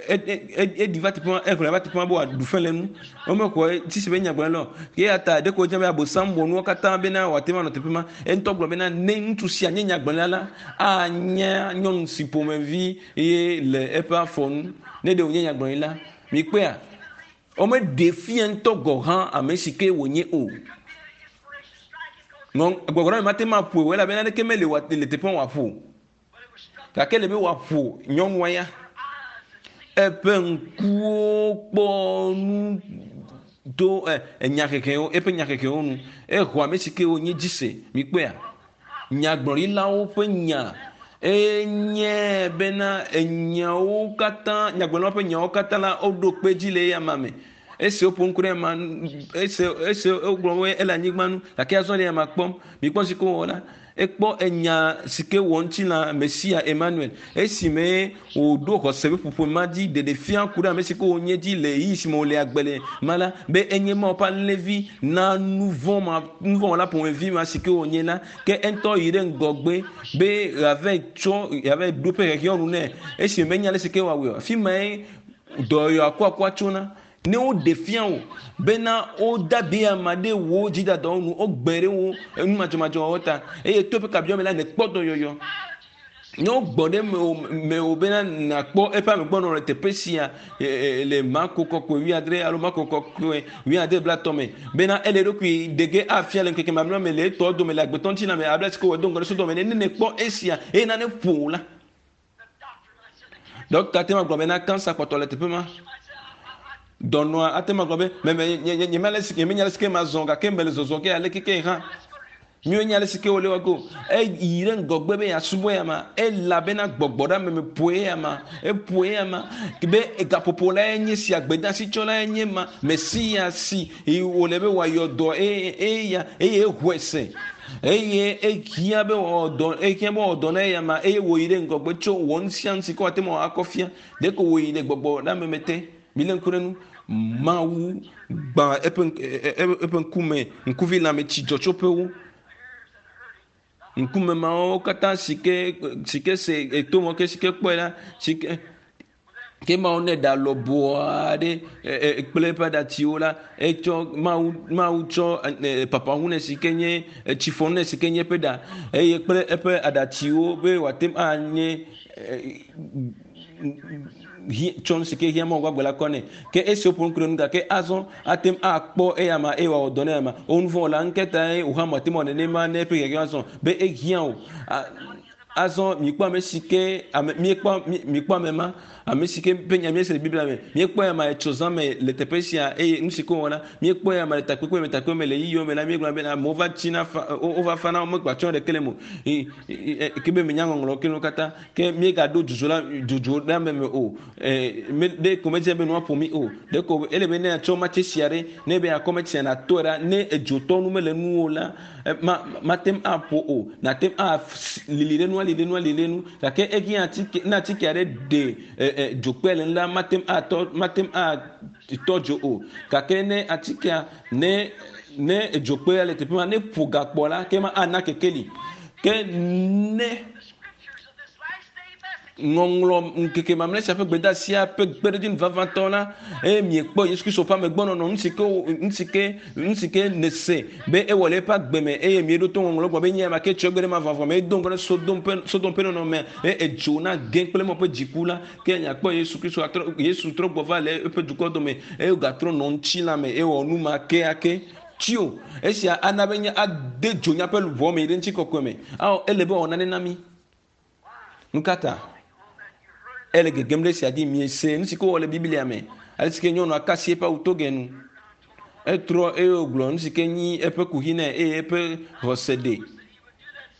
eɖi va teƒe ma, exlẽ va teƒe ma be wòaɖu fe le enu. Womexɔ edzi se be nyagblɔɖila o. Eya ta ɖeko wòdze be Abosam wɔ nuwo katã bena wòate ŋu anɔ teƒe ma. Eŋutɔ gblɔ bena ne ŋutsu sia nye nyagblɔɖila la, anye nyɔnu si ƒomevi ye le eƒe afɔ nu. Ne ɖe wònye nyagblɔɖila, mikpɔea? Womeɖee fia ŋutɔ gɔ̃ hã ame si ke wònye o. Gbɔgbɔ la mate ŋu aƒoe o elabena naneke meli le teƒe wòaƒo o. Gake ele be wòaƒo nyɔnua ya. Eƒe ŋkuwo kpɔ nu to enyahehewo, eƒe nyahehewo nu. Exɔ ame si ke wònye dzi se. Mikpɔea? Nyagblɔɖilawo ƒe nya enye bena enyawo katã, nyagblɔɖilawo ƒe nyawo katã la, woɖo kpe edzi le eya ma me. Esi woƒo ŋku ɖe ema, esi esi wogblɔ be ele anyigba nu gake azɔ le ema kpɔm. Mikpɔ si ke wowɔ la, ekpɔ enya si ke wɔ ŋutilã Mesia Emmanuel esime wòɖo xɔse ƒe ƒoƒo ma dzi ɖeɖe fia ku ɖe ame si ke wònye dzi le ɣeyiɣi si me wòle agbe le ma la be enye Mawu ƒe alẽvi na nuvɔ̃ ma nuvɔ̃wɔla ƒomevi ma si ke wònye la ke eŋutɔ yi ɖe ŋgɔgbe be yeava tsɔ yeava ɖo eƒe xexeawo nu nɛ esime menya ale si ke wòawɔe o. Afi mae dɔyɔyɔ akuakua tsona. Ne woɖe fia wò bena wode abi ama ɖe wò dzidadawo nu, wogbe ɖe wò numadzɔmadzɔ wɔwɔ ta, eye to eƒe kabiɔ me la, nèkpɔ dɔyɔyɔ. Ne wogbɔ ɖe mewò bena nàkpɔ eƒe amegbɔnɔnɔ le teƒe sia le Marko kɔkɔe wuiadre alo Marko kɔkɔe wuiade blatɔ me bena ele eɖokui ɖe ge afia le ŋkeke mamlɛa me le etɔwo dome le agbetɔ ŋutilã me abe ale si ke wòwɔ do ŋgɔ ɖe Sodom ene. Ne nèkpɔ esia eye nane ƒo wò la, Ɖɔkta ate ŋu agblɔ bena kansa kpɔtɔ le teƒe ma. Dɔnɔa ate ŋu agblɔ be meme nye nye nyemenya nyemenya ale si ke mazɔ gake mele zɔzɔ ge ale keke hã. Míenya ale si ke wòle wɔ go. Eyi ɖe ŋgɔgbe be yeasubɔ ya ma elabena gbɔgbɔ ɖe ame me ƒoe ya ma. Eƒoe ya ma be gaƒoƒo lae nye sia, gbedeasi tsɔlae nye ma, Mesia si wòle be wòayɔ dɔ eya eye exɔe se. Eye ehiã be wòawɔ dɔ, ehiã be wòawɔ dɔ na eyama eye wòyi ɖe ŋgɔgbe tso wɔ nu sia nu si ke wòate ŋu akɔ fia. Ɖeko wòyi ɖe gbɔgbɔ ɖe ame me te. Milé ŋku ɖe nu. Mawu gbã eƒe eƒe ŋkume, ŋkuvi lãme tsi dzɔtsoƒewo. Ŋkume mawo katã si ke si ke se eto mɔ ke si ke kpɔe la si ke Ke Mawu ne ɖa lɔbɔɔ aɖe kple eƒe aɖatsiwo la, etsɔ Mawu Mawu tsɔ papahu nɛ si ke nye tsifɔnu nɛ si ke nye eƒe ɖa eye kple eƒe aɖatsiwo be wòate ŋu anye tsɔ nu si ke hiã Mawu gbagbe la kɔ nɛ. Ke esi woƒo nu ku ɖe nu gake azɔ ate ŋu akpɔ eyama eye wòawɔ dɔ na eyama. Wo nuvɔ̃wɔla ŋketa ye wò hã mate ŋu awɔ nenema ne eƒe hiahiã azɔ be ehiã wò. Azɔ mikpɔ ame si ke ame míekpɔ mikpɔ ame ma ame si ke ƒe nya míese le Biblia me. Míekpɔ ya ma etso zã me le teƒe sia eye nu si ke wòwɔ la míekpɔ ya ma le takpekpe me takpekpe me le yiyiwo me la míegblɔ be amewo va tsina fa wova fana womegba tsɔ ɖeke le mo ke be menya ŋɔŋlɔ ke nuwo katã ke míegaɖo dzodzo la dzodzo ɖe ame me o. Me ɖe ko medze be nua ƒo mí o. Ɖe ko ele be ne atsɔ matse sia ɖe ne be akɔ metsia natɔe ɖa ne edzotɔ nu mele nuwo la ma mate ŋu aƒo o nàte ŋu alili ɖe nu alili ɖe nu alili ɖe nu gake ehiã atike ne atike aɖe ɖe e, e, dzokpe le nu la mate ŋu atɔ mate ŋu atɔ dzo o gake ne atikea ne ne dzokpea le teƒe ma ne ƒo gakpɔ la ke ma ana kekeli ke ne Ŋɔŋlɔ ŋkeke mamlɛ sia ƒe gbedeasia ƒe kpeɖodzinu vavãtɔ la, eye miekpɔ Yesu Kristo ƒe amegbɔnɔnɔ, nu si ke nu si ke nu si ke nèse be ewɔ le eƒe agbe me, eye mieɖo to ŋɔŋlɔ gblɔ be nye ame ke tsɔ egbe ɖe mavɔmavɔ me, edo ŋgɔ ɖe Sodom ƒe Sodom ƒe nɔnɔmea, eye edzo na gẽ kple mɔ ƒe dziku la, ke miakpɔ Yesu Kristo atrɔ Yesu trɔ gbɔ va le eƒe dukɔ dome, eye wògatrɔ nɔ ŋutilã me, eye wòwɔ nu ma keake. Tsi o. Esia ana be nye ade dzo míaƒe luʋɔ me yi ɖe ŋutikɔkɔe me. Ao, ele be wòawɔ nane na mí. Nu ka ta? Ele gegem ɖe esia dzi. Miese nu si ke wowɔ le Biblia me. Ale si ke nyɔnua ka asi eƒe awu toge nu. Etrɔ eye wògblɔ nu si ke nyi eƒe kuxi nɛ eye eƒe xɔse ɖe.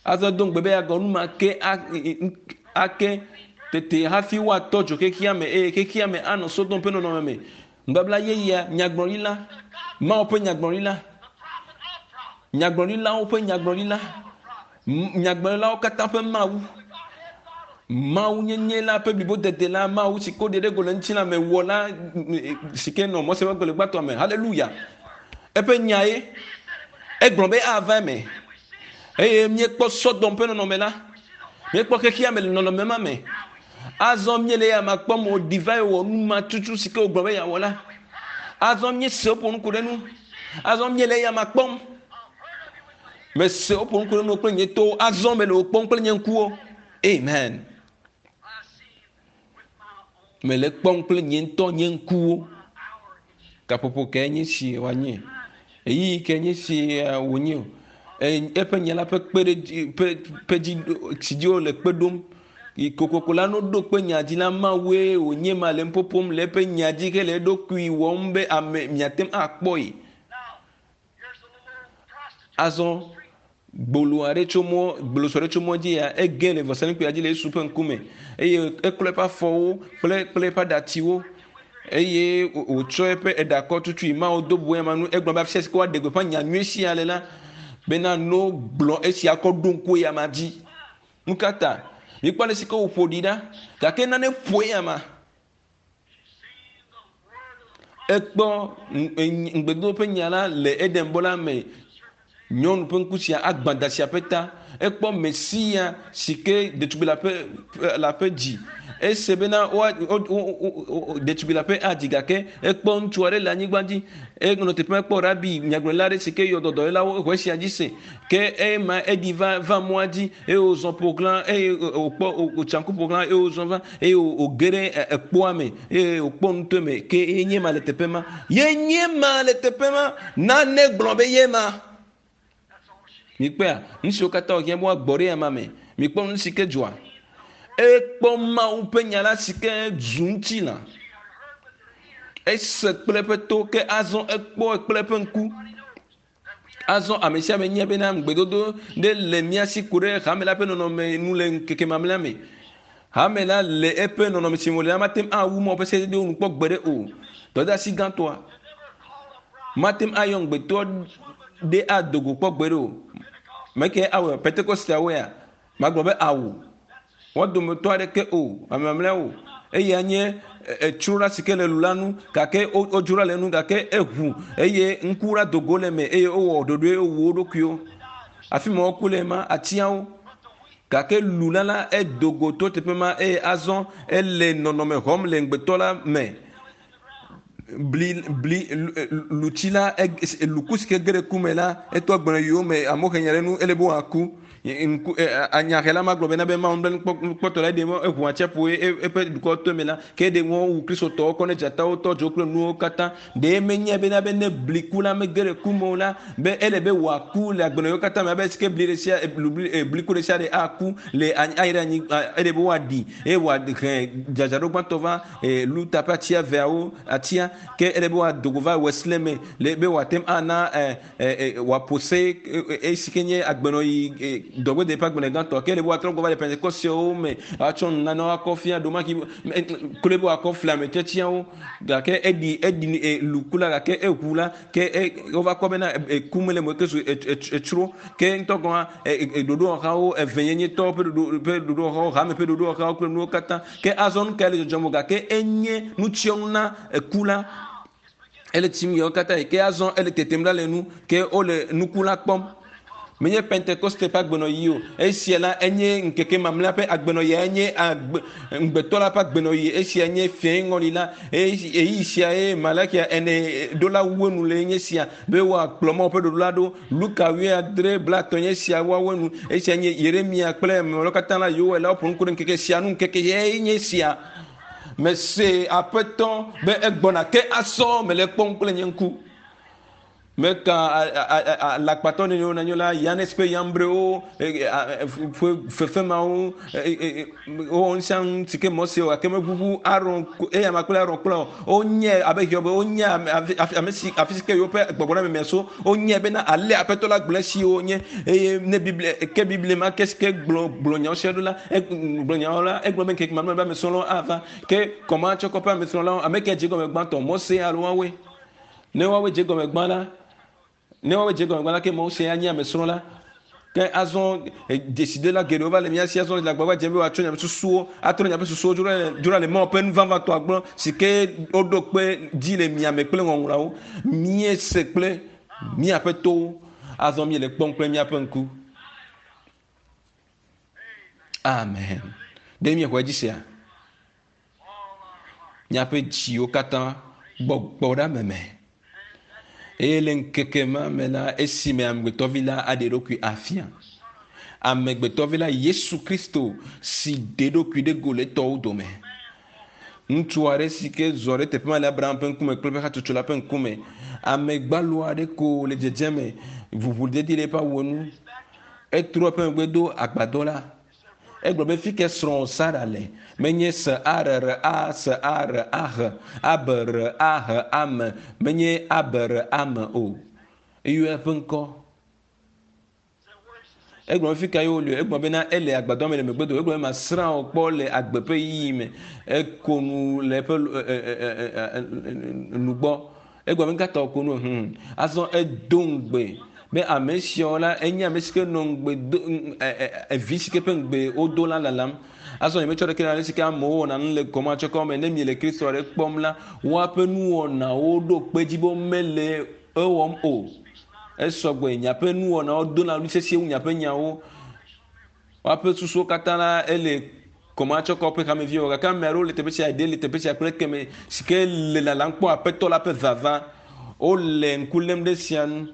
Azɔ do ŋugbe be yeagawɔ nu ma ke ake tete hafi woatɔ dzo xexea me eye xexea me anɔ Sodom ƒe nɔnɔme me. Nubabla yeyea, nyagblɔɖila, Mawu ƒe nyagblɔɖila, nyagblɔɖilawo ƒe nyagblɔɖila, nyagblɔɖilawo katã ƒe Mawu, Mawu nyenye la ƒe blibodede la, Mawu si ko ɖe ɖe go le ŋutilã me wɔ la si ke nɔ Mose ƒe agbalẽ gbãtɔa me. Haleluya! Eƒe nyae egblɔ be ava eme. Eye míekpɔ Sodom ƒe nɔnɔme la, míekpɔ xexea me le nɔnɔme ma me. Azɔ míele eya ma kpɔm o, ɖi va wɔ nu ma tutu si ke wògblɔ be yeawɔ la. Azɔ míese woƒo nu ku ɖe nu. Azɔ míele eya ma kpɔm. Mese woƒo nu ku ɖe nu kple nye towo. Azɔ mele wo kpɔm kple nye ŋkuwo. Amen. Mele kpɔm kple nye ŋutɔ nye ŋkuwo. Gaƒoƒo kae nye si wòanye? Ɣeyiɣi kae nye si wònye o? Eƒe nya la ƒe kpeɖedzi ƒe ƒe dzi si dzi wole kpe ɖom. Yi kokoko la no ɖo kpe nya dzi la Mawue wònye ma le nuƒoƒom le eƒe nya dzi hele eɖokui wɔm be ame miate ŋu akpɔe. Azɔ gbolo aɖe tso mɔ gbolo sɔ ɖe tso mɔ dzi ya ege le vɔsamlekpuia dzi le Yesu ƒe ŋkume eye eklɔ eƒe afɔwo kple kple eƒe aɖatsiwo eye wòtsɔ eƒe eɖakɔ tutui Mawu do bu ema nu egblɔ be afisia si ke woaɖe gbeƒã nya nyui sia le la bena no gblɔ esia kɔ ɖo ŋku eya dzi. Nu ka ta? Mikpɔ ale si ke wòƒo ɖi ɖa gake nane ƒo eya ma. Ekpɔ ŋugbedodo ƒe nya la le Eden bɔ la me. Nyɔnu ƒe ŋku sia agbã da sia ƒe ta. Ekpɔ Mesia si ke ɖetugbui la ƒe la ƒe dzi. Ese bena woa ɖetugbui la ƒe adzi gake ekpɔ ŋutsu aɖe le anyigba dzi. Enɔ teƒe ma ekpɔ rabi nyagblɔɖila aɖe si ke yɔ dɔdɔyɔlawo exɔ esia dzi se. Ke ema eɖi va va mɔa dzi eye wòzɔ ƒoxlã eye wòkpɔ wòtsa ŋku ƒoxlã eye wòzɔ va eye wòge ɖe ekpoa me eye wòkpɔ nuto me ke ye nye ma le teƒe ma. Ye nye ma le teƒe ma. Nane gblɔ be ye ma. Mikpɔea, nu siwo katã wòhiã be woagbɔ ɖe ama me. Mikpɔ nu si ke dzɔa. Ekpɔ Mawu ƒe nya la si ke zu ŋutilã. Ese kple eƒe to ke azɔ ekpɔe kple eƒe ŋku. Azɔ ame sia ame nya bena ŋugbedodo ɖe le mía si ku ɖe hame la ƒe nɔnɔme nu le ŋkeke mamlɛa me. Hame la le eƒe nɔnɔme si me wòle la mate ŋu awu Mawu ƒe sededewo nu kpɔ gbeɖe o. Dɔdeasi gãtɔa mate ŋu ayɔ ŋugbetɔ ɖe ado go kpɔ gbeɖe o. Meke awɔe Pentekosteawoe ya? Magblɔ be awu. Wo dometɔ aɖeke o, ame mamlɛawo. Eya nye etsro ɖa si ke le lu la nu, gake wodzro ɖa le enu, gake eʋu eye ŋku la do go le eme eye wowɔ ɖoɖoe wowu wo ɖokuiwo. Afi ma woku le ma, atiawo. Gake lu la la edo go to teƒe ma eye azɔ ele nɔnɔme xɔm le ŋugbetɔ la me. Bli bli lutsi la luku si ke ge ɖe ku me la etɔ gblɔ yowòme amewo he nya ɖe nu ele be wòaku. Ŋku anyahela ma gblɔ bena be Mawu nublanuikpɔtɔ la eɖe mɔ eʋu atsiaƒu eƒe dukɔ to eme la ke eɖe mɔ wu Kristotɔwo kɔ ne dzatawo tɔ dzo kple nuwo katã. Ɖe menye bena be ne bli ku la mege ɖe ku me o la be ele be wòaku le agbenɔɣiwo katã me abe si ke bli ɖe sia bli ku ɖe sia ɖe aku le ayi ɖe anyi ele be woaɖi eye wòahe dzadzraɖo gbãtɔ va Luther ƒe atia eveawo atia ke ele be wòado go va Wesley me le be wòate ŋu ana wòaƒo se esi ke nye agbenɔyi dɔgbede ƒe agbenɔyi gãtɔ ke ele be wòatrɔ gbɔ va le Pentekostewo me atsɔ nunanawo akɔ fia ɖomaki kloe be wòakɔ fli ame tiatiawo gake eɖi eɖi luku la gake eʋu la ke wova kpɔ bena eku mele mo ke zu etsro ke ŋutɔ gɔ̃ hã ɖoɖowɔhawo evenyenyetɔwo ƒe ɖoɖo ƒe ɖoɖowɔhawo hame ƒe ɖoɖowɔhawo kple nuwo katã ke azɔ nu kae le dzɔdzɔm o gake enye nutsyɔnu na eku la ele tsim yewo katã yi ke azɔ ele tetem ɖa le nu ke wole nuku la kpɔm menye pentekoste ƒe agbenɔɣi o esia la enye ŋkeke mamlɛa ƒe agbenɔɣi enye agbe ŋugbetɔ la ƒe agbenɔɣi esia nye fiẽ ŋɔli la eyi sia ye malakia ene ɖola wu enu le nye sia be woakplɔ Mawu ƒe ɖoɖo la ɖo Luka wuiadre blatɔ̃ nye sia woawo enu esia nye Yeremia kple amewo katã la Yoel la woƒo nu ku ɖe ŋkeke sia nu ŋkeke ye nye sia mese aƒetɔ be egbɔna ke asɔ mele kpɔm kple nye ŋku. Meka alakpatɔ nene wona nyo la Yanes kple Yambrewo ƒe fefe mawo wowɔ nu sia nu si ke Mose wɔ gake meʋuʋu Aron eya ma kple Aron kple o. Wonye abe Hiob wonye ame si afi si ke yewoƒe gbɔgbɔ na memea so wonye bena ale Aƒetɔ la gblɔ esi wonye eye ne Biblia ke Biblia ma ke si ke gblɔ gblɔ nyawo sia ɖo la gblɔ nyawo la egblɔ be ŋkeke mamlɛ be amesrɔ̃lawo ava ke kɔmatsɔkɔ ƒe amesrɔ̃lawo ame ke dze gɔme gbãtɔ Mose alo woawoe. Ne woawoe dze gɔme gbã la, ne woawoe dze gɔme gbã la, ke Mose anye amesrɔ̃la. Ke azɔ dzesidela geɖewo va le mía si azɔ le agbagba dzem be woatsɔ miaƒe susuwo atrɔ miaƒe susuwo dzro ɖe dzro ɖe le Mawu ƒe nu vavãtɔa gbɔ si ke woɖo kpe dzi le mia me kple ŋɔŋlɔawo. Míese kple míaƒe towo, azɔ míele kpɔm kple míaƒe ŋku. Amen. Ɖe miexɔe dzi sea? Miaƒe dziwo katã gbɔgbɔ ɖe ame me. Eye le ŋkeke ma me la, esime amegbetɔvi la aɖe eɖokui afia. Amegbetɔvi la, Yesu Kristo, si ɖe eɖokui ɖe go le etɔwo dome. Ŋutsu aɖe si ke zɔ ɖe teƒe ma le Abraham ƒe ŋkume kple eƒe hatsotso la ƒe ŋkume. Ame gbalo aɖe ko le dzedzeme, ʋuʋudedi le eƒe awu nu. Etrɔ eƒe megbe do agbadɔ la. Egblɔ be, Fi ke srɔ̃wò Sara le? Menye S A R R A S A R A H A B R A H A M, menye A B R A M o. Eyɔ eƒe ŋkɔ. Egblɔ be, Fi ka ye wòle? Egblɔ bena, Ele agbadɔ me le megbe do. Egblɔ be, Masrã wò kpɔ le agbe ƒe ɣeyiɣi me. Eko nu le eƒe nu gbɔ. Egblɔ be, Nukata wòko nu? Hum. Azɔ edo ŋugbe be ame siawo la enye ame si ke nɔ ŋugbe do evi si ke ƒe ŋugbe wodo la lalam. Azɔ nyemetsɔ ɖeke le ale si ke amewo wɔna nu le kɔmatsɔkɔ me ne miele Kristo aɖe kpɔm la, woaƒe nuwɔnawo ɖo kpe edzi be womele ewɔm o. Esɔgbe, miaƒe nuwɔnawo dona ɣli sesĩe wu miaƒe nyawo. Woaƒe susuwo katã la ele kɔmatsɔkɔ ƒe hameviwo gake ame aɖewo le teƒe sia, ɖe le teƒe sia kple keme si ke le lalam kpɔ Aƒetɔ la ƒe vava. Wole ŋku lém ɖe esia ŋu.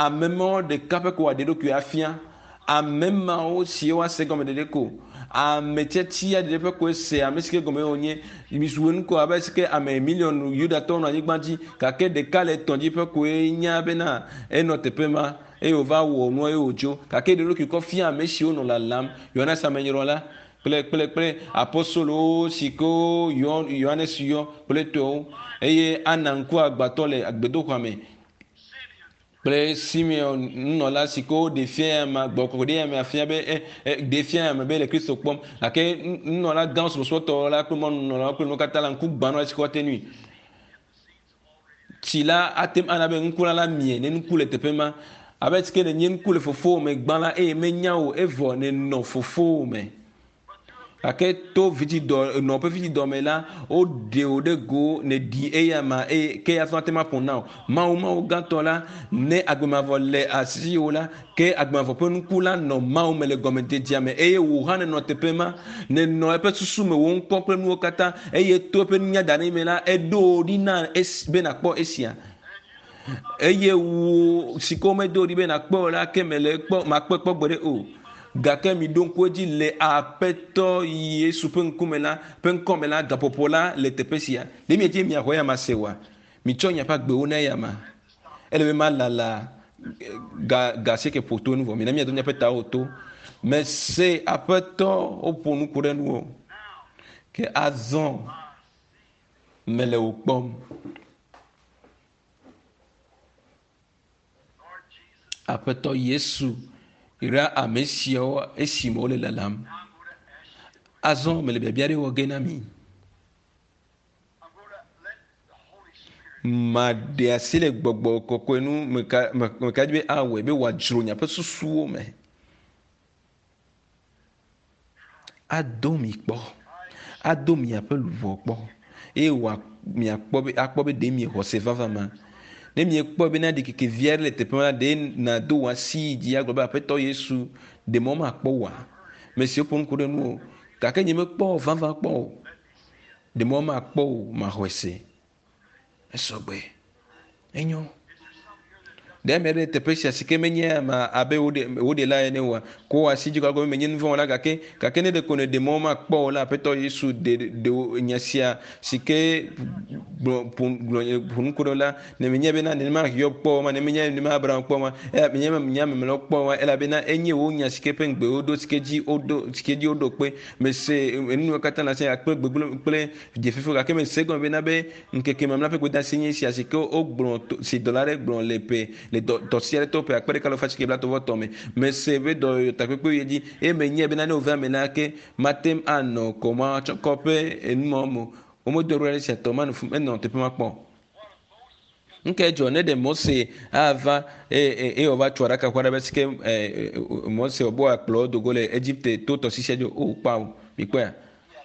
Ame mawo ɖeka ƒe ko wòaɖe eɖokui afia. Ame mawo si woase gɔme ɖeɖe ko. Ame tiatia ɖeɖe ƒe koe se ame si ke gɔme wònye. Mizu enu ko abe si ke ame miliɔn Yudatɔwo nɔ anyigba dzi gake ɖeka le etɔ̃ dzi ƒe koe nya bena enɔ teƒe ma. Eye wòva wɔ nua eye wòdzo. Gake eɖe eɖokui kɔ fia ame siwo nɔ lalam, Yohanes Amenyrɔla kple kple kple apostolowo si ke yɔ Yohanes yɔ kple etɔwo. Eye Ana ŋkuagbãtɔ le gbedoxɔa me kple Simeon nunɔla si ke woɖe fia ya ma gbɔ ɖe ya me afia be e, e, ɖe fia ya me be le Kristo kpɔm. Gake nunɔla gã subɔsubɔtɔ la kple mɔnunɔlawo kple nuwo katã la ŋku gbã nɔ esi woate nui. Tsi la ate ŋu ana be ŋku la mie ne ŋku le teƒe ma. Abe si ke nènye ŋku le fofowò me gbã la eye menya wò evɔ nènɔ fofowò me. Gake to vidzidɔ nɔ ƒe vidzidɔ me la, woɖe wò ɖe go nèɖi eyama eye ke ya ate ŋu aƒo na wò. Mawu Mawu gãtɔ la, ne agbe mavɔ le asiwò la, ke agbe mavɔ ƒe nuku la nɔ Mawu me le gɔmedzedzea me eye wò hã nènɔ teƒe ma. Nènɔ eƒe susu me, wò ŋkɔ kple nuwo katã eye to eƒe nunya da ɖe me la, eɖo wò ɖi na esi be nàkpɔ esia. Eye wò si ke womedo ɖi be nàkpɔ o la, ke mele ekpɔ makpɔe kpɔ gbeɖe o. Gake miɖo ŋku edzi le Aƒetɔ Yesu ƒe ŋkume la, ƒe ŋkɔ me la, gaƒoƒo la le teƒe sia. Ɖe miedzi be miaxɔ eyama se oa? Mitsɔ miaƒe agbewo na eyama. Ele be malala ga ga asieke ƒo to nu vɔ. Mina míado míaƒe tawo to. Mese Aƒetɔ woƒo nu ku ɖe nuwò. Ke azɔ mele wò kpɔm. Aƒetɔ Yesu yra ame siawo esime wole lalam. Azɔ mele biabia ɖe wɔ ge na mi. Maɖe asi le gbɔgbɔ kɔkɔe nu meka meka dzi be awɔe be wòadzro miaƒe susuwo me. Ado mi kpɔ, ado miaƒe luʋɔ kpɔ eye wòa miakpɔ be akpɔ be ɖe miexɔ se vavã ma. Ne miekpɔ bena ɖikeke vi aɖe le teƒe ma la, ɖe nàdo wò asi yi dzi agblɔ be Aƒetɔ Yesu, ɖe mɔ makpɔ wòa? Ame siwo ƒo nu ku ɖe nuwò gake nyemekpɔ wò vavã kpɔ o. Ɖe mɔ makpɔ wò maxɔe se. Esɔgbe. Enyo. Ɖe ame aɖe le teƒe sia si ke menye ame abe wò ɖela ene oa? Ko wò asi dzi gɔme menye nu vɔ̃ wɔla gake gake ne ɖeko nèɖe mɔ makpɔ o la, Aƒetɔ Yesu ɖe ɖe wò nya sia si ke gblɔ ƒo gblɔ ƒo nu ku ɖe la, ne menye bena nenema Hiob kpɔ o ma, ne menye nenema Abraham kpɔ o ma, eya menye nye ame mamlɛawo kpɔ o ma, elabena enye wò nya si ke ƒe ŋugbe wodo si ke dzi woɖo si ke dzi woɖo kpe. Mese enuwo katã le asi kple gbegblẽ kple dzefefewo gake mese egɔme bena be Ŋkeke mamlɛa ƒe gbedeasi nye esia si ke wogblɔ si dɔla aɖe gblɔ le ƒe le dɔ dɔ sia ɖe to ƒe akpe ɖeka alafa asieke blaetɔ̃ vɔ etɔ̃ me. Mese eƒe dɔyɔyɔ takpekpe yi edzi eye menyae bena ne wòva eme la ke mate ŋu anɔ kɔmatsɔkɔ ƒe enumawo me o. Womedo ɖo ɖe esia tɔ manɔ fi menɔ teƒe ma kpɔ o. Nu kae dzɔ ne ɖe Mose ava eye eye wòava tu aɖakaʋu aɖe be si ke Mose wòbe wòakplɔ wo do go le Egipte to tɔsisi dzi o? O, kpao. Mikpɔea?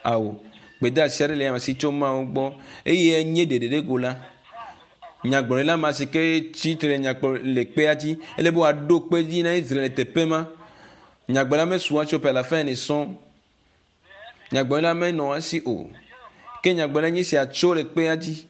Ao. Gbedeasi aɖe le ame si tso Mawu gbɔ eye enye ɖeɖeɖego la. Nyagblɔɖila ma si ke tsi tre nyakplɔ le kpea dzi, ele be wòaɖo kpe dzi na Israel le teƒe ma. Nyagblɔɖila mesu atso ƒe alafa ene sɔŋ. Nyagblɔɖila menɔ esi o. Ke nyagblɔɖila nye sia tso le kpea dzi.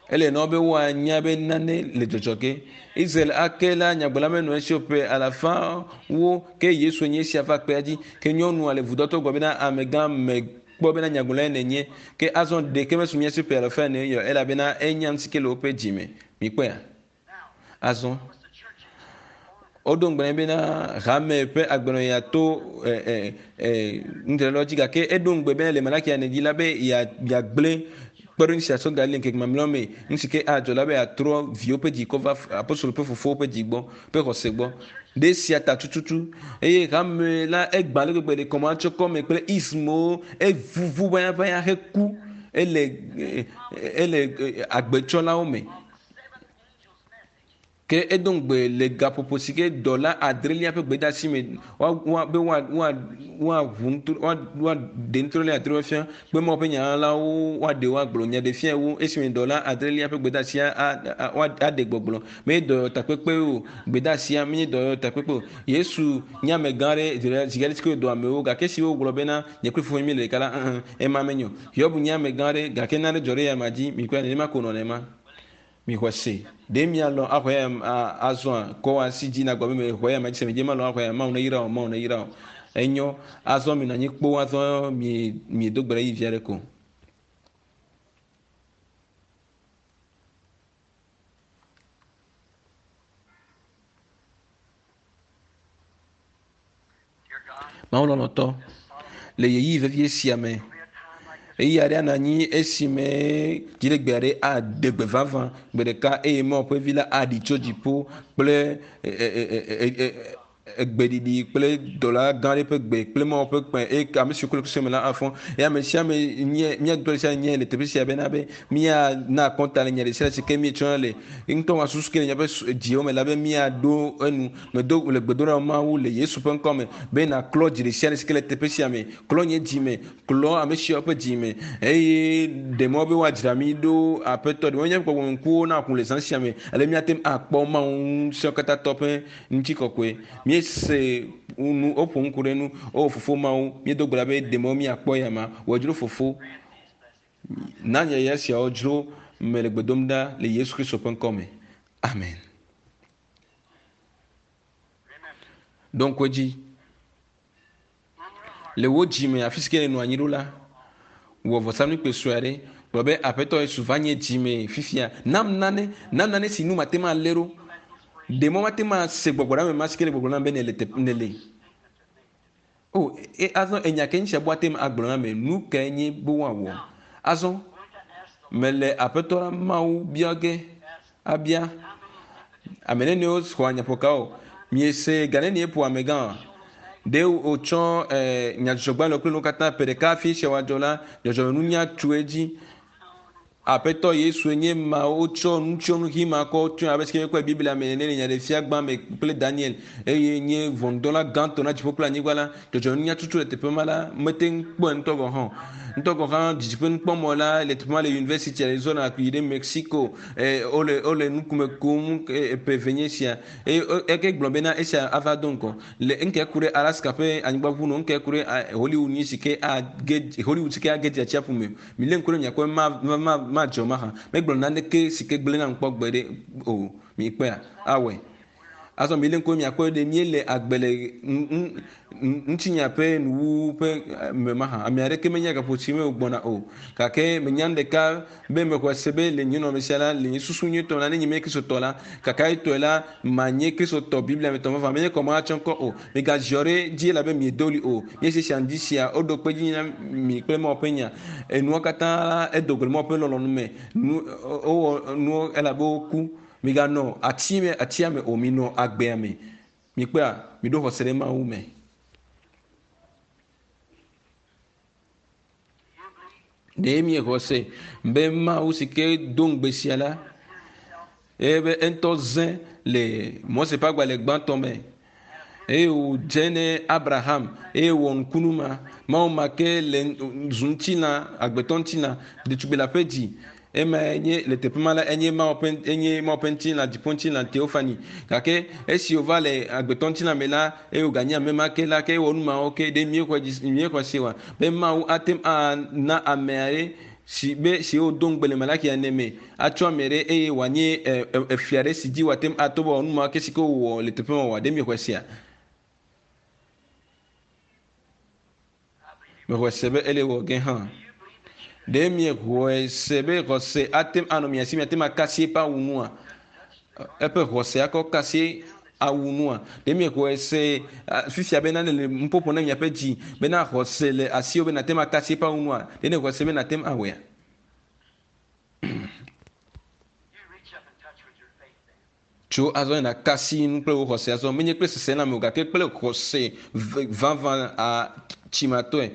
Ele na wo be woanya be nane le dzɔdzɔ ge. Israel ake la nyagblɔɖila menɔ esi o ƒe alafawo ke Yesu nye esia va kpea dzi. Ke nyɔnua le vudɔtɔ gblɔ bena amegã mekpɔ bena nyagblɔɖilae nènye. Ke azɔ ɖeke mesu mía si ƒe alafa ene o elabena enya nu si ke le woƒe dzi me. Mikpɔea? Azɔ woɖo ŋugbe nɛ bena hame ƒe agbenɔɣia to nudzraɖoa dzi gake eɖo ŋugbe bena le Malakia ene dzi la be yeagblẽ kpeɖeŋu sia sɔ gali ŋkeke mamlɛawo me. Nu si ke adzɔ la be yeatrɔ viwo ƒe dzi kɔ va apostolo ƒe fofowo ƒe dzi gbɔ ƒe xɔse gbɔ. Ɖe esia ta tututu eye hame la egbã ale gbegbe le kɔmatsɔkɔ me kple ismowo evuvu ʋayaʋaya heku ele ele agbetsɔlawo me. Ke edo ŋugbe le gaƒoƒo si ke dɔla adrelia ƒe gbedeasi me woa be woa woa woaʋu ŋutro woa woaɖe ŋutrɔ adrewo fia be Mawu ƒe nya la wo woaɖe woagblɔ nya ɖe fia wo esime dɔla adrelia ƒe gbedeasia a a woaɖe gbɔgblɔ. Menye dɔyɔtakpekpe o gbedeasia menye dɔyɔtakpekpe o. Yesu nye amegã aɖe zi geɖe si ke wòdɔ amewo gake esi wogblɔ bena nye kple fofonye míele ɖeka la ẽ ema menyo. Hiob nye amegã aɖe gake nane dzɔ ɖe eyama dzi mikpɔe nenema ko wònɔ ema. Mixɔe se. Ɖe mialɔ̃ axɔe azɔa? Kɔ wò asi dzi nàgblɔ be mexɔe ama dzi se. Medze malɔ̃ axɔe. Mawu neyra wò. Mawu neyra wò. Enyo. Azɔ minɔ anyi kpoo. Azɔ mi miedo gbe ɖe yi vi aɖe ko. Mawu lɔlɔ̃tɔ, le ɣeyiɣi vevie sia me, ɣeyiɣi aɖe anɔ anyi esime dziɖegbe aɖe aɖe gbe vavã gbe ɖeka eye Mawu ƒe vi la aɖi tso dziƒo kple egbeɖiɖi kple dɔla gã aɖe ƒe gbe kple Mawu ƒe kpẽ eye ame siwo ku le Kristo me la afɔ. Eye ame sia ame nye mía dometɔ ɖe sia nye le teƒe sia bena be míana akɔnta le nya ɖe sia ɖe si ke míetsɔna le ŋutɔ wɔ susu ke le míaƒe dziwo me la be míaɖo enu. Medo le gbedoɖa na Mawu le Yesu ƒe ŋkɔ me be nàklɔ dzi ɖe sia ɖe si ke le teƒe sia me, klɔ nye dzi me, klɔ ame siawo ƒe dzi me eye ɖe mɔ be woadzra mí ɖo Aƒetɔ, ɖe mɔ míaƒe gbɔgbɔmeŋkuwo naʋu le zã sia me ale míate ŋu akpɔ Mawu Ŋusẽkatãtɔ ƒe ŋutikɔkɔe. Míese nu woƒo nu ku ɖe nu. O Fofo Mawu, míedo gbe ɖa be ɖe mɔ míakpɔ eyama. Wɔ dzro Fofo. Na yayra siawo dzro mele gbe dom ɖa le Yesu Kristo ƒe ŋkɔ me. Amen. Ɖo ŋku edzi. Le wò dzi me, afi si ke nènɔ anyi ɖo la, wɔ vɔsamlekpui sue aɖe. Gblɔ be, Aƒetɔ Yesu, va nye dzi me fifia. Nam nane, nam nane si nu mate ŋu alé ɖo. Ɖe mɔ mate ŋu ase gbɔgbɔ ɖe ame ma si ke le gbɔgblɔm nam be nèle teƒe nèle. O, e, azɔ enya ke ŋutsia ate ŋu agblɔ na ame, nu kae nye be woawɔ? Azɔ, mele Aƒetɔ la Mawu bia ge abia. Ame neniwo xɔa nyaƒoka o? Miese ga nenie ƒo amegã? Ɖe wotsɔ e, nyadzɔdzɔgbalẽwo kple nuwo katã ƒe ɖeka hafi esia wòadzɔ la, dzɔdzɔmenunya tu edzi. Aƒetɔ Yesue nye ma wotsɔ nutsyɔnu ɣi ma kɔ tsyɔe abe si míekpɔe Biblia me ene le Nyaɖeɖefia gbã me kple Daniel eye nye ʋɔnudrɔ̃la gãtɔ na dziƒo kple anyigba la. Dzɔdzɔmenunya tutu le teƒe ma la mete ŋu kpɔe ŋutɔ gɔ̃ hã o. Ŋutɔ gɔ̃ hã didiƒe nukpɔmɔ la le teƒe ma le Yunivɛsiti Arizona yi ɖe Mexico. E, wole wole nukume kum e, ƒe eve nye esia eye eke gblɔ bena esia ava do ŋgɔ le ŋkɛ ku ɖe Alaska ƒe anyigba ʋu no ŋkɛ ku ɖe Hollywood nyi si ke age Hollywood si ke age dze atsiaƒu me. Milé ŋku ɖe miakpɔ ma, ma, ma, madzɔ mahã. Megblɔ naneke si ke gblẽ nam kpɔ gbe ɖe o. Mikpɔea? Awɔe. Azɔ milé ŋku miakpɔe ɖe míele agbe le ŋutinya ƒe nuwuwu ƒe me mahã. Ame aɖeke menya gaƒo si me wògbɔna o. Gake menya nu ɖeka be mexɔe se be le nye nɔnɔme sia la, le nye susu nyuietɔ la, ne nye menye Kristotɔ la, kakaetɔe la, manye Kristotɔ Biblia me tɔ vavã. Menye kɔ matsɔ ŋkɔ o. Migaziɔ ɖe dzi elabe miedo ɣli o. Míese sia ŋdi sia, woɖo kpe edzi na mi kple Mawu ƒe nya. Enuawo katã la, edo go le Mawu ƒe lɔlɔ̃nu me. Nu, wowɔ nuwo elabe woku. Miganɔ ati me, atia me o, minɔ agbea me. Mikpɔea? Miɖo xɔse ɖe Mawu me. Ɖe miexɔ se be Mawu si ke do ŋugbe sia la, eye be eŋutɔ zẽ le Mose ƒe agbalẽ gbãtɔ me eye wòdze ne Abraham eye wòwɔ nukunu ma. Mawu ma ke le zu ŋutilã, agbetɔ ŋutilã, ɖetugbi le aƒe dzi. Ema enye le teƒe ma la, enye Mawu ƒe, enye Mawu ƒe ŋutilã, dziƒo ŋutilã, teofani. Gake esi wòva le agbetɔ ŋutilã me la, eye wòganye ame ma ke la, ke ewɔ nu mawo ke. Ɖe míexɔe dzi, míexɔe se oa? Be Mawu ate ŋu ana ame aɖe si be si wodo ŋugbe le Malaki ene me atsɔ ame ɖe eye wòanye efia ɖe si dzi wòate ŋu ato be wòawɔ nu mawo ke si ke wòwɔ le teƒe ma oa? Ɖe míexɔe sea? Mexɔe se be ele wɔ ge hã. Ɖe miexɔe se be xɔse ate ŋu anɔ mia si miate ŋu akasi eƒe awu nua? Eƒe xɔse akɔ kasi awu nua? Ɖe miexɔe se fifia be nane le nuƒoƒo na miaƒe dzi bena xɔse le asiwò be nàte ŋu akasi eƒe awu nua? Ɖe nèxɔe se be nàte ŋu awɔea? Tso azɔ yina kasi nu kple wò xɔse azɔ, menye kple seselãme o, gake kple xɔse vavã a tsimatɔe.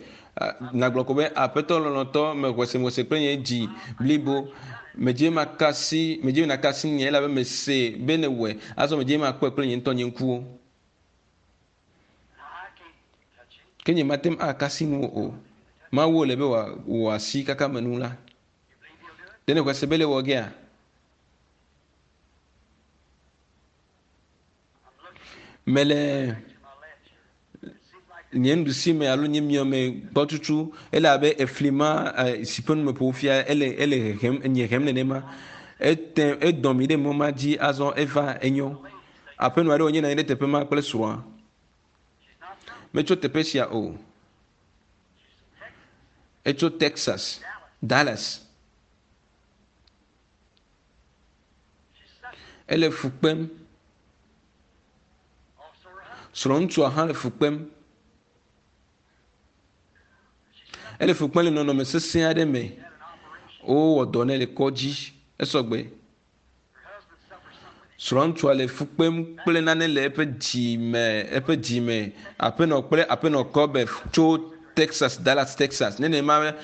Nàgblɔ ko be, Aƒetɔ lɔlɔ̃tɔ, mexɔe se, mexɔe se kple nye dzi blibo. Medze makasi, medze be nàkasi nye elabe mese be nèwɔe. Azɔ medze makpɔe kple nye ŋutɔ nye ŋkuwo. Ke nye mate ŋu akasi nuwò o. Mawu wòle be wò asi kaka me nu la. Ɖe nèxɔe se be le wɔ gea? Mele nye nuɖusi me alo nye miɔ me gbɔ tutu ele abe efli ma si ƒe nume ƒo fia ele ele hehem nye hem nenema. Ete edɔ mi ɖe mɔ ma dzi azɔ eva enyo. Aƒenɔ aɖe wònye nɔ anyi ɖe teƒe ma kple srɔ̃a. Metso teƒe sia o. Etso Texas, Dallas. Ele fu kpem. Srɔ̃ŋutsua hã le fu kpem. Ele fu kpem le nɔnɔme sesẽ aɖe me. Wowɔ dɔ nɛ le kɔdzi. Esɔgbe. Srɔ̃ŋutsua le fu kpem kple nane le eƒe dzi me, eƒe dzi me. Aƒenɔ kple aƒenɔ Kɔbe tso Texas, Dallas, Texas. Nenema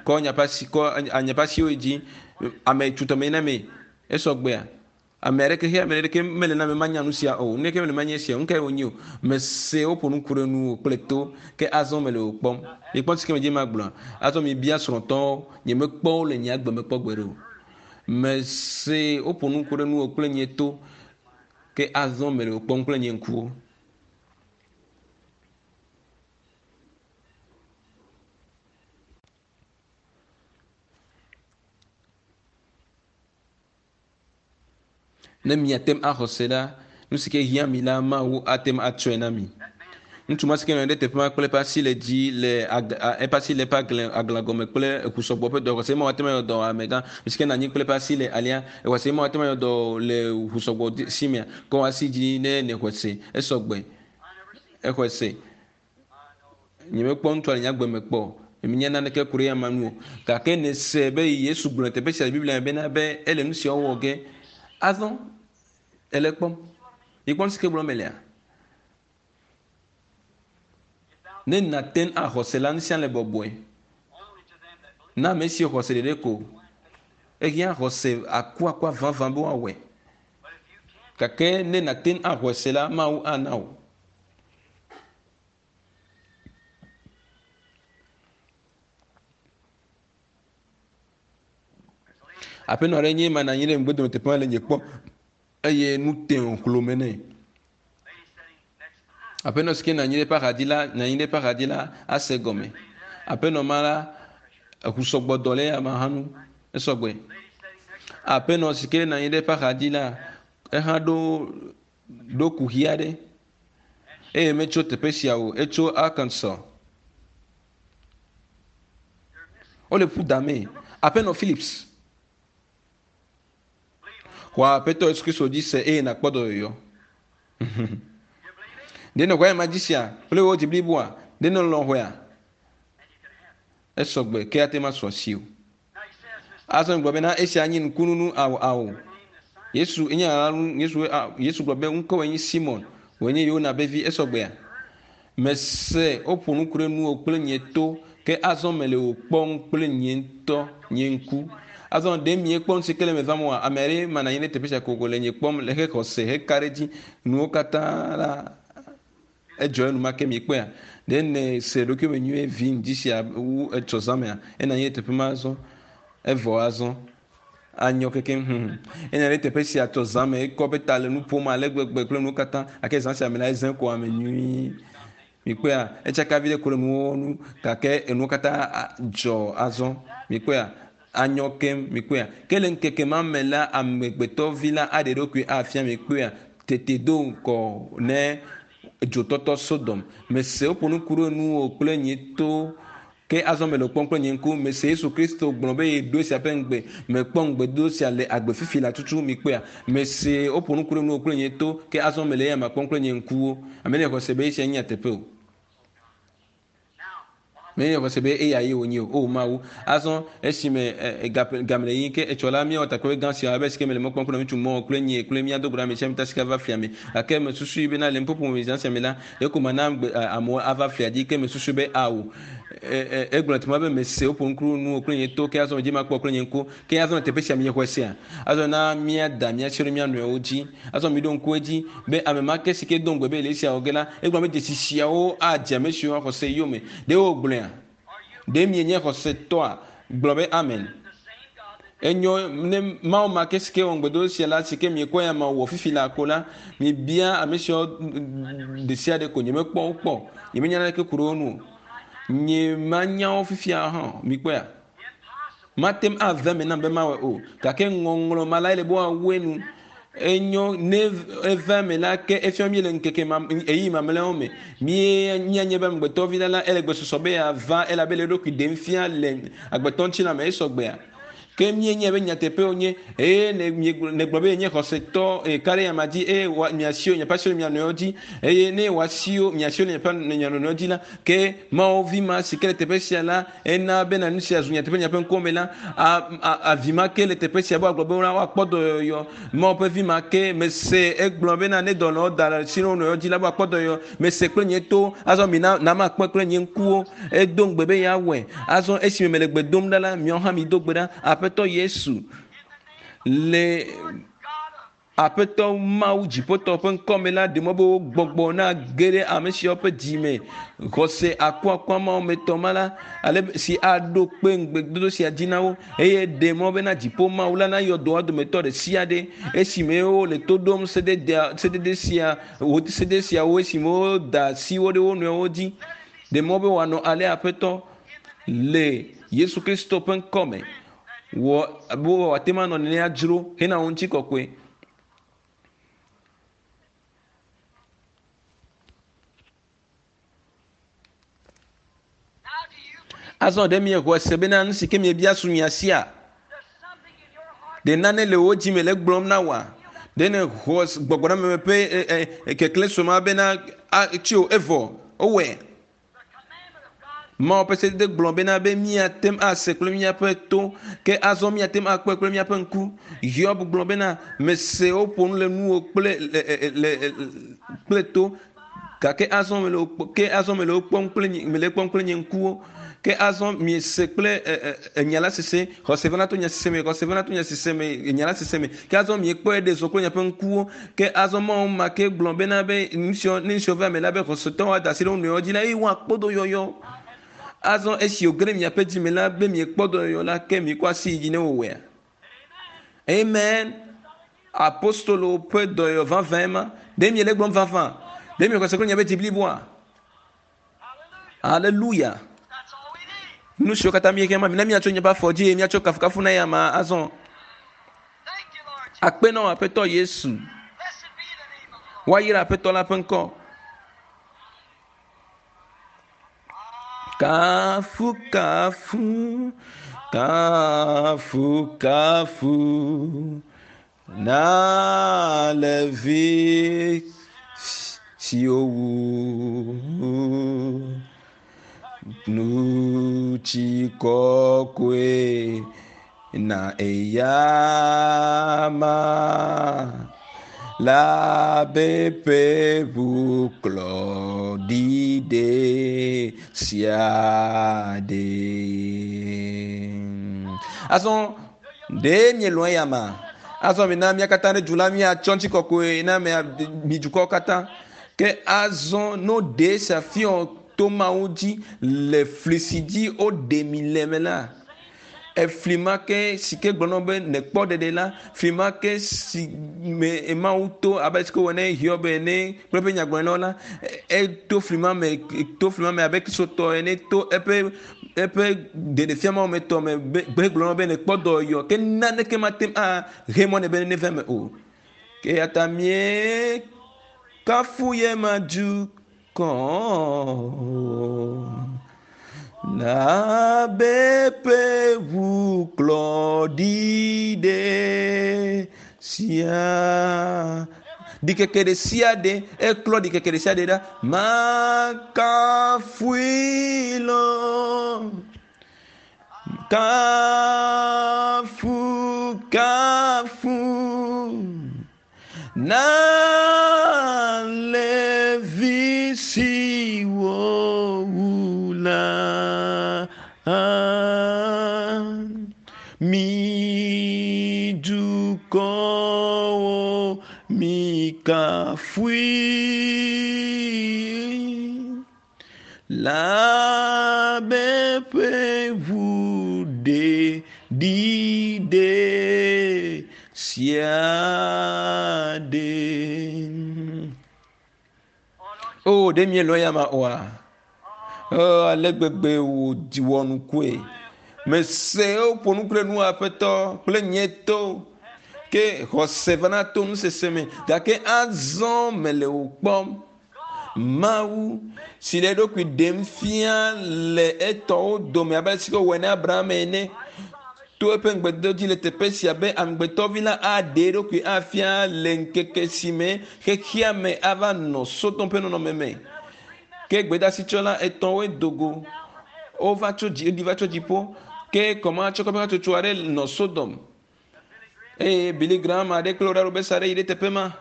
kɔ nyaƒe asi kɔ anyaƒe asiwo dzi. Ame tutɔme na me. Esɔgbea. Ame aɖeke xe ame aɖeke mele na me manya nu sia o. Neke mele manye sia o. Nukae wònye o? Mese woƒo nu ku ɖe nuwò kple to ke azɔ mele wò kpɔm. Mikpɔ si ke medze magblɔa. Azɔ mibia srɔ̃tɔwo. Nyemekpɔ wo le nye agbe me kpɔ gbeɖe o. Mese woƒo nu ku ɖe nuwò kple nye to ke azɔ mele wò kpɔm kple nye ŋkuwo. Ne miate ŋu axɔ se la, nu si ke hiã mi la, Mawu ate ŋu atsɔe na mi. Ŋutsu ma si ke nɔ anyi ɖe teƒe ma kple eƒe asi le dzi le eƒe asi le eƒe aglã aglã gɔme kple eku sɔgbɔ ƒe dɔ. Xɔse Mawu ate ŋu ayɔ dɔ amegã. Ame si ke nɔ anyi kple eƒe asi le alea, exɔse Mawu ate ŋu ayɔ dɔ le ʋu sɔgbɔ si mea? Kɔ asi dzi ne nèxɔe se. Esɔgbe. Exɔe se. Nyemekpɔ ŋutsua le nye agbe me kpɔ o. Nyemenya naneke ku ɖe eya ŋu o. Gake nèse be Yesu gblɔ le teƒe sia le Biblia me bena be ele nu siawo wɔ ge. Azɔ ele ekpɔm. Mikpɔ nu si ke gblɔm melea? Ne nàte ŋu axɔ se la, nu sia le bɔbɔe. Na ame siwo xɔ se ɖeɖe ko. Ehiã xɔse akuakua vavã be woawɔe. Gake ne nàte ŋu axɔe se la, Mawu ana wò. Aƒenɔ aɖe nye ema nɔ anyi ɖe ŋugbedome teƒe ma le nye kpɔm eye nu te hlome nɛ. Aƒenɔ si ke nɔ anyi ɖe eƒe axadzi la, nɔ anyi ɖe eƒe axadzi la ase egɔme. Aƒenɔ ma la, eŋu sɔgbɔ dɔ le eya ma hã ŋu. Esɔgbe. Aƒenɔ si ke nɔ anyi ɖe eƒe axadzi la, ehã ɖo ɖo kuxi aɖe eye metso teƒe sia o, etso Arkansas. Wole ƒu damee. Aƒenɔ Phillips, xɔ Aƒetɔ Yesu Kristo dzi se eye nàkpɔ dɔyɔyɔ. Ɖe nèxɔ ema dzi sea kple wò dzi bliboa? Ɖe nèlɔ̃ xɔea? Esɔgbe ke ate ŋu asu asiwò. Azɔ gblɔ bena esia nye nukununu ao ao. Yesu enye Yesu Yesu gblɔ be ŋkɔwòe nye Simon, wòe nye Yona be vi. Esɔgbea? Mese woƒo nu ku ɖe nuwò kple nye to, ke azɔ mele wò kpɔm kple nye ŋutɔ nye ŋku. Azɔ ɖe miekpɔ nu si ke le eme vam oa? Ame aɖe manɔ anyi ɖe teƒe sia kokoko le nye kpɔm le hexɔse heka ɖe edzi. Nuwo katã la Edzɔ enumake miekpɔea? Ɖe nèse ɖokuiwò me nyuie vi ŋdi sia wu etsɔ zã mea? Enɔ anyi ɖe teƒe ma azɔ. Evɔ azɔ. Anyɔ kekeŋ. Hum. Enɔ anyi ɖe teƒe sia tsɔ zã me. Ekɔ eƒe ta le nu ƒom ale gbegbe kple nuwo katã. Gake zã sia me la, ezẽ ko ame nyuie. Mikpɔea? Etsaka viɖe ko le nuwo nu gake enuwo katã dzɔ azɔ. Mikpɔea? Anyɔ keŋ. Mikpɔea? Ke le ŋkeke ma me la, Amegbetɔvi la aɖe eɖokui afia. Mikpɔea? Tete do ŋgɔ ne dzotɔtɔ Sodom. Mese woƒo nu ku ɖe nuwò kple nye to, ke azɔ mele wò kpɔm kple nye ŋku. Mese Yesu Kristo gblɔ be yeɖo esia ƒe ŋugbe. Mekpɔ ŋugbedodo sia le agbe fifi la tutu. Mikpɔea? Mese woƒo nu ku ɖe nuwò kple nye to, ke azɔ mele eyama kpɔm kple nye ŋkuwo. Ame ɖe xɔ se be esia nye nyateƒe o. Menye xɔse be eya ye wònye o. O Mawu, azɔ esime game le yiyim ke etsɔ la, míawɔ takpekpe gã sia abe esike mele mɔ kpɔm kple ŋutsu mɔ kple nye kple mía do go ɖe ame sia ame ta sika va flia me. Gake mesusui bena le nuƒoƒo me zã sia me la, ɖeko mana gbe amewo ava flia dzi. Ke mesusui be ao. Egblɔ teƒe ma be mese woƒo ŋku nuwò kple nye to, ke azɔ medzi makpɔ kple nye ŋku. Ke azɔ le teƒe sia miexɔe sea? Azɔ na míada mía si ɖe mía nɔewo dzi. Azɔ miɖo ŋku edzi be ame ma ke si ke do ŋugbe be yele esia wɔ ge la, egblɔ be dzesi siawo adze ame siwo axɔ se yome. Ɖe wògblɔea? Ɖe mienye xɔsetɔa? Gblɔ be Amen. Enyo, ne Mawu ma ke si ke wɔ ŋugbedodo sia la, si ke miekpɔ ya ma wɔ fifi laa ko la, mibia ame siawo ɖesiaɖe ko. Nyemekpɔ wo kpɔ o. Nyemenya naneke ku ɖe wo ŋu o. Nyemanya wo fifia hã o. Mikpɔea? Mate ŋu ave eme nam be mawɔe o, gake ŋɔŋlɔ ma lae le be woawu enu. Enyo ne eva eme la, ke efia míele ŋkeke ma, ɣeyiɣi mamlɛawo me. Mí míanye be amegbetɔvi la la, ele gbesɔsɔ be yeava elabe le eɖokui ɖem fia le agbetɔ ŋutilã me. Esɔgbea? Ke míenyae be nyateƒe wònye eye ne nègblɔ be yenye xɔsetɔ eye ka ɖe nya ma dzi eye wò miasiwo miaƒe asiwo le mia nɔewo dzi eye ne wò asiwo miasiwo le miaƒe mia nɔewo dzi la ke Mawu vi ma si ke le teƒe sia la ena bena nu sia zu nyateƒe le miaƒe ŋkuwo me la avi ma ke le teƒe sia be woagblɔ be woakpɔ dɔyɔyɔ Mawu ƒe vi ma ke mese egblɔ bena ne dɔnɔwo da asi ɖe wo nɔewo dzi la be woakpɔ dɔyɔyɔ mese kple nye to azɔ mina na makpɔe kple nye ŋkuwo Edo ŋugbe be yeawɔe. Azɔ esime mele gbe dom ɖa la, miawo hã mido gbe ɖa. Aƒetɔ Yesu, le Aƒetɔ Mawu dziƒotɔ ƒe ŋkɔ me la, ɖe mɔ be wò gbɔgbɔ nage ɖe ame siawo ƒe dzi me. Xɔse akuakua mawo me tɔ ma la, ale si aɖo kpe ŋugbedodo sia dzi na wo. Eye ɖe mɔ bena dziƒo Mawu la nayɔ dɔa dometɔ ɖe sia ɖe esime wole to ɖom sedede sia, sedede siawo esime woda asi wo ɖe wo nɔewo dzi. Ɖe mɔ be wòanɔ alea, Aƒetɔ, le Yesu Kristo ƒe ŋkɔ me. Wɔ be wòate ŋu anɔ nenea dzro hena wò ŋutikɔkɔe. Azɔ ɖe miexɔe se bena nu si ke miebia su mia sia? Ɖe nane le wò dzi me le gblɔm na wòa? Ɖe nèxɔ gbɔgbɔɖememe ƒe e, e, keklẽ sue ma bena tsi o evɔ wowɔe? Mawu ƒe sedede gblɔ bena be míate ŋu ase kple míaƒe to, ke azɔ míate ŋu akpɔe kple míaƒe ŋku. Hiob gblɔ bena, mese woƒo nu le nuwò kple le, le, kple to, Gake azɔ mele wo kpɔ, ke azɔ mele wo kpɔm kple nye, mele ekpɔm kple nye ŋkuwo. Ke azɔ miese kple e, e, enya la sese, xɔse vana to nya sese me, xɔse vana to nya sese me, enya la sese me. Ke azɔ miekpɔe ɖe zɔ kple miaƒe ŋkuwo. Ke azɔ Mawu ma ke gblɔ bena be nusiɔ, ne nusiɔ va eme la be xɔsetɔwo ada asi ɖe wo nɔewo dzi la eye woakpɔ dɔyɔyɔ. Azɔ esi wòge ɖe miaƒe dzi me la be miekpɔ dɔyɔyɔ la, ke mikɔ asi yi dzi ne wowɔea. Amen. Apostolo ƒe dɔyɔyɔ vavãe ma. Ɖe miele egblɔm vavã? Ɖe miexɔ se kple miaƒe dzi bliboa? Aleluya. Nu siwo katã míehiã ma, mina míatso míaƒe afɔ dzi eye míatsɔ kafukafu na eyama azɔ. Akpe na wò Aƒetɔ Yesu. Woayra Aƒetɔ la ƒe ŋkɔ. Kafu, kafu, kafu, kafu na le vi siwo wu nutsi kɔkɔe na eyama la be ƒe ʋuklɔ ɖiɖe sia ɖe. Azɔ ɖe mielɔ̃ eyama? Azɔ mina mía katã ɖe du la míatsɔ ŋutikɔkɔe na mia mi dukɔwo katã. Ke azɔ no ɖe sia fiɔ to Mawu dzi le fli si dzi woɖe mi le me la, efli ma ke si ke gblɔ na be nèkpɔ ɖeɖe la, fli ma ke si me Mawu to abe si ke wòwɔ ne Hiob ene kple eƒe nyagblɔɖilawo la, eto fli ma me, to fli ma me abe Kristotɔ ene to eƒe eƒe ɖeɖefia mawo me tɔ me be gblɔ na be nèkpɔ dɔyɔyɔ ke naneke mate ŋu ahe mɔ nɛ be neva eme o. Ke eya ta míekafu ye ma dukɔ na be ƒe ʋuklɔ ɖi ɖe sia. Ɖikeke ɖe sia ɖe, eklɔ ɖikeke ɖe sia ɖe ɖa. Makafui lɔ. Kafu, kafu. Na levi siwo wu la. Mi dukɔwo mikafui. La be ƒe ʋu ɖe ɖiɖe sia ɖe. O, ɖe mielɔ̃ eyama oa? O, ale gbegbe wòdi wɔ nukue. Mese woƒo nu kple nu Aƒetɔ kple nye to. Ke xɔse vana to nusese me. Gake azɔ mele wò kpɔm. Mawu si le eɖokui ɖem fia le etɔwo dome abe ale si wòwɔe na Abraham ene. To eƒe ŋugbedodo dzi le teƒe sia be amegbetɔvi la aɖe eɖokui afia le ŋkeke si me xexea me ava nɔ Sodom ƒe nɔnɔme me. Ke gbedasitsɔla etɔ̃woe do go. Wova tso dzi, woɖi va tso dziƒo. Ke kɔmatsɔkɔƒe hatsotso aɖe nɔ Sodom. Eye Billy Graham aɖe kple Oral Roberts aɖe yi ɖe teƒe ma.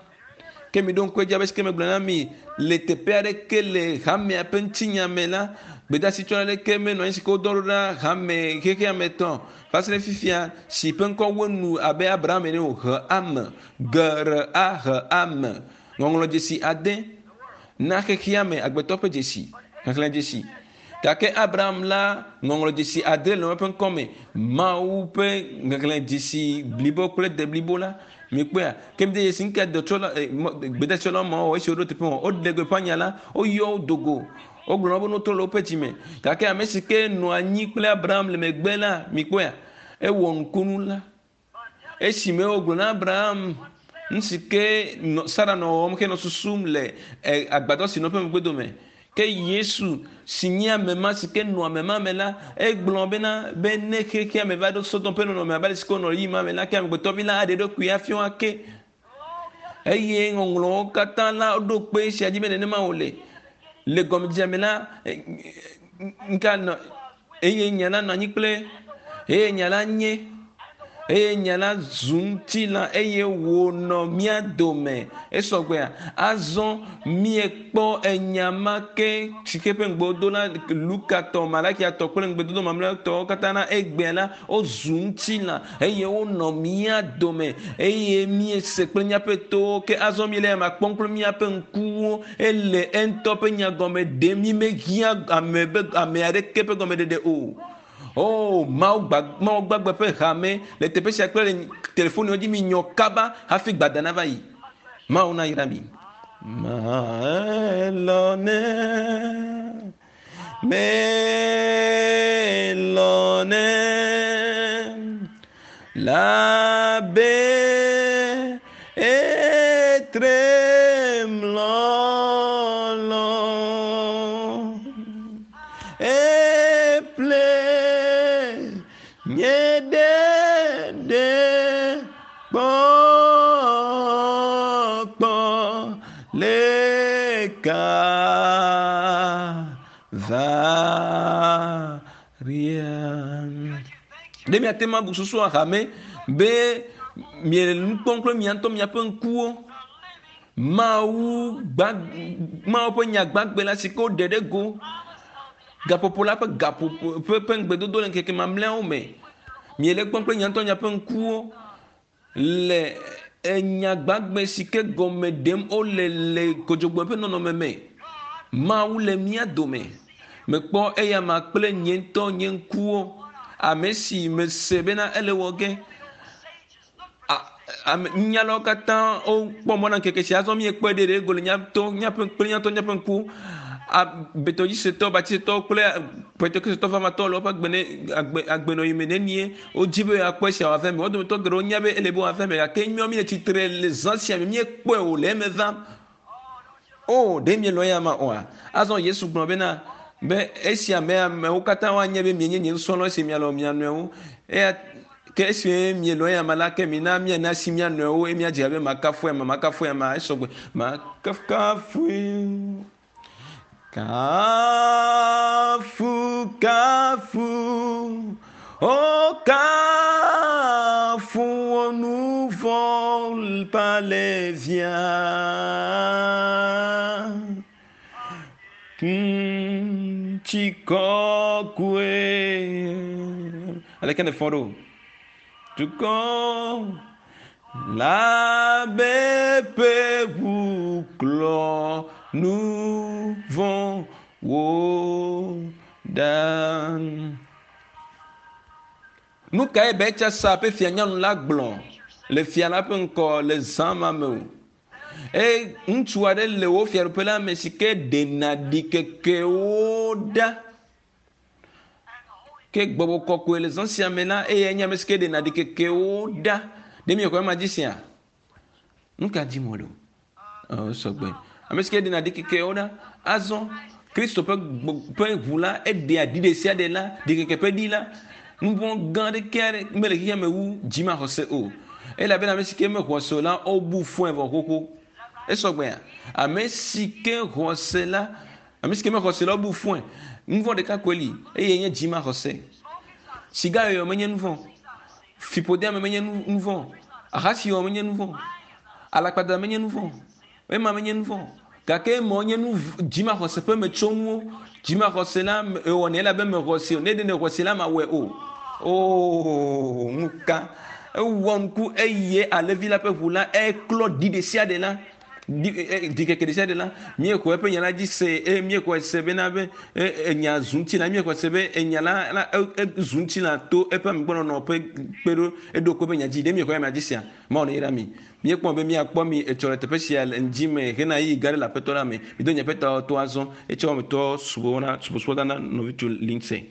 Ke miɖo ŋku edzi abe si ke megblɔ na mi le teƒe aɖeke le hamea ƒe ŋutinya me la, gbedasitsɔla aɖeke menɔ anyi si ke wodɔ ɖo ɖa hame xexea me tɔ va se ɖe fifia si ƒe ŋkɔ wu enu abe Abraham ene o. He ame, G R A H ame, ŋɔŋlɔdzesi ade na xexea me agbetɔ ƒe dzesi, xexlẽdzesi. Gake Abraham la, ŋɔŋlɔdzesi adre le eƒe ŋkɔ me, Mawu ƒe xexlẽdzesi blibo kple deblibo la. Mikpɔea? Ke mide dzesi nuka dɔtsɔla, eh, gbedasitsɔla ma wɔ esi woɖo teƒe ma. Woɖe gbeƒã nya la, woyɔ wo do go. Wogblɔ na wo be ne wotrɔ le woƒe dzime. Gake ame si ke nɔ anyi kple Abraham le megbe la, mikpɔea? Ewɔ nukunu la. Esime wogblɔ na Abraham nu si ke Sara nɔ wɔwɔm henɔ susum le e, agbadɔ si nɔ eƒe megbedome. Ke Yesu si nye ame ma si ke nɔ ame ma me la, egblɔ bena be ne xexea me va ɖo Sodom ƒe nɔnɔme abe ale si ke wonɔ ɣeyiɣi ma me la, ke amegbetɔvi la aɖe eɖokui afia ake. Eye ŋɔŋlɔwo katã la ɖo kpe esia dzi be nenema wòle. Le gɔmedzedzea me la, ŋka nɔ eye nya la nɔ anyi kple eye nya la nye eye nya la zu ŋutilã eye wònɔ mía dome. Esɔgbea? Azɔ míekpɔ enya ma ke si ke ƒe ŋugbe wodo na Luka tɔ, Malakia tɔ kple ŋugbedodo mamlɛtɔwo katã na egbea la, wozu ŋutilã eye wonɔ mía dome eye míese kple míaƒe towo ke azɔ míele ema kpɔm kple míaƒe ŋkuwo ele eŋutɔ ƒe nya gɔme ɖem mí mehiã ame be ame aɖeke ƒe gɔmeɖeɖe o. O Mawu gba Mawu gbagbe ƒe hame le teƒe sia kple le telefoniwo dzi mi nyɔ kaba hafi gbada nava yi. Mawu nayra mi. Maelɔne. Melɔnɛ labe etrem lɔlɔ eple nye ɖeɖe kpɔkpɔ le Kalvaria. Ɖe miate ŋu abu susu ahame be miele nu kpɔm kple mia ŋutɔ miaƒe ŋkuwo. Mawu gba Mawu ƒe nya gbagbe la si ke woɖe ɖe go gaƒoƒo la ƒe gaƒoƒo ƒe ƒe ŋugbedodo le ŋkeke mamlɛawo me. Miele ekpɔm kple mia ŋutɔ miaƒe ŋkuwo le enya gbagbe si ke gɔme ɖem wole le kodzogbe ƒe nɔnɔme me. Mawu le mía dome. Mekpɔ eyama kple nye ŋutɔ nye ŋkuwo. Ame si mese bena ele wɔ ge. Ame nunyalawo katã wokpɔ mɔ na ŋkeke sia. Azɔ míekpɔe ɖe ɖe go le míaƒe míaƒe kple míaƒe míaƒe ŋku. Betɔdzisetɔ, batisetɔwo kple Pentekosetɔ vavãtɔwo le woƒe agbe ne agbe agbenɔɣi me nenie wodi be yewoakpɔ esia wòava eme. Wo dometɔ geɖewo nya be ele be wòava eme gake míawo míele tsitre le zã sia me míekpɔe o le eme vam. O, ɖe mielɔ̃ eya ma oa? Azɔ Yesu gblɔ bena, be esia me amewo katã woanye be mienye nye nusrɔ̃lawo esi mialɔ̃ mia nɔewo. Eya ke esi mielɔ̃ eya ma la, ke mina miana asi mia nɔewo eye miadze abe makafu ema, makafu ema, esɔgbe. Makafukafui. Kafu, kafu, o kafu wò nu vɔ̃ palevia. Ŋutikɔkɔe. Aleke nèfɔ ɖo? Dukɔ la be ƒe ʋu klɔ nu vɔ̃wo ɖa. Nu kae Belshatsar ƒe fianyɔnu la gblɔ le fia la ƒe ŋkɔ le zã ma me o? Eye ŋutsu aɖe le wò fiaɖuƒe la me si ke ɖena ɖikekewo ɖa. Ke gbɔgbɔ kɔkɔe le zã sia me la, eyae nye ame si ke ɖena ɖikekewo ɖa. Ɖe miexɔ ema dzi sea? Nu ka dim wòle o? Sɔgbe. Ame si ke ɖena ɖikekewo ɖa. Azɔ Kristo ƒe ƒe ʋu la, eɖea ɖi ɖe sia ɖe la, ɖikeke ƒe ɖi la. Nuvɔ̃ gã aɖeke mele xexea me wu dzimaxɔse o. Elabena ame si ke mexɔ se o la, wobu fɔe vɔ xoxo. Esɔgbea? Ame si ke xɔ se la, Ame si ke mexɔ se la, wobu fɔe. Nu vɔ̃ ɖeka koe li, eye nye dzimaxɔse. Sigayɔyɔ menye nu vɔ̃. Fiƒodeame menye nu vɔ̃. Ahasiwɔwɔ menye nu vɔ̃. Alakpadada menye nu vɔ̃. Ema menye nu vɔ̃. Gake emawo nye nu dzimaxɔse ƒe metsonuwo. Dzimaxɔse la ewɔnɛ elabe mexɔ se o. Ne ɖe nèxɔ se la, mawɔe o. Oo, nuka? Ewɔ nuku eye alẽvi la ƒe ʋu la eklɔ ɖi ɖesiaɖe la. Ɖikeke ɖe sia ɖe la, míexɔ eƒe nya la dzi se eye míexɔe se bena be enya zu ŋutilã. Míexɔe se be enya la la ezu ŋutilã to eƒe amegbɔnɔnɔ ƒe kpeɖo eɖo kpe eƒe nya dzi. Ɖe míexɔ ema dzi sea? Mawu neyra mi. Míekpɔ be míakpɔ mi etsɔ le teƒe sia le ŋdi me hena ɣeyiɣi gã aɖe le Aƒetɔ la me. Mido miaƒe tawo to azɔ. Etsɔ wɔmetɔ subɔsubɔda na nɔvitsu Lindsay.